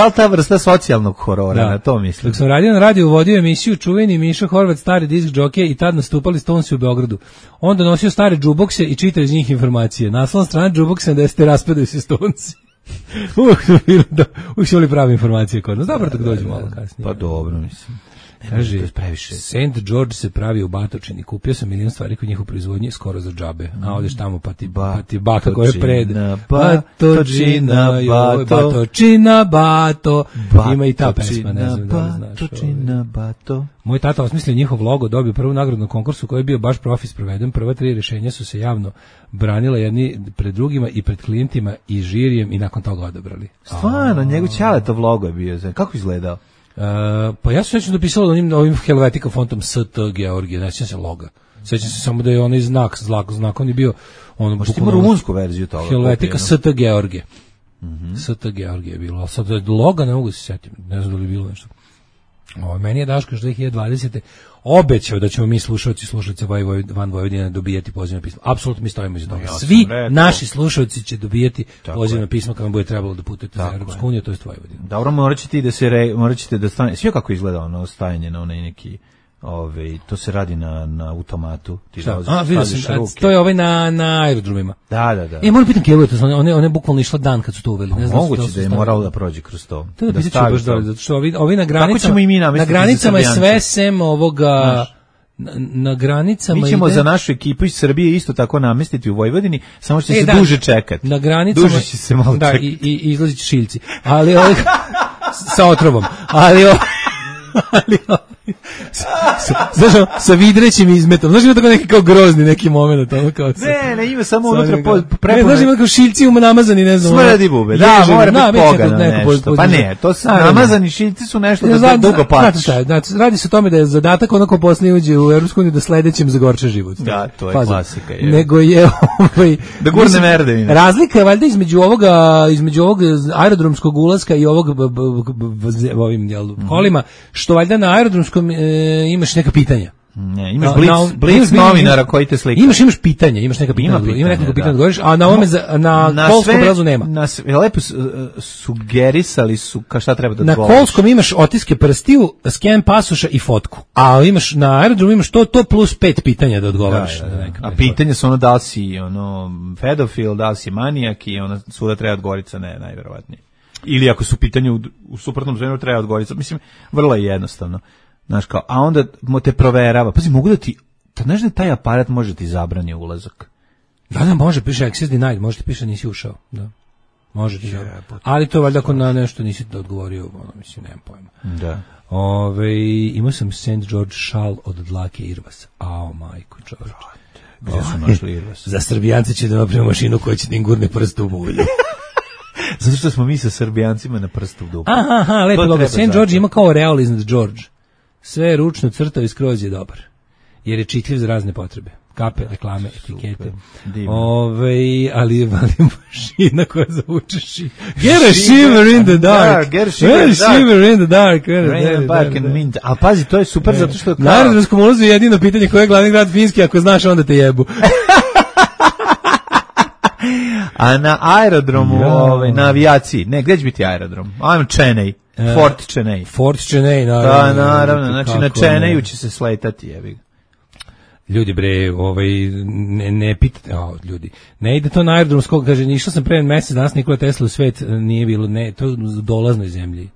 li ta vrsta socijalnog horora, na to mislim. Dok sam radio na radiju, vodio emisiju čuveni Miša Horvat, stari disk džokej i tad nastupali Stonesi u Beogradu. Onda nosio stare džubokse i čitao iz njih informacije. Naslovna strana džuboksa da ste raspadaju se Stonesi. Uvijek su bili prave informacije kod nas. Dobro, tako dođu malo kasnije. Pa dobro, mislim. Kaže, St. George se pravi u Batočini. Kupio sam milion stvari kod njih u proizvodnji skoro za džabe. A odeš tamo pa ti baka koja je pred. Batočina, Bato. Ima i ta pesma, ne znam da li znaš. Batočina, Bato. Moj tata osmislio njihov logo, dobio prvu nagradu na konkursu koji je bio baš profis proveden. Prva 3 rješenja su se javno branila jedni pred drugima i pred klijentima i žirijem i nakon toga odabrali. Stvarno, njegov Ćaletov logo je bio. Kako izgledao? Pa ja sam već dopisala ovim Helvetica fontom ST Georgije, ne sjećam se loga. Sjećam se samo da je onaj znak on je bio ono možda ima rumunsku verziju toga. Helvetica ST Georgije. ST Georgije je bilo. Sad loga ne mogu se sjetiti, ne znam da li je bilo nešto. Meni je Daško što 2020. obećao da ćemo mi slušalci van Vojvodine dobijati pozivno pismo. Apsolutno mi stojimo iza toga. Svi naši slušalci će dobijati pozivno pismo kad vam bude trebalo da putujete za Europsku uniju, to je Vojvodina. Dobro, morat ćete da stane. Sve kako izgleda ono stajanje na onaj neki to se radi na automatu. Ti vidio sam, to je na aerodromima. Da. Moram pitam Kevu, one bukvalno išla dan kad su to uveli. Moguće da je moralo da prođe kroz to. To da pitat ću baš dobro, zato što ovi na granicama je sve sem ovoga... Na granicama mi ćemo za našu ekipu iz Srbije isto tako namestiti u Vojvodini, samo što će se duže čekati. Na granicama duže će se malo čekati. I izlazit će šiljci. Ali sa otrovom. Ali znaš, sa vidrećim izmetom. Znaš, ima tako neki kao grozni neki moment. Ne, ima samo unutra prepune. Znaš, ima kao šiljci namazani, ne znam. Smrdi bube, da, mora biti pogano nešto. Pa ne, to su namazani šiljci su nešto da dugo pačiš. Radi se o tome da je zadatak onako poslije uđe u Europsku uniju da sledećem zagorča život. Da, to je klasika. Nego je da gurne merdevine. Razlika je valjda između ovog aerodromskog ulaska i ovog ovim kolima, što valjda na aerodromskom imaš neka pitanja. Ne, imaš blic novinara koji te slika. Imaš pitanja, imaš neka pitanja. Ima nekoliko pitanja da govoriš, a na ovome na kolskom prelazu nema. Lepo sugerisali su šta treba da odgovoriš. Na kolskom imaš otiske prstiju, sken pasoša i fotku. A imaš na aerodromu imaš to plus 5 pitanja da odgovoriš. A pitanja su da li si pedofil, da li si manijak i svuda treba odgovoriti sa ne, najverovatnije. Ili ako su pitanje u suprotnom zonu treba odgovoriti. Mislim, vrlo je jednostavno. Znaš kao, a onda te proverava. Pazi, mogu da ti, znaš da taj aparat može ti zabrani ulazak? Da, može, piše access denied, može ti piše nisi ušao. Da. Može ti ali to valjda ako na nešto nisi odgovorio, mislim, nemam pojma. Da. Imao sam St. George šal od dlake Irvas. Ao, majko, čovječe. Gdje su našli Irvas? Za Srbijance će da napravimo mašinu koja će da im gurne prst u mulju. Zato što smo mi sa Srbijancima na prstu u dupu. Aha, lepo dobro. St. George ima kao real iznad George. Sve je ručno crtao i skroz je dobar. Jer je čitljiv za razne potrebe. kape, reklame, etikete. Ali mašina koja zavuče šiver. Get a shiver in the dark. Get a shiver in the dark. A pazi, to je super zato što... Na aerodromskom ulazu je jedino pitanje koji je glavni grad Finski, ako znaš onda te jebu. A na aerodromu, na avijaciji, ne, gdje će biti aerodrom? Chennai. Fort Chennai, naravno. Da, naravno, znači na Chennaiu će se sletati, jebi ga. Ljudi bre, ne pitate, ljudi, ne ide to na aerodromskog, kaže, išao sam pre mesec, danas Nikola Tesla u svet, nije bilo, ne, to je u dolaznoj zemlji.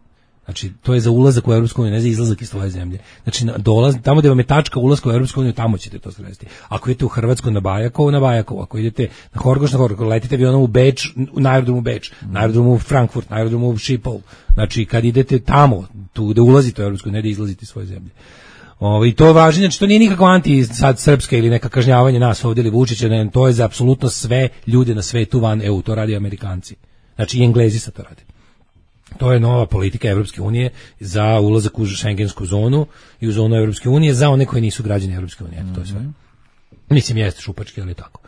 Znači, to je za ulazak u Evropsku uniju, ne za izlazak iz tvoje zemlje. Znači, tamo gde vam je tačka ulaska u Evropsku uniju, tamo ćete to sresti. Ako idete u Hrvatsku na Bajakovo, ako idete na Horgoš, letite avionom u Beč, na aerodromu Beč, na aerodromu Frankfurt, na aerodromu Schiphol. Znači, kad idete tamo, tu gde ulazite u Evropsku uniju, ne da izlazite iz svoje zemlje. I to je važno, znači to nije nikakvo sad srpska ili neka kažnjavanje nas ovdje ili Vučića, ne, to je za apsolutno sve ljude na svetu van EU, to radi Amerikanci. Znači i Englezi sad to radi. To je nova politika Evropske unije za ulazak u šengensku zonu i u zonu Evropske unije za one koji nisu građani Evropske unije. To je sve. Mislim, jeste šupački, ali tako.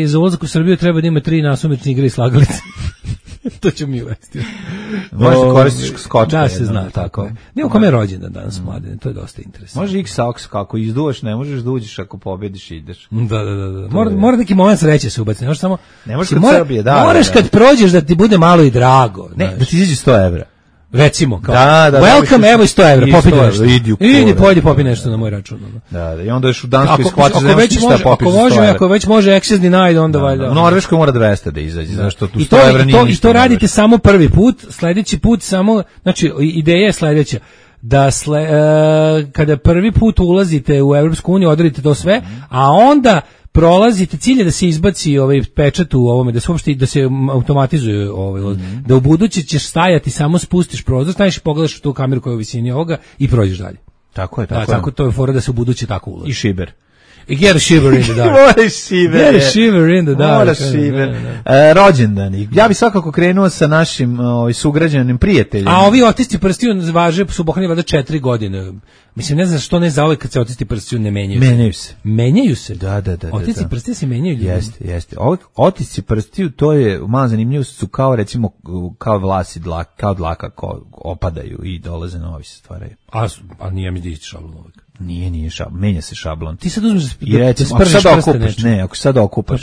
Za ulazak u Srbiju treba da ima 3 nasumične igre i slagalice. To ću mi uvesti. Možda koristiš skočka. Da se zna, tako. Nije u kome je rođendan danas, mladine, to je dosta interesantno. Može x-aks, kako izduvaš, ne možeš da uđeš ako pobediš i ideš. Da. Mora neki moment sreće se ubaciti. Ne možeš kod Srbije, da. Moraš kad prođeš da ti bude malo i drago. Ne, da ti izađe 100 evra. Recimo, kao, welcome, evo i 100 evra, popi nešto. Idi, popi nešto na moj račun. Da, i onda još u Danskoj shvatiš da nemaš ništa popiš za 100 evra. Ako već može access denied, onda valjda. U Norveškoj mora 200 da izađe, zašto tu 100 evra nije ništa. I to radite samo prvi put, sledeći put samo, znači, ideja je sledeća, da kada prvi put ulazite u Evropsku uniju, odradite to sve, a onda prolazite, cilj je da se izbaci pečat u ovome, da se automatizuje da u buduće ćeš stajati, samo spustiš prozor, staješ i pogledaš u tu kameru koja je u visini ovoga i prođeš dalje. Tako je. Tako to je fora da se u buduće tako ulazi. I šiber. I get a shiver in the dark. Get a shiver in the dark. Mora šiver. Rođendani. Ja bi svakako krenuo sa našim sugrađanim prijateljima. A ovi otisci prstiju važe su pohrani valjda 4 godine. Mislim, ne znam što ne za ove kad se otisci prstiju ne menjaju. Menjaju se? Da. Otisci prstiju se menjaju ljudi. Jeste. Otisci prstiju, to je malo zanimljivo, su kao recimo, kao vlasi, kao dlaka opadaju i dolaze novi se stvaraju. A nije mi da isti šablon uvijek. Nije šablon, menja se šablon. Ti sad uzmeš i recimo, ako sad okupaš,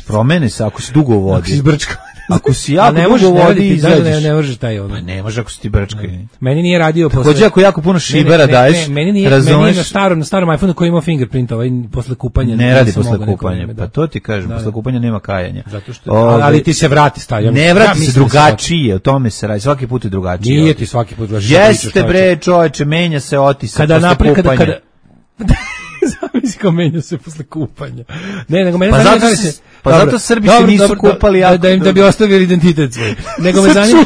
promeni se, ako si dugo u vodi. Ako si zbrčkao. Ako si jako dugo u vodi izađeš. Ne možeš taj ono. Ne može ako si ti brčkao. Meni nije radio posle. Takođe ako jako puno šibera daješ, meni nije na starom iPhoneu koji ima fingerprint, posle kupanja. Ne radi posle kupanja. Pa to ti kažem, posle kupanja nema kajanja. Zato što ali ti se vrati stavljam. Ne vrati se drugačije, o tome se radi. Svaki put je drugačije. Nije ti svaki put drugačije. Jeste bre, čoveče, menja se otisak posle kupanja. Zamisli kao menja se posle kupanja. Ne, nego mene zato Srbi se nisu kupali da bi ostavili identitet svoj. Nego me zanima,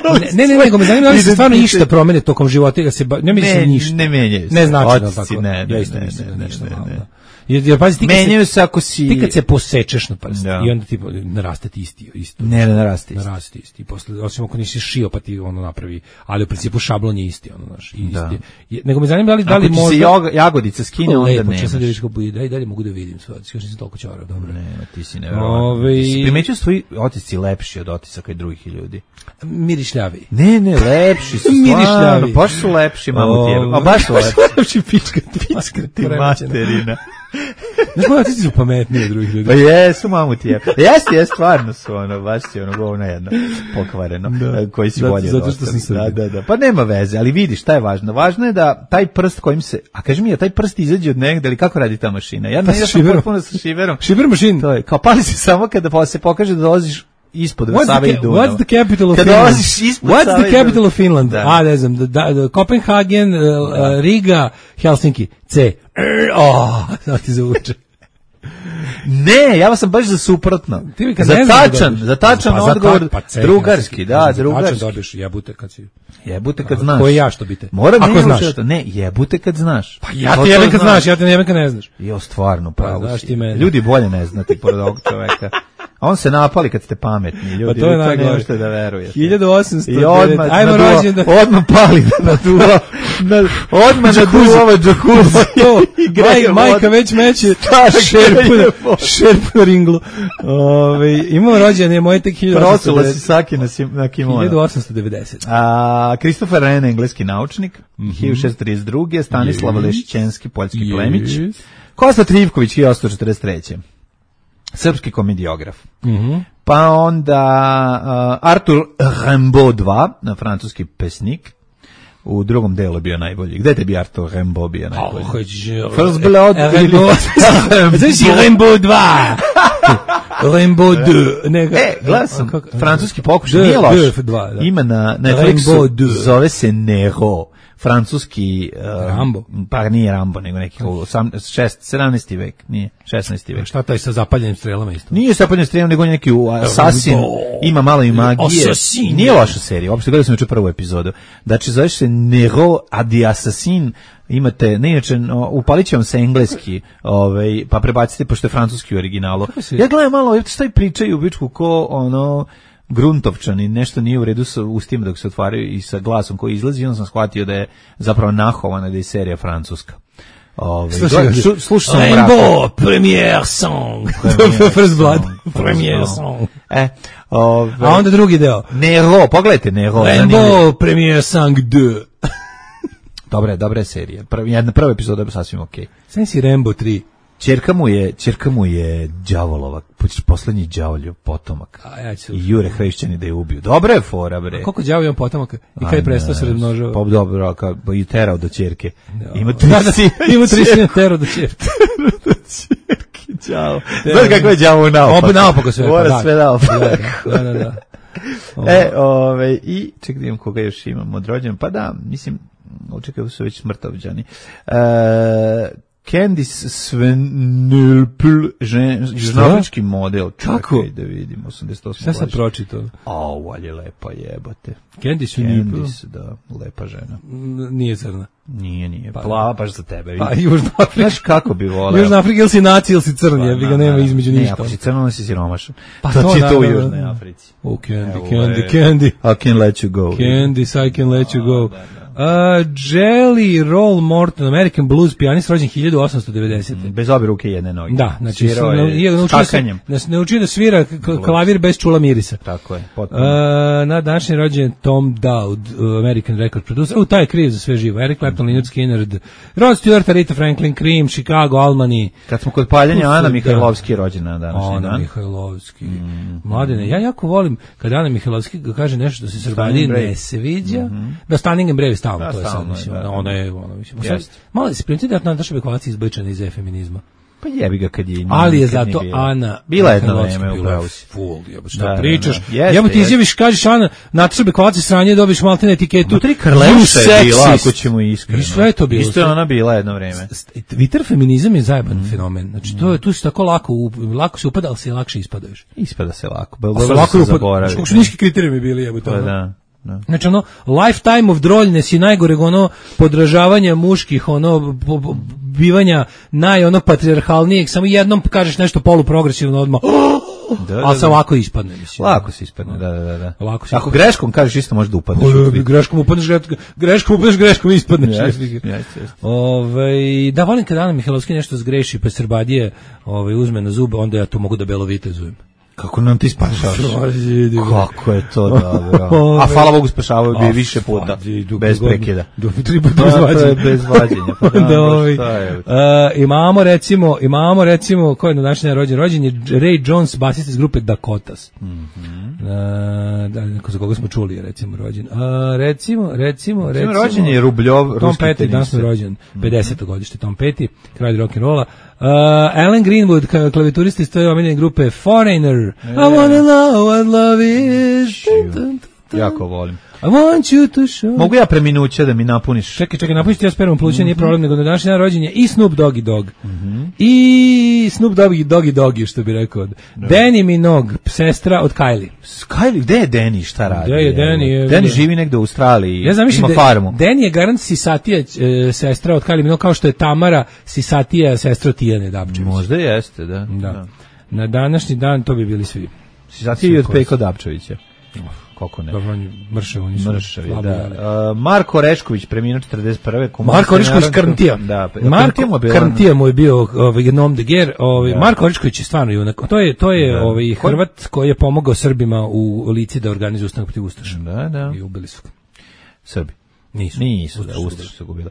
nego me zanima da se stvarno išta promene tokom života, da se ne mislim ništa. Ne menjaju se. Ne znači da tako. Ja isto mislim da nešto malo. Jer pazi, menjaju se ako si ti kad se posečeš na prst i onda ti naraste ti isto. Ne naraste isti. Posle osim ako nisi šio pa ti ono napravi, ali u principu šablon je isti, ono naš isti. Nego me zanima da li možda ako se jagodica skine onda ne. Lepo, sad da vidiš kako bude, dalje mogu da vidim sve. Još nisam toliko ćorao, dobro. Ne, ti si neverovatno. Primećuju svoji otisci lepši od otisaka i drugih ljudi. Mirišljavi. Ne, lepši su stvarno. Baš su lepši, mamu tijebe. Baš su lepši. Pička ti materina. Znaš, moji otisci su pametniji od drugih ljudi. Pa jesu, mamu tijebe. Jeste, stvarno su baš si govno jedno pokvareno. Koji si bolje. Zato što sam Srbi. Da. Pa nema veze, ali vidi šta je važno. Važno je da taj prst kojim se, a kaži mi, taj prst izađe od negde, ali kako radi ta mašina? Ja sam potpuno sa šiverom. Šiver mašin. To je, kao pali se samo kada se pokaže da dolaziš ispod Save i Dunava. What's the capital of Finland? What's the capital of Finland? Ne znam, Copenhagen, Riga, Helsinki. C. Sad ti zavuče. Ne, ja sam baš za suprotno. Za tačan odgovor, drugarski, drugarski. Tačan dobiješ jebute kad si... Jebute kad znaš. Ko je ja što bite? Ako znaš. Ne, jebute kad znaš. Pa ja ti jebem kad znaš, ja te ne jebem kad ne znaš. Jo, stvarno, pravo si. Ljudi bolje ne znati pored ovog čoveka. A on se napali kad ste pametni, ljudi. Pa to je najgore. Ne možete da verujete. 1800. I odmah, ajmo rođendan. Odmah pali na duva. Odmah na duva ovaj džakuzi. Majka već meće šerpu na ringlu. Imamo rođendan, je moje tek 1890. Prosula si Saki na kimono. 1890. Christopher Wren, engleski naučnik. 1632. Stanislav Lešćenski, poljski plemić. Kosta Trivković, 1843. Srpski komediograf. Pa onda Arthur Rimbaud II, francuski pesnik. U drugom delu bio najbolji. Gde te bi Arthur Rimbaud bio najbolji? First Blood Rimbaud II. Rimbaud II. Gledam sam, francuski pokušaj, nije loš. Ima na Netflixu, zove se Nero. Francuski Rambo. Pa nije Rambo, nego neki 17. vek, nije 16. vek. Šta taj sa zapaljenim strelama isto? Nije sa zapaljenim strelama, nego neki asasin, ima malo i magije. Nije loša serija, uopšte gledao sam juče prvu epizodu. Znači, zove se Nero Adi Assassin, imate, ne inače, upalit će vam se engleski, pa prebacite, pošto je francuski u originalu. Ja gledam malo, šta i pričaju u bičku ko, gruntovčani, nešto nije u redu sa ustima dok se otvaraju i sa glasom koji izlazi, onda sam shvatio da je zapravo nahovana, da je serija francuska. Slušao sam Rainbow, premier song. First Blood, premier song. A onda drugi deo. Nero, pogledajte Nero. Rainbow, premier song 2. Dobra je serija. Prva epizoda je sasvim okej. Sam si Rainbow 3. Ćerka mu je đavolova, poslednji đavolju potomak. I jure hrišćani da je ubiju. Dobra je fora, bre. A koliko đavolju potomaka? I kada je prestao se razmnožava? Pa dobro, i terao do ćerke. Ima 3 sina terao do ćerke. Đavo. Znaš kako je đavo naopak? Naopako sve. Mora sve naopak. Da. I čekaj da imam koga još imam od rođena. Pa da, mislim, očekaju su već smrtovđani. Candice Svenulpl, žnofnički model. Kako? Da vidim, 88. Šta sam pročitao? Ali je lepa jebote. Candice Svenulpl? Da, lepa žena. Nije crna. Nije. Plava baš za tebe. Pa Južna Afrika. Znaš kako bi voleo? Južna Afrika ili si naci ili si crn, jebi ga nema između ništa. Ne, ako si crno, onda si siromašan. Pa to ti je to u Južnoj Africi. Oh, Candy. I can let you go. Candice, I can let you go. Jelly Roll Morton, American blues pijanist, rođen 1890. Bez obe ruke i jedne noge. Da, znači naučio da svira klavir bez čula mirisa. Tako je, potpuno. Na današnji rođen Tom Dowd, American record producer. Taj je kriv za sve živo. Eric Clapton, Lynyrd Skynyrd, Rod Stewart, Aretha Franklin, Cream, Chicago, Albany. Kad smo kod paljanja, Ana Mihajlovski je rođena današnji dan. Ana Mihajlovski. Mladene, ja jako volim kad Ana Mihajlovski kaže nešto da se Srbiji ne sviđa. Da Standing and Brave stalno, to je sad, mislim, ona je, mislim, malo se primiti da Nataša Bekvalac izbačena iz feminizma. Pa jebi ga kad je... Ali je zato Ana... Bila jedno vreme, upravo si. Full, šta pričaš? Jebo ti izjaviš, kažeš Ana, Nataša Bekvalac je sranje, dobiš maltene etiketu. Nutri Karleuša je bila, ako ćemo iskreno. I sve je to bilo. Isto je ona bila jedno vreme. Twitter feminizam je zajeban fenomen. Znači, tu si tako lako se upada, ali se lakše ispadaš. Ispada se lako. Lako se zaboravi. Kako su niski kriterijumi bili, jebo to. Da. Znači lifetime of droljnes i najgoreg podražavanja muških, bivanja patrijarhalnijeg, samo jednom kažeš nešto poluprogresivno odmah, ali se ovako ispadne. Lako se ispadne, da. Ako greškom kažeš isto može da upadneš. Greškom ispadneš. Da, volim kad Ana Mihajlovski nešto zgreši, pa Srbadije uzme na zube, onda ja to mogu da belovitezujem. Kako nam ti spašavaš? Kako je to dobro. A hvala Bogu spašavaju bi više puta. Bez prekida. Bez vađenja. Imamo recimo, ko je na današnji rođen je Ray Jones, basista iz grupe Dakotas. Da, neko za koga smo čuli, recimo rođen. Recimo. Rođen je Rubljov, Tom Petty, danas je rođen, 50. godište, Tom Petty, kralj rock'n'rolla. Alan Greenwood, klavijaturista iz toj omiljene grupe Foreigner. I wanna know what love is. Jako volim. I want you to show. Mogu ja preminuće da mi napuniš? Čekaj, napuniš ti ja spermom pluća, nije problem, nego na današnji dan rođen je i Snoop Doggy Dogg. I Snoop Doggy Doggy, što bi rekao. Danny Minogue, sestra od Kylie. Kylie, gde je Danny, šta radi? Gde je Danny? Danny živi negde u Australiji, ja ima farmu. Danny je garant Sisatija sestra od Kylie Minogue, kao što je Tamara Sisatija sestra od Tijane Dapčević. Možda jeste, da. Na današnji dan to bi bili svi. Zato i od Peko Dapčevića. Kako ne? Dobro, oni su mršavi, da. Marko Orešković, preminuo 41. Marko Orešković Krntija. Da, Marko Krntija mu je bio Nom de Guerre. Marko Orešković je stvarno junak. To je Hrvat koji je pomogao Srbima u Lici da organizuju ustanak protiv Ustaša. Da. I ubili su ga. Srbi. Nisu, da, Ustaše su gubile.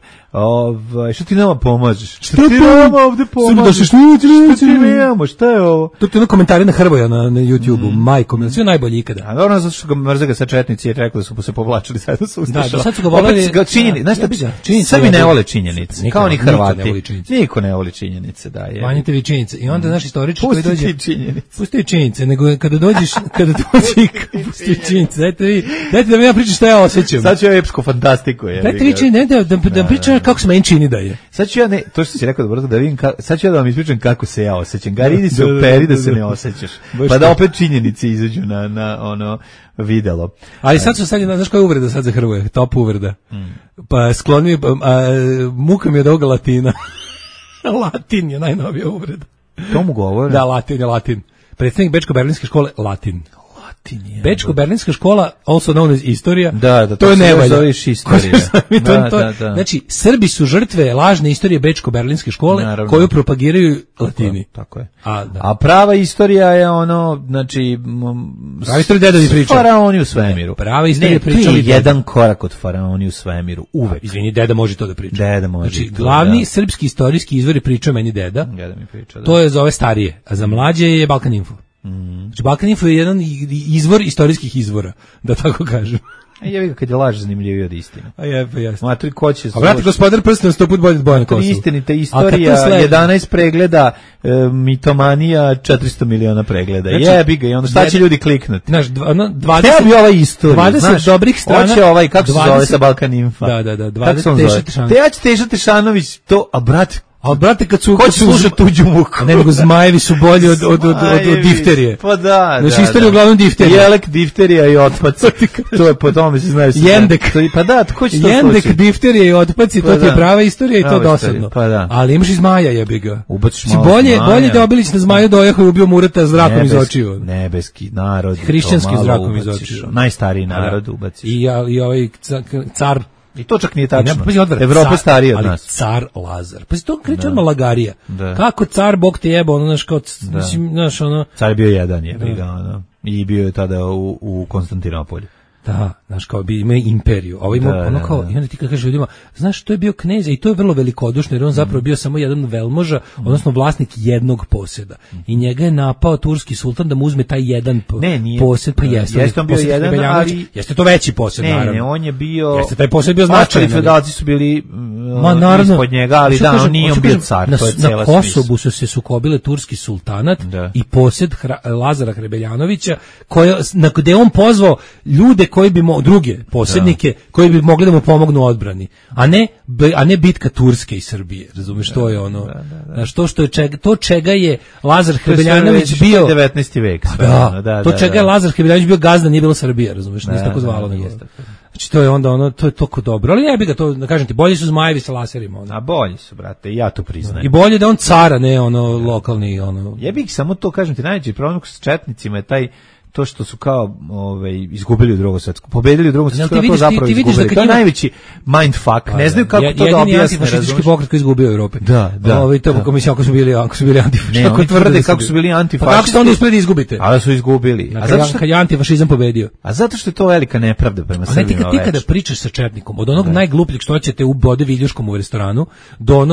Što ti nama pomažeš? Šta ti nama ovde pomažeš? Šta ti nemamo? Šta je ovo? To je ono komentari na Hrvoja na YouTube-u, majkom, sve najbolje ikada. A dobro, zato što ga mrze ga sa četnici i rekli da su se povlačili zajedno sa Ustašama. Da, sad su ga voleli... Znaš šta bi? Srbi ne vole činjenice, kao ni Hrvati. Niko ne voli činjenice, da je. Manjite vi činjenice. I onda naš istoričar koji dođe... Pusti činjenice, nego kada dođeš, pusti činjenice, dajte da mi ja pričam šta ja osjećam. Sad ću ja epsku fantastiku. Dajte vi čini, da pričam kako se meni čini da je. Sad ću ja, to što si rekao dobro, da vidim, sad ću ja da vam ispričam kako se ja osjećam. Gari, idi se operi da se ne osjećaš. Pa da opet činjenice izađu na ono videlo. Ali sad su znaš koja je uvreda sad za Hrvoje? Top uvreda. Pa skloni, muka mi je od ovoga Latina. Latin je najnovija uvreda. To mu govore? Da, Latin. Predstavnik Bečko-berlinske škole, Latin. Bečko-berlinska škola, also known as istorija, to je nevalja. Znači, Srbi su žrtve lažne istorije Bečko-berlinske škole, naravno, koju propagiraju Latini. Tako je. A prava istorija je ono, znači... Prava istorija dedovi pričaju. Faraoni u svemiru. Prava istorija pričali... jedan korak od faraoni u svemiru, uvek. Izvini, deda može to da priča. Deda može. Znači, glavni srpski istorijski izvor je pričao meni deda. Deda mi priča, da. To je za ove starije, a za mlađe je Balkan Info. Znači, Balkan Info je jedan izvor istorijskih izvora, da tako kažem. Ja kad je laž zanimljiviji od istine. Pa jasno. Matri, ko će... A brate, gospodar prsten 100 put bolje od Bojana Kosovo. Istinita istorija, 11 pregleda, mitomanija, 400 miliona pregleda. Znači, jebi ga, i onda šta će ljudi kliknuti? Znaš, 20... Ja bi ovaj istoriju, 20 znaš, dobrih strana... Hoće ovaj, kako se zove sa Balkan Infa? Da, 20 Teša Tešanović. Te ja ću Teša Tešanović, to, a brate, a brate kad su slušati tuđu muku. Ne, nego zmajevi su bolji od difterije. Pa da. Znači istorija uglavnom difterija. Jelek, difterija i otpac. To je po tome se znaju. Jendek. Pa da, tko će to Jendek, difterija i otpaci, to je prava istorija i to dosadno. Pa da. Ali imaš i zmaja, jebi ga. Ubaciš malo zmaja. Bolje da Obilić na zmaju dojahao i ubio Murata zrakom iz očiju. Nebeski narod. Hrišćanski zrakom iz očiju. Najstariji narod ubaciš. I ovaj car. I to čak nije tačno. Evropa starija od nas. Car Lazar. Pa to kreće odmah lagarija. Kako car, Bog te jeba, ono, znaš, kao, znaš, ono... Car je bio jedan, jebiga, ono. I bio je tada u Konstantinopolju. Da, znaš, kao bi imao imperiju. Ovo ima ono kao, i onda ti kad kažeš ljudima, znaš, to je bio knez i to je vrlo velikodušno, jer on zapravo bio samo jedan velmoža, odnosno vlasnik jednog posjeda. I njega je napao turski sultan da mu uzme taj jedan posjed, pa jeste. Jeste on bio jedan, ali... Jeste to veći posjed, naravno. Ne, on je bio... Jeste taj posjed bio značajan. Ostali feudalci su bili ispod njega, ali da, on nije bio car, to je cela smisla. Na Kosovu su se sukobile turski sultanat i posjed Lazara Hrebeljanovića, gde on pozvao ljude koji bi druge posjednike koji bi mogli da mu pomognu u odbrani, a ne bitka Turske i Srbije, razumeš, to je ono, znaš, to čega je Lazar Hrebeljanović bio 19. vek, to čega je Lazar Hrebeljanović bio gazda, nije bilo Srbija, razumeš, nije tako zvalo, znači to je onda ono, to je toliko dobro, ali jebi ga to, da kažem ti, bolji su zmajevi sa laserima, ono. A bolji su, brate, ja to priznajem. I bolje da on cara, ne ono lokalni, ono. Jebi ih, samo to, kažem ti, najveći problem s četnicima je taj to što su kao izgubili u Drugom svetskom, pobedili u Drugom svetskom, to zapravo izgubili. To je najveći mindfuck. Ne znaju kako to da objasne. Antifašistički pokret koji izgubio u Evropi. Da. To mislim ako su bili antifašisti. Ne, oni tvrde kako su bili antifašisti. Pa kako ste onda uspeli da izgubite? Ali su izgubili. A zato što je antifašizam pobedio. A zato što je to velika nepravda prema Srbima. Ti kada pričaš sa četnikom, od onog najglupljeg što ćete u Bode Viljuškom u restoranu,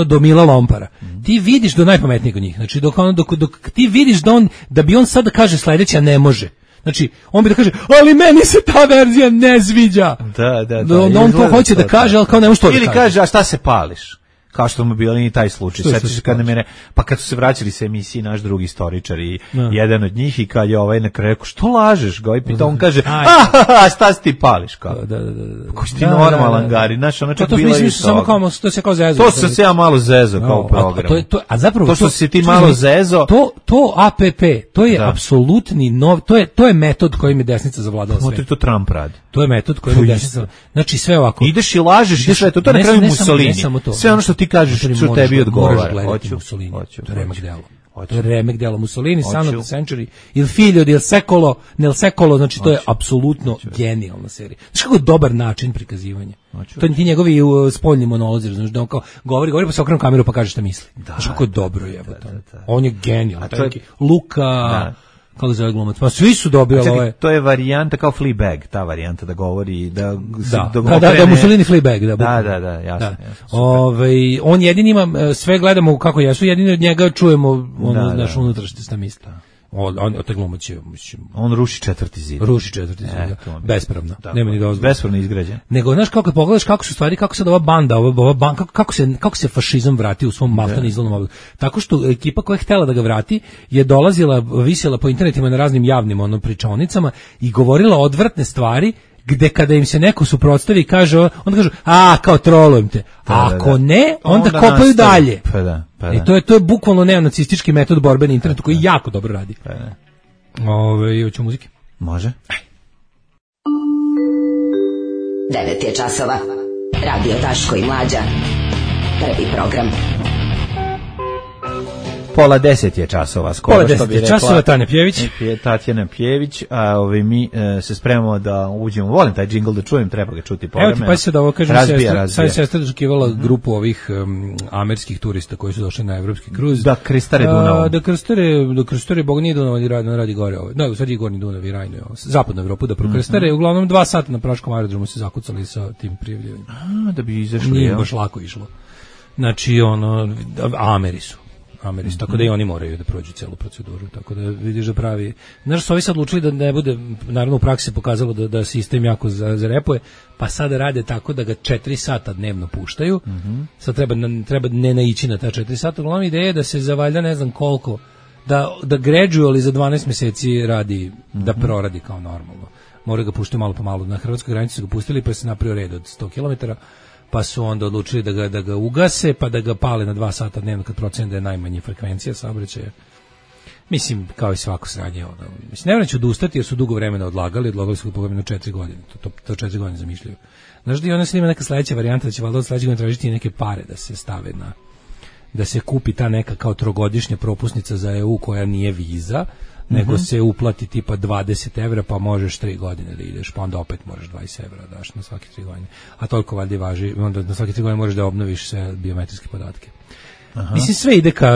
do Mila Lompara, ti vidiš do najpametnijeg od njih. Znači dok ti vidiš da bi on sad da kaže sledeće, a ne može. Znači, on bi da kaže, ali meni se ta verzija ne sviđa. Da. On to hoće da kaže, ali kao ne može to da kaže. Ili kaže, a šta se pališ? Kao što mu bilo i taj slučaj. Sjetiš se kad mene, pa kad su se vraćali sa emisiji naš drugi istoričar i jedan od njih i kad je ovaj na kraju rekao, što lažeš? Ga pita, on kaže, a šta si ti pališ? Da. Ko si ti normalan, Gari? Znaš, ono čak bilo i to. To se kao zezo. To sam se ja malo zezo kao u programu. A zapravo to što si ti malo zezo. To APP, to je apsolutni nov, to je metod kojim je desnica zavladala sve. To Trump radi. To je metod kojim je desnica. Znači sve ovako. Ideš i lažeš i sve to. To je na kraju Mussolini. Sve ono što ti kažeš što tebi odgovara. Hoću. To je remak delo. To je remek delo Mussolini, Son of the Century, Il Figlio di Nel Secolo, znači to je apsolutno genijalna serija. Znaš kako dobar način prikazivanja. To je ti njegovi spoljni monolozi, znači da on kao govori pa se okrene kameru pa kaže šta misli. Znaš kako dobro jebote. On je genijalan. Luka kako zove glumac, pa svi su dobili ove. To je varijanta kao Fleabag, ta varijanta da govori da Mussolini Fleabag, da, jasno. On jedini ima, sve gledamo kako jesu, jedini od njega čujemo naš unutrašnje šta misli. On taj glumac je, mislim, on ruši četvrti zid. Bespravno. Nema ni dozvole. Bespravno izgrađen. Nego znaš kako pogledaš kako su stvari, kako se ova banda, kako se fašizam vrati u svom maltene izlovnom obliku. Tako što ekipa koja je htela da ga vrati je dolazila, visjela po internetima na raznim javnim pričaonicama i govorila odvratne stvari gde kada im se neko suprotstavi i kaže, onda kažu, kao trolujem te. Ako ne, onda kopaju dalje. I to je bukvalno neonacistički metod borbe na internetu koji jako dobro radi. Hoću muzike? Može. 9 je časova. Radio Daško i Mlađa. Prvi program. 9:30 je časova, skoro što bi rekla. 9:10 časova, Tatjana Pjević, a mi se spremamo da uđemo. Volim taj džingl da čujem, treba ga čuti povremeno. Evo ti pa se da ovo kažem, sad je sestra dočekivala grupu ovih američkih turista koji su došli na evropski kruz. Da krstare Dunavom. Da krstare, Bog nije Dunav, radi gore. Da, sad je Gornji Dunav i Rajno, zapadnu Evropu da prokrstare. Uglavnom 2 sata na Praškom aerodromu se zakucali sa tim prijavljivanjem. Da bi izašli. Nije baš lako išlo. Znači, Ameri su. Tako da i oni moraju da prođu celu proceduru, tako da vidiš da pravi. Znaš, su ovi sad odlučili da ne bude, naravno u praksi se pokazalo da sistem jako zarepuje, pa sada rade tako da ga 4 sata dnevno puštaju, sad treba ne naići na ta 4 sata, uglavnom ideja je da se za valjda ne znam koliko, da gradually za 12 meseci radi, da proradi kao normalno. Moraju ga puštati malo po malo, na hrvatskoj granici su ga pustili pa se napravio red od 100 km, pa su onda odlučili da ga ugase, pa da ga pale na 2 sata dnevno kad procene da je najmanja frekvencija saobraćaja. Mislim, kao i svako sranje. Mislim, ne vraću odustati jer su dugo vremena odlagali su ga pogledno 4 godine. To 4 godine zamišljaju. Znaš da i ona se ima neka sledeća varijanta da će valjda od sledećeg godine tražiti neke pare da se stave da se kupi ta neka kao trogodišnja propusnica za EU koja nije viza, nego se uplati tipa 20 evra pa možeš 3 godine da ideš, pa onda opet možeš 20 evra daš na svake 3 godine. A toliko valjda važi, onda na svake 3 godine možeš da obnoviš sve biometrijske podatke. Mislim, sve ide ka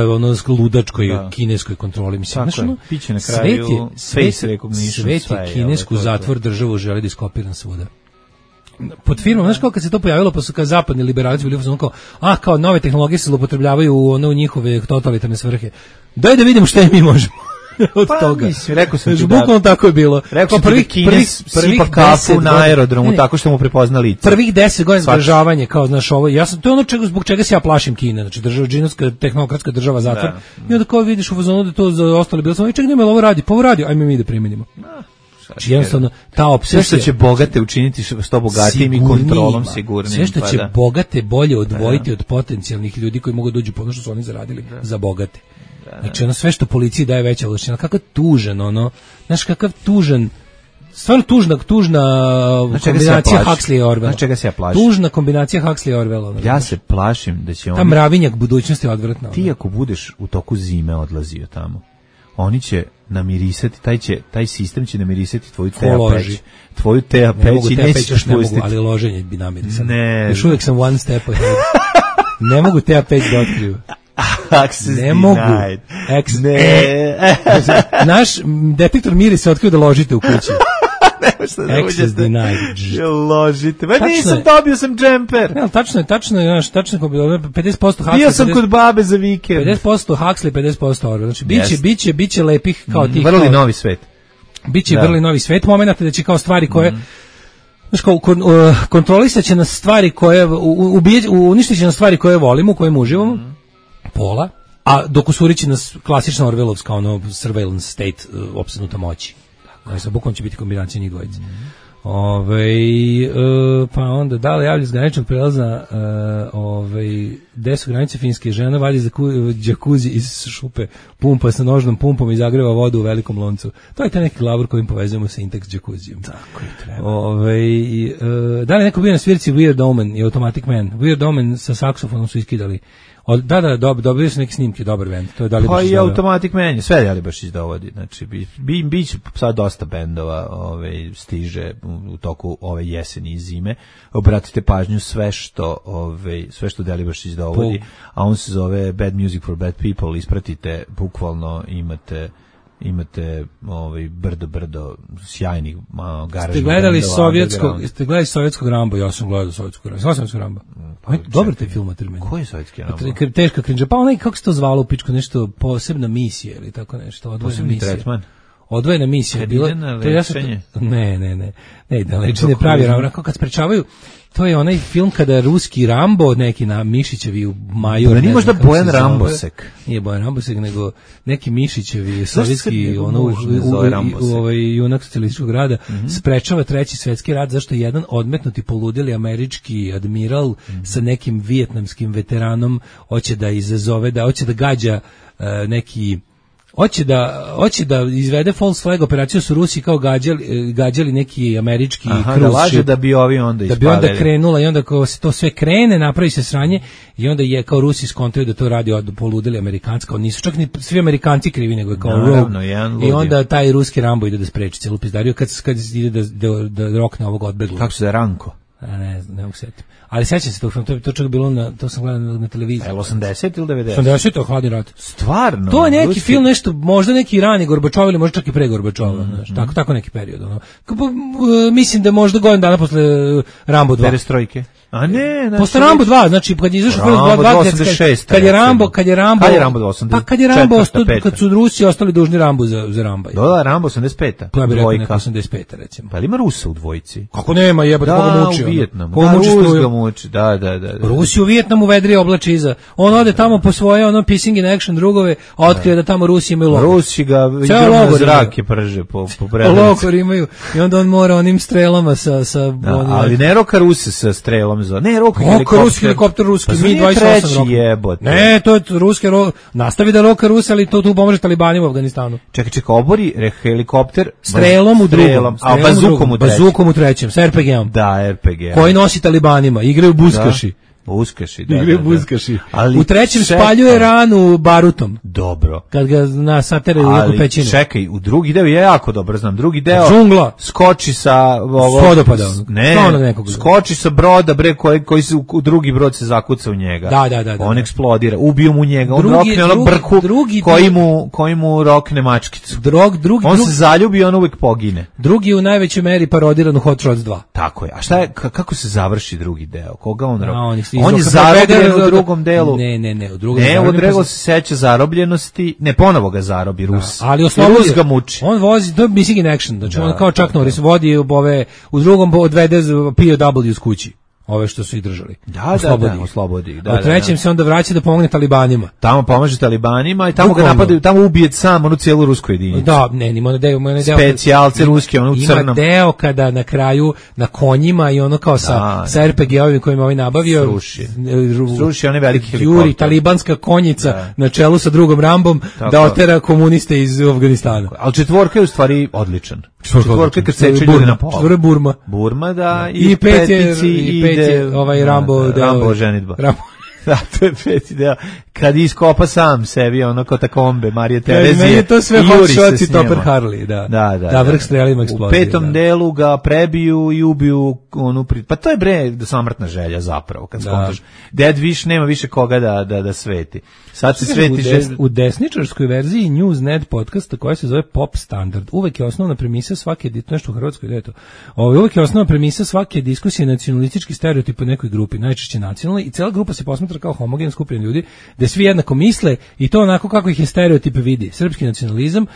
ludačkoj kineskoj kontroli. Mislim, piće na kraju face recognition. Svet je kinesku zatvor državu želi da iskopiran svuda. Pod firmom, znaš kako kad se to pojavilo, pa su kao zapadni liberalci bili kao nove tehnologije se zloupotrebljavaju u njihove totalitarne svrhe. Daj da vidimo šta mi možemo od toga. Mislim, rekao sam ti bukvalno tako je bilo. Rekao sam ti Kines sipa kafu na aerodromu tako što mu prepozna lice. Prvih 10 godina zgražavanje, kao znaš ovo, to je zbog čega se ja plašim Kine, znači džinovska tehnokratska država zatvor. I onda kao vidiš u fazonu da to za ostali bilo sam, čekaj, nema ovo radi, ajme mi da primenimo. Znači jednostavno ta opsesija. Sve što će bogate učiniti što bogatijim i kontrolom sigurnim. Sve što će bogate bolje odvojiti od potencijalnih ljudi koji mogu dođu po ono što su oni zaradili za bogate. Znači sve što policiji daje veća ovlašćenja, kakav tužan znaš kakav tužan, stvarno tužna kombinacija Huxley i Orwella. Znači čega se ja plašim? Tužna kombinacija Huxley i Orwella. Ja se plašim da će ta mravinjak budućnosti je odvratna. Ti ako budeš u toku zime odlazio tamo, oni će namirisati, taj sistem će namirisati tvoju teapeć. Tvoju teapeć i neće spustiti. Ali loženje bi namirisati. Još uvijek sam one step ahead. Ne mogu teapeć da otkriju. Ne mogu. Naš detektor mirisa otkrio da ložite u kući. Access denied. Ložite. Nisam, dobio sam džemper. Tačno je 50% Huxley. Bio sam kod babe za vikend. 50% Huxley, 50% Orwell. Znači, biće lepih kao tih. Vrli novi svet. Biće vrli novi svet. Momenata da će kao stvari koje... Znaš kao, kontrolisat će nas stvari koje... Uništit će nas stvari koje volimo, koje uživamo. Pola. A dok usurići nas klasična Orwellovska, surveillance state, opsednuta moći. Dakle, bukvalno će biti kombinacija njih dvojice. Pa onda, da li javlja s graničnog prelaza, gde su granice Finske, žena vadi za džakuzi iz šupe, pumpa sa nožnom pumpom i zagreva vodu u velikom loncu. To je taj neki glavor kojim povezujemo sa Intex džakuzijom. Tako je treba. Da li neko bio na svirci Weird Omen i Automatic Man? Weird Omen sa saksofonom su iskidali. dobili su neke snimke, dobar bend. To je Dalibašić. Pa i Automatic Man, sve Dalibašić dovodi. Znači, biće sad dosta bendova stiže u toku ove jeseni i zime. Obratite pažnju sve što Dalibašić dovodi, a on se zove Bad Music for Bad People. Ispratite, bukvalno imate brdo sjajnih garažnih bendova. Ste gledali sovjetskog Rambo? Ja sam gledao sovjetskog Rambo. Dobar taj film, koji je sovjetski Rambo? Teška krinđa. Pa onaj, kako se to zvalo u pičku, nešto posebna misija ili tako nešto, odvojena misija. Tretman. Odvojena misija. Kad ide na lečenje? Ne, da lečenje pravi Rambo. Kad sprečavaju, to je onaj film kada ruski Rambo, neki na Mišićevi u major. Da nije možda Bojan Rambosek. Nije Bojan Rambosek, nego neki Mišićevi, sovjetski, junak socijalističkog rada, sprečava Treći svjetski rat, zašto je jedan odmetnuti poludeli američki admiral sa nekim vijetnamskim veteranom hoće da izazove, hoće da gađa neki... Hoće da izvede false flag operaciju, su Rusi kao gađali neki američki cruise da laže ship, da bi ovi onda ispalili. Da bi onda krenula i onda kao se to sve krene, napravi se sranje i onda je kao Rusi skontaju da to radi od poludeli Amerikanska, nisu čak ni svi Amerikanci krivi, nego je kao Rogue. I onda taj ruski Rambo ide da spreči celu pizdariju kad ide da rokne ovog odbeglog. Kako se da Ranko? Ne mogu setiti. Ali sećam se tog filma, to čak bilo to sam gledao na televiziji. 80 ili 90? 80, Hladni rat. Stvarno? To je neki film, nešto, možda neki rani Gorbačov ili možda čak i pre Gorbačova, tako neki period. Mislim da možda godinu dana posle Rambo 2. Perestrojke. A ne, posle Rambo 2, znači kad je izašao Rambo 2, kad je Rambo 80. Pa kad je Rambo kad su Rusi ostali dužni Rambo za Ramba. Da, Rambo 85. To je bilo 85 recimo. Pa ima Rusa u dvojici? Kako nema, jebote, koga muči. Da, u Vijetnamu. Rus ga muči, da. Rusi u Vijetnamu vedri oblači iza. On ode tamo po svoje pissing in action drugove, a otkrije da tamo Rusi imaju logor. Rusi ga na zrake prže po predanici. Logor imaju i onda on mora onim strelama sa ali ne roka Ruse sa strelom. Ne, roka helikopter ruski, Mi-28 roka. Jebote. Ne, to je ruski, nastavi da roka Rusi, ali to tu pomaže talibanima u Afganistanu. Čekaj, obori helikopter strelom u drugom, a bazukom u trećem, sa RPG-om. Da, RPG. Koji nosi talibanima, igraju buskaši. Buskaši, Buskaši. U trećem spaljuje ranu barutom. Dobro. Kad ga sateraju u neku pećinu. Čekaj, u drugi deo ja jako dobro znam. Drugi deo džungla skoči sa vodopada. Ne, skoči sa broda koji se u drugi brod se zakuca u njega. Da. On eksplodira, ubiju mu njega. On rokne onog brku koji mu rokne mačkicu. On se zaljubi i on uvijek pogine. Drugi u najvećoj meri parodiran u Hot Shots 2. Tako je. A šta je, kako se završi drugi deo? Koga on roka? On je zarobljen u drugom delu. Ne, u drugom delu. Ne, u drugom se seća zarobljenosti. Ne, ponovo ga zarobi Rus. Ali Rus ga muči. On vozi, to je missing in action. Znači on kao Chuck Norris vodi u drugom odvede POW s kući. Ove što su ih držali. Oslobodi ih. U trećem se onda vraća da pomogne talibanima. Tamo pomaže talibanima i tamo ga napadaju, tamo ubije sam onu cijelu rusku jedinicu. Da, ima deo specijalce ruske, ono u crnom. Ima deo kada na kraju na konjima i ono kao sa RPG-ovima kojima ovaj nabavio sruši one veliki helikopter. Juri talibanska konjica na čelu sa drugom Rambom da otera komuniste iz Afganistana. Ali četvorka je u stvari odličan. Četvorka kad seče ljudi na pola. Četvorka je Burma, da. I pet je ovaj Rambo ženidba. Da, to je peti deo. Kad iskopa sam sebi, ono katakombe, Marije Terezije. Meni je to sve Hot Shots i Topper Harley, da vrh strelima eksplodira. U petom delu ga prebiju i ubiju onu pa to je do samrtna želja zapravo, kad skontaš. Dead Wish nema više koga da sveti. Sad se sveti u desničarskoj verziji Newsnet podcasta koja se zove Pop Standard. Uvek je osnovna premisa svake nešto u Hrvatskoj deto. Uvek je osnovna premisa svake diskusije nacionalistički stereotip u nekoj grupi, najčešće nacionalni, i cela grupa se posmatra kao homogen skupina ljudi, da svi jednako misle i to onako kako ih je stereotip vidi. Srpski nacionalizam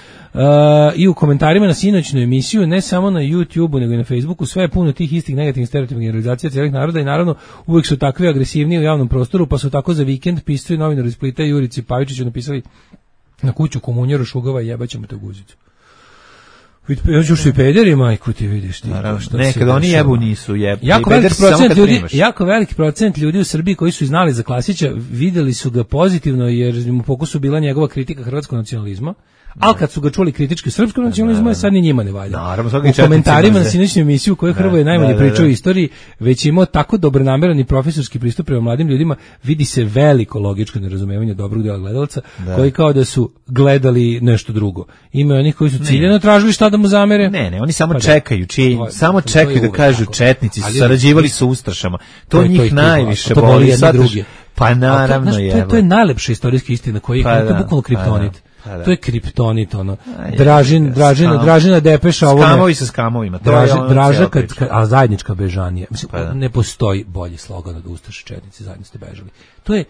i u komentarima na sinoćnu emisiju, ne samo na YouTubeu nego i na Facebooku, sve je puno tih istih negativnih stereotipnih generalizacija cijelih naroda i naravno uvijek su takvi agresivniji u javnom prostoru, pa su tako za vikend pisali novinar iz Splita Jurici Pavičiću napisali na kuću komunjeru šugava i jebaćemo te guzicu. Ja ću i pederi, majku ti vidiš ti. Nekad oni jebu nisu jebu. Jako veliki procent ljudi u Srbiji koji su znali za Klasića videli su ga pozitivno jer mu u fokusu bila njegova kritika hrvatskog nacionalizma. Ali kad su ga čuli kritički u srpskom nacionalizmu, sad ni njima ne valja. Naravno, u komentarima na sinoćnju emisiju koju Hrvoje najmanje pričao o istoriji, već je imao tako dobronameran i profesorski pristup prema mladim ljudima, vidi se veliko logičko nerazumevanje dobrog dela gledalaca, koji kao da su gledali nešto drugo. Ima onih koji su ciljano tražili šta da mu zamere. Ne, oni samo čekaju, samo čekaju da kažu četnici su sarađivali sa ustašama. To njih najviše boli. Pa naravno je. To je najlepša istorijska istina koja je bukvalno kriptonit. To je kriptonit, ono. Dražina Depeša ovome. Skamovi sa skamovima. Draža a zajednička bežanija. Mislim, ne postoji bolji slogan od Ustaše četnici, zajedno ste bežali. To je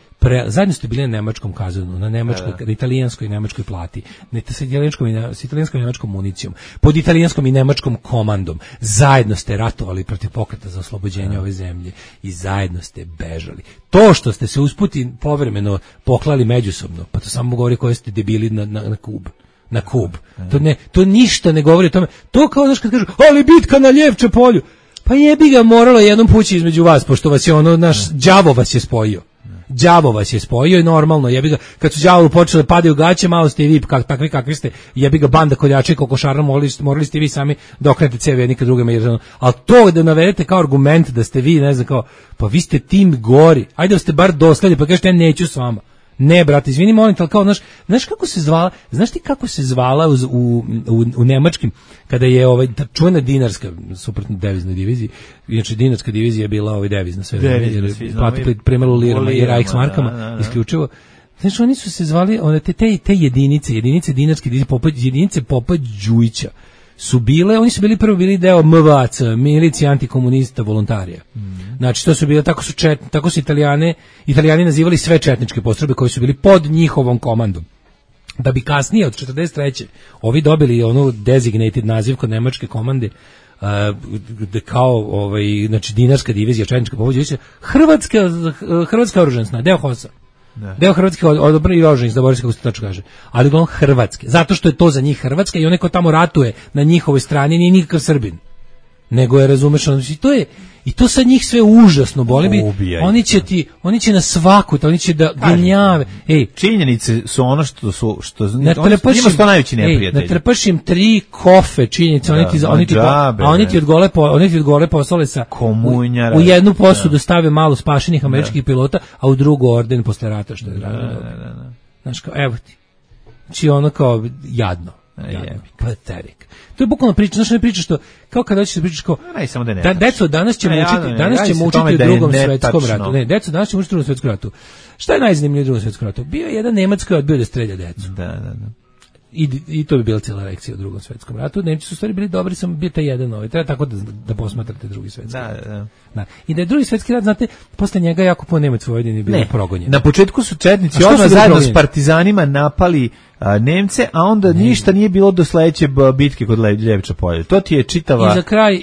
zajedno ste bili na nemačkom kazanu, na nemačkoj, na italijanskoj i nemačkoj plati, sa italijanskom i nemačkom municijom, pod italijanskom i nemačkom komandom. Zajedno ste ratovali protiv pokreta za oslobođenje ove zemlje i zajedno ste bežali. To što ste se usputi povremeno poklali međusobno, pa to samo govori koji ste debili na Kub. To ništa ne govori o tome. To kao znaš kad kažu, ali bitka na Ljevče polju. Pa jebi ga, moralo jednom pući između vas, pošto vas je naš đavo vas je spojio. Đavo vas je spojio i normalno, jebi ga, kad su đavovu počeli padaju gaće, malo ste i vi takvi kakvi ste, jebi ga, banda koljača i kokošara, morali ste i vi sami da okrenete cevi jednika drugima, ali to da navedete kao argument da ste vi, ne znam, kao, pa vi ste tim gori, ajde da ste bar dosledni, pa kažete ja neću s vama. Ne, brate, izvini, molim te, ali kao, znaš kako se zvala, znaš ti kako se zvala u nemačkim, kada je čuvena dinarska, suprotno deviznoj diviziji, inače dinarska divizija je bila devizna sve, jer plati premalo lirama i Reichsmarkama, isključivo. Znači, oni su se zvali, te jedinice dinarske divizije, jedinice Popa Đujića, oni su bili deo MVAC, milicije antikomunista volontarija. Znači, to su bile, tako su Italijani nazivali sve četničke postrojbe koji su bili pod njihovom komandom. Da bi kasnije, od 43. ovi dobili designated naziv kod nemačke komande, kao, znači, dinarska divizija, četnička povođa, Hrvatska oružana snaga, deo HOS-a. Deo Hrvatske odbrane i oružanih, da kako se tačno kaže, ali uglavnom Hrvatske, zato što je to za njih Hrvatska i onaj ko tamo ratuje na njihovoj strani nije nikakav Srbin, nego je, razumeš, i to sad njih sve užasno boli. Oni će na svaku, oni će da gnjave. Činjenice su ono što njima su to najveći neprijatelji. Natrpaš im 3 kofe činjenice, oni ti od gole poslale sa u jednu posudu stave malo spašenih američkih pilota, a u drugu orden posle rata, što je znaš, kao, evo ti. Znači ono kao jadno. Paterik. To je bukvalno priča, znaš, ne priča što, kao kada hoćeš da pričaš kao, deco, danas ćemo učiti o drugom svetskom ratu. Ne, deco, danas ćemo učiti o drugom svetskom ratu. Šta je najzanimljivije u drugom svetskom ratu? Bio je jedan Nemac koji je odbio da strelja decu. Da. I to bi bila cijela lekcija o drugom svetskom ratu. Nemci su stvari bili dobri, samo bio taj jedan treba tako da posmatrate drugi svetski rat. Da. I da je drugi svetski rat, znate, posle njega jako puno Nemac u Vojvodini bilo progonjeni. Na početku su četnici odmah zajedno s partizanima napali Nemce, a onda ništa nije bilo do sledeće bitke kod Ljevča polja. To ti je čitava...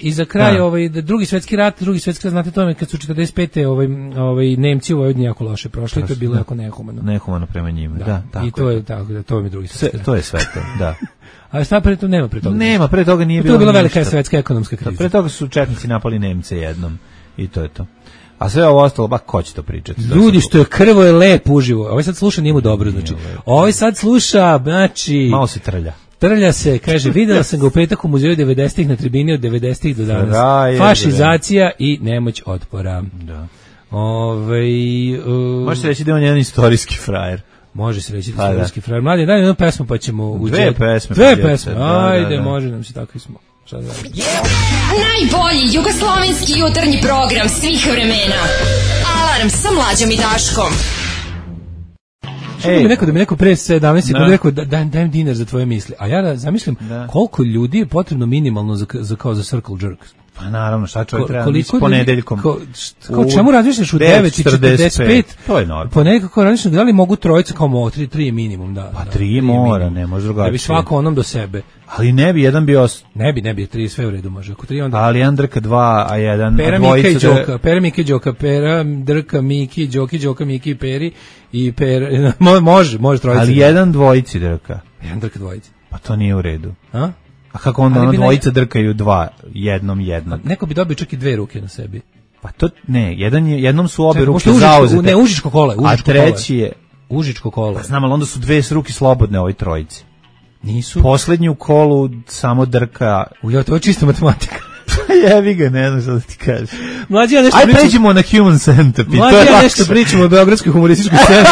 I za kraj drugi svetski rat, znate to, kad su 45. Nemci u Vojvodini jako loše prošli, to je bilo jako nehumano. Nehumano prema njima, da. I to je tako, to je drugi svetski rat. To je sve to, da. A šta pre toga? Nema, pre toga nije bilo. To je bila velika svetska ekonomska kriza. Pre toga su četnici napali Nemce jednom i to je to. A sve ovo ostalo, ko će to pričati? Ljudi, što je krvo je lep uživo. Ovaj sad sluša, nije mu dobro, znači. Ovaj sad sluša, znači... Malo se trlja. Trlja se, kaže, videla sam ga u petak u muzeju 90-ih na tribini od 90-ih do danas. Fašizacija i nemoć otpora. Da. Može se reći da je on jedan istorijski frajer. Može se reći da je istorijski frajer. Mladi, daj jednu pesmu pa ćemo... Dve pesme. Ajde, može nam se, takvi smo. Najbolji jugoslovenski jutarnji program svih vremena. Alarm sa Mlađom i Daškom. Da mi neko pre 17 sekundi rekao dajem dinar za tvoje misli. A ja zamislim koliko ljudi je potrebno minimalno za circle jerk. Pa naravno, šta čovjek treba s ponedeljkom? Čemu razmišljaš u 9:45? To je normalno. Ponekako kako razmišljaš da li mogu trojica kao 3 minimum, da. Pa 3 mora, ne može drugačije. Da bi svako onom do sebe. Ali ne bi, jedan bio... Ne bi, 3 sve u redu može. Ako 3 onda... Ali jedan drka 2, a jedan... Pera, Mika i Đoka, Pera, drka, Miki, Đoka, Miki, Peri i Pera... Može trojica. Ali jedan dvojici drka. Jedan drka dvojici. Pa to nije u redu. A? A kako onda ono dvojica drkaju jednom. Neko bi dobio čak i 2 ruke na sebi. Pa to ne, jednom su obe ruke zauzete. Ne, užičko kola, a treći je užičko kola. Pa znam, ali onda su 2 ruke slobodne ovoj trojici. Nisu. Poslednju kolu samo drka. To je čista matematika. Jevi ga, ne znam što da ti kažeš. Mlađi, ja nešto pričamo. Aj pređemo na Human Centipede. Mlađi, ja nešto pričamo o beogradskoj humorističkoj sceni.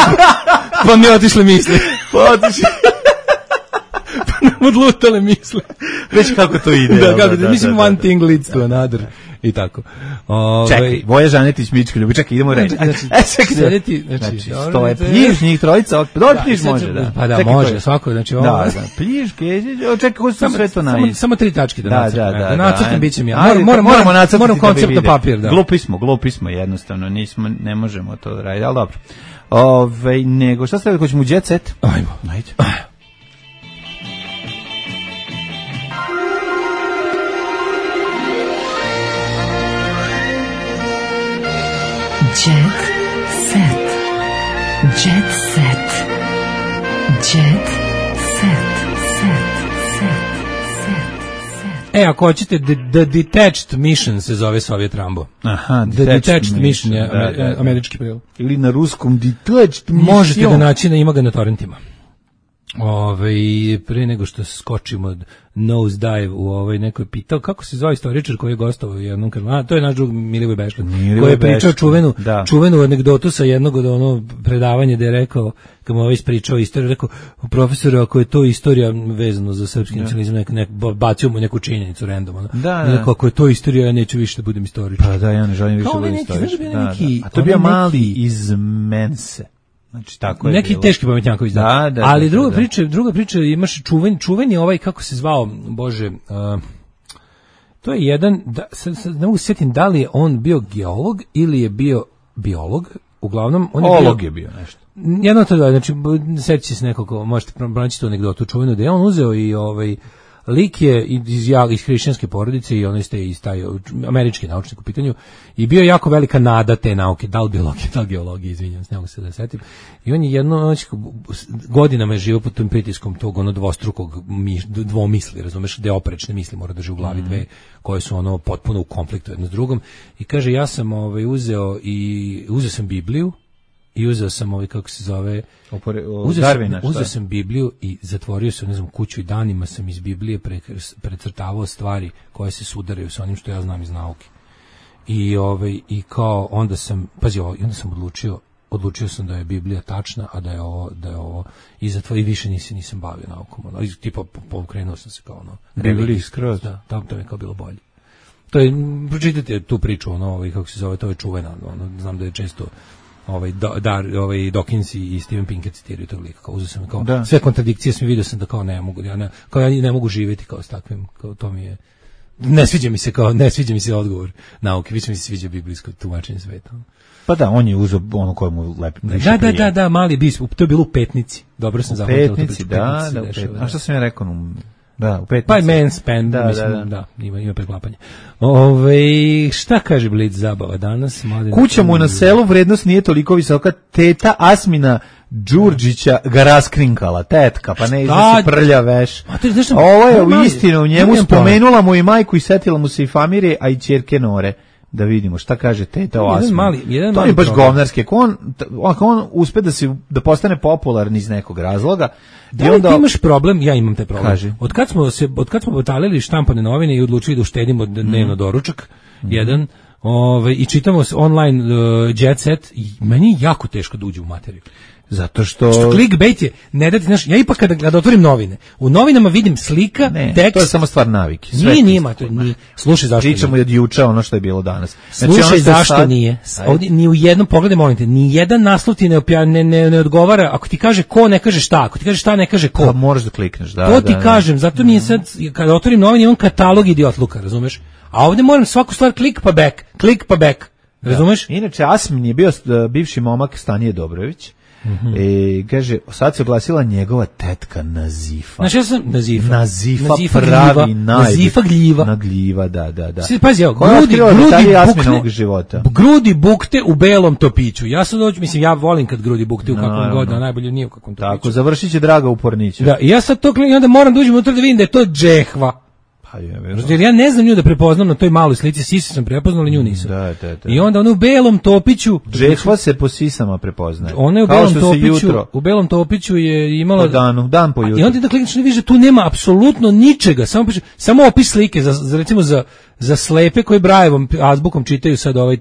Pa mi otišle misli. Odlutale misle. Već kako to ide. Mislim, one thing leads to another. I tako. Čekaj, Voja Žanetić, Mičko Ljubi, čekaj, idemo reći. Znači, stoje, pljiš njih trojica, dobro pljiš može, da. Pa da, može, svako, znači ovo. Da, pljiš, čekaj, ko su sve to najviše? Samo 3 tačke da nacrtam. Da nacrtam, bit će mi ja. Moramo nacrtati. Moram koncept na papir, da. Glupi smo, jednostavno, ne možemo to raditi, ali dobro. Nego, šta ste da hoćemo u Jet Set? Ajmo. Ajde. Jet set. Jet set. Jet set. Ako hoćete, The Detached Mission se zove Soviet Rambo. Aha, The Detached Mission je američki prijevod. Ili na ruskom Detached Mission. Možete ga naći, ima ga na torrentima. Pre nego što skočimo nose dive u nekoj pitao kako se zove istoričar koji je gostovao u jednom kanalu, to je naš drug Milivoj Beškan koji je pričao čuvenu anegdotu sa jednog od predavanja gde je rekao, kad mu ispričao istoriju, rekao, profesore, ako je to istorija vezano za srpski nacionalizam, bacio mu neku činjenicu random, ako je to istorija, ja neću više da budem istoričar. Pa da, ja ne želim više da budem istoričar. A to je bio mali iz Mense. Znači, tako je neki bilo. Teški pametnjaković, ali druga priča, imaš čuveni kako se zvao, Bože, to je jedan, ne mogu se sjetim da li je on bio geolog ili je bio biolog, uglavnom on je bio nešto. Jedno to da, znači, sjeći se nekako, možete pronaći tu anegdotu čuvenu, da je on uzeo i lik je iz hrišćanske porodice i on je taj američki naučnik u pitanju i bio jako velika nada te nauke, da li biologije, da li geologije, izvinjam se, ne mogu se da setim. I on je godinama je živio pod tom pritiskom tog dvostrukog dvomisli, razumeš, gde oprečne misli mora drži u glavi dve, koje su potpuno u konfliktu jedno s drugom. I kaže, ja sam uzeo sam Bibliju, i uzeo sam kako se zove, uzeo sam Bibliju i zatvorio sam, kuću i danima sam iz Biblije precrtavao stvari koje se sudaraju sa onim što ja znam iz nauke. I kao onda sam odlučio sam da je Biblija tačna, a da je ovo i zatvorio i više nisam bavio naukom. Tipa pokrenuo sam se kao Bibliji skroz. Da, tamo to mi je kao bilo bolje. To je, pročitajte tu priču, kako se zove, to je čuvena, znam da je često Dawkins i Steven Pinker citiraju tog lika, kao uzeo sam sve kontradikcije sam vidio sam da kao ne mogu živjeti kao s takvim, kao to mi je, ne sviđa mi se odgovor nauke, više mi se sviđa biblijsko tumačenje sveta. Pa da, on je uzeo ono koje mu lepi. Da, mali biskup, to je bilo u Petnici, dobro sam zapamtio. U Petnici, da. A što sam ja rekao? Da, u Petnici. Pa Manspan, ima preklapanje. Šta kaže Blic zabava danas? Kuća mu na selu, vrednost nije toliko visoka, teta Asmina Đurđića ga raskrinkala, tetka, pa ne iznosi prlja veš. Ovo je u istinu, u njemu spomenula mu i majku i setila mu se i familije, a i ćerke Nore. Da vidimo šta kaže teta o Asminu. To je baš govnarski. Ako on uspe da postane popularni iz nekog razloga. Da li ti imaš problem? Ja imam taj problem. Kaži. Od kad smo batalili štampane novine i odlučili da uštedimo dnevno doručak, jedan, i čitamo online Jet Set, i meni je jako teško da uđe u materiju. Zato što clickbait je, ne dati, znaš, ja ipak kada otvorim novine, u novinama vidim slika, tekst. To je samo stvar navike. Nije, slušaj zašto. Pričamo i od juče ono što je bilo danas. Slušaj zašto nije. Ovdje ni u jednom, pogledaj molim te, ni jedan naslov ti ne odgovara, ako ti kaže ko, ne kaže šta, ako ti kaže šta, ne kaže ko. Pa moraš da klikneš, da. To ti kažem, zato mi je sad, kada otvorim novine, imam katalog idiotluka, razumeš? A ovdje moram svaku stvar klik pa back, razumeš? Inače, Asmin je bio bivši momak Stanije Dobrović. Kaže, sad se oglasila njegova tetka Nazifa. Znači ja sam Nazifa pravi Nazifa gljiva. Na gljiva, da. Pazi, grudi bukte u belom topiću. Ja sad mislim, ja volim kad grudi bukte u kakvom god, a najbolje nije u kakvom topiću. Tako, završit će Draga u Porniću. Da, ja sad to i onda moram da uđem unutra da vidim da je to džehva. Jer ja ne znam nju da prepoznam na toj maloj slici, sise sam prepoznao, ali nju nisam. Da. I onda ona u belom topiću... Džehva se po sisama prepoznaje. Ona je u belom topiću je imala... Dan po jutru. I onda da klikneš ne vidiš, tu nema apsolutno ničega, samo opis slike, recimo za slepe koji Brajevom azbukom čitaju sad ovaj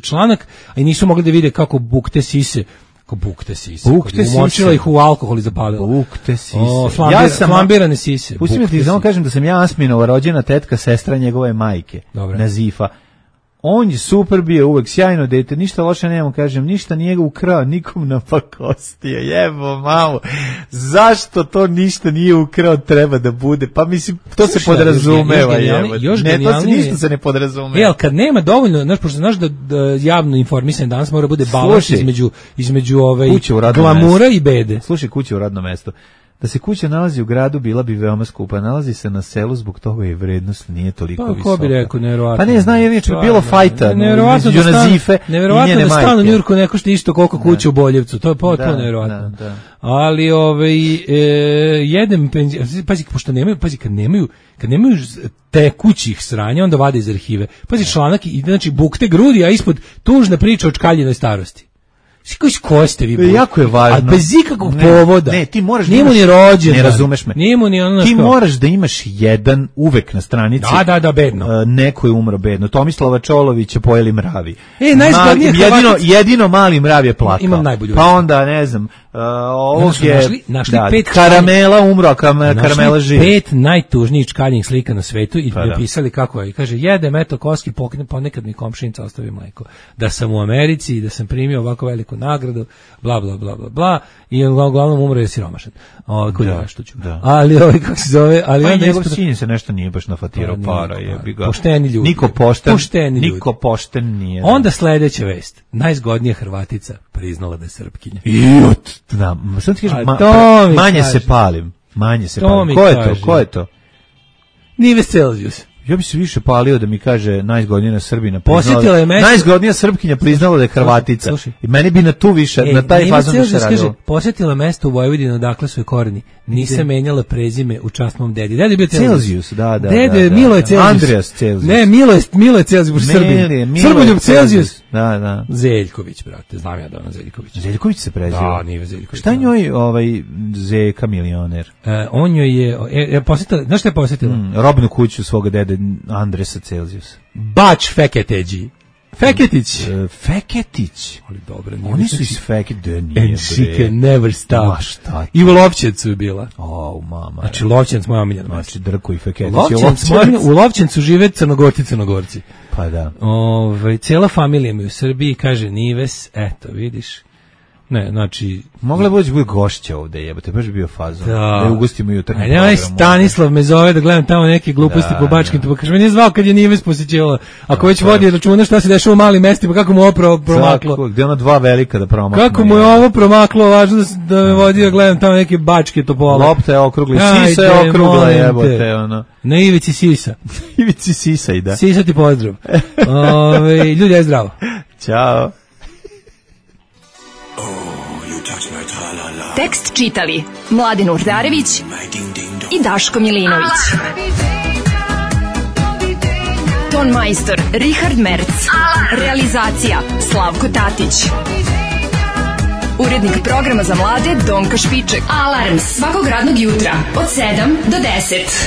članak, a i nisu mogli da vide kako bukte sise. Umočila ih u alkohol i zapalila. Bukte sise. Flambirane sise. Pusti mi ti samo kažem da sam ja Asminova rođena tetka, sestra njegove majke. Nazifa. On je super bio, uvek sjajno dete, ništa loše nemamo, kažem, ništa nije ga ukrao, nikom napakostio, jebo mamu, zašto to ništa nije ukrao, treba da bude, pa mislim, to se podrazumeva, jebo, to se ništa se ne podrazumeva. Ali kad nema dovoljno, pošto znaš da javno informisanje danas mora bude balans između glamura i bede. Slušaj, kuća u radnom mestu. Da se kuća nalazi u gradu, bila bi veoma skupa. Nalazi se na selu, zbog toga je vrednost nije toliko visoka. Pa ko bi rekao, nevjerovatno. Pa ne, zna, jer neće bilo fajta između Nazife i njene majke. Nevjerovatno da stan u Njurku ne košta isto koliko kuća u Boljevcu. To je potpuno nevjerovatno. Ali jedem pazi, pošto nemaju, kad nemaju tekućih sranja, onda vade iz arhive. Pazi, članak, znači bukte grudi, a ispod tužna priča o čkaljinoj starosti. Ko ste vi? Jako je važno. A bez ikakvog povoda. Ne, ti moraš da ni rođen. Ne razumeš me. Ti moraš da imaš jedan uvek na stranici. Da, bedno. Neko je umro bedno. Tomislava Čolovića pojeli mravi. Najzgodnije jedino mali mrav je plakao. Imam najbolju. Pa onda, ne znam, ovog je našli 5 Karamela umro, a Karamela živi. 5 najtužnijih čkaljnih slika na svetu i napisali kako je. I kaže, jedem, eto, koski, ponekad mi komšinica ostavi mleko. Da sam u Americi i da sam primio ovako veliku nagradu, bla, bla, bla, bla, bla, i uglavnom umro je siromašan. Ali kako se zove, ali onda njegov sin se nešto nije baš nafatirao para, jebi ga. Pošteni ljudi. Niko pošten nije. Onda sledeća vest. Najzgodnija Hrvatica priznala da je Srpkinja. Sam ti kažem, manje se palim. Ko je to? Nives Celsius. Ja bi se više palio da mi kaže najzgodnija Srbina. Najzgodnija Srpkinja priznala da je Hrvatica. I meni bi na tu više, na taj fazon više radilo. Posjetila mesto u Vojvodini odakle su je koreni. Nisam menjala prezime u čast mom dedi. Dede je bio Celsius, da. Dede, Milo je Celsius. Andreas Celsius. Ne, Milo je Celsius, Srbin. Srboljub Celsius. Da. Zeljković, brate, znam ja da ona Zeljković. Zeljković se preziva. Da, nije Zeljković. Šta njoj Zeka milioner? On joj je posjetila, znaš šta je posjetila? Robnu kuću svoga dede Andresa Celsius. Bač Feketeđi. Feketić. Ali dobro. Oni su iz Fekete. And she can never stop. I u Lovćencu je bila. Mama. Znači Lovćenc moja omiljena. Znači Drko i Feketić. U Lovćencu žive Crnogorci. Pa da. Cijela familija mi u Srbiji, kaže Nives, eto vidiš. Ne, znači... Mogla bi bude gošća ovde, jebate, baš bi bio fazon. Da je ugostimo jutarnji program. Ajde, Stanislav me zove da gledam tamo neke gluposti po Bačkim, pa kaže, me nije zvao kad je Nives posjećivala. Ako već vodi računa šta se dešava u malim mestima, kako mu ovo promaklo. Gde ona dva velika da promaklo. Kako mu je ovo promaklo, važno da me vodi da gledam tamo neke Bačke Topole. Lopta je okrugla, sisa je okrugla, jebote, ono. Na ivici sisa. Ivici sisa i da. Sisa ti pozdrav. Ljudi, aj zdravo. Ćao. Tekst čitali Mladin Urdarević i Daško Milinović. Ton majstor Richard Merc. Realizacija Slavko Tatić. Urednik programa za mlade Donka Špiček. Alarms svakog radnog jutra od 7 do 10.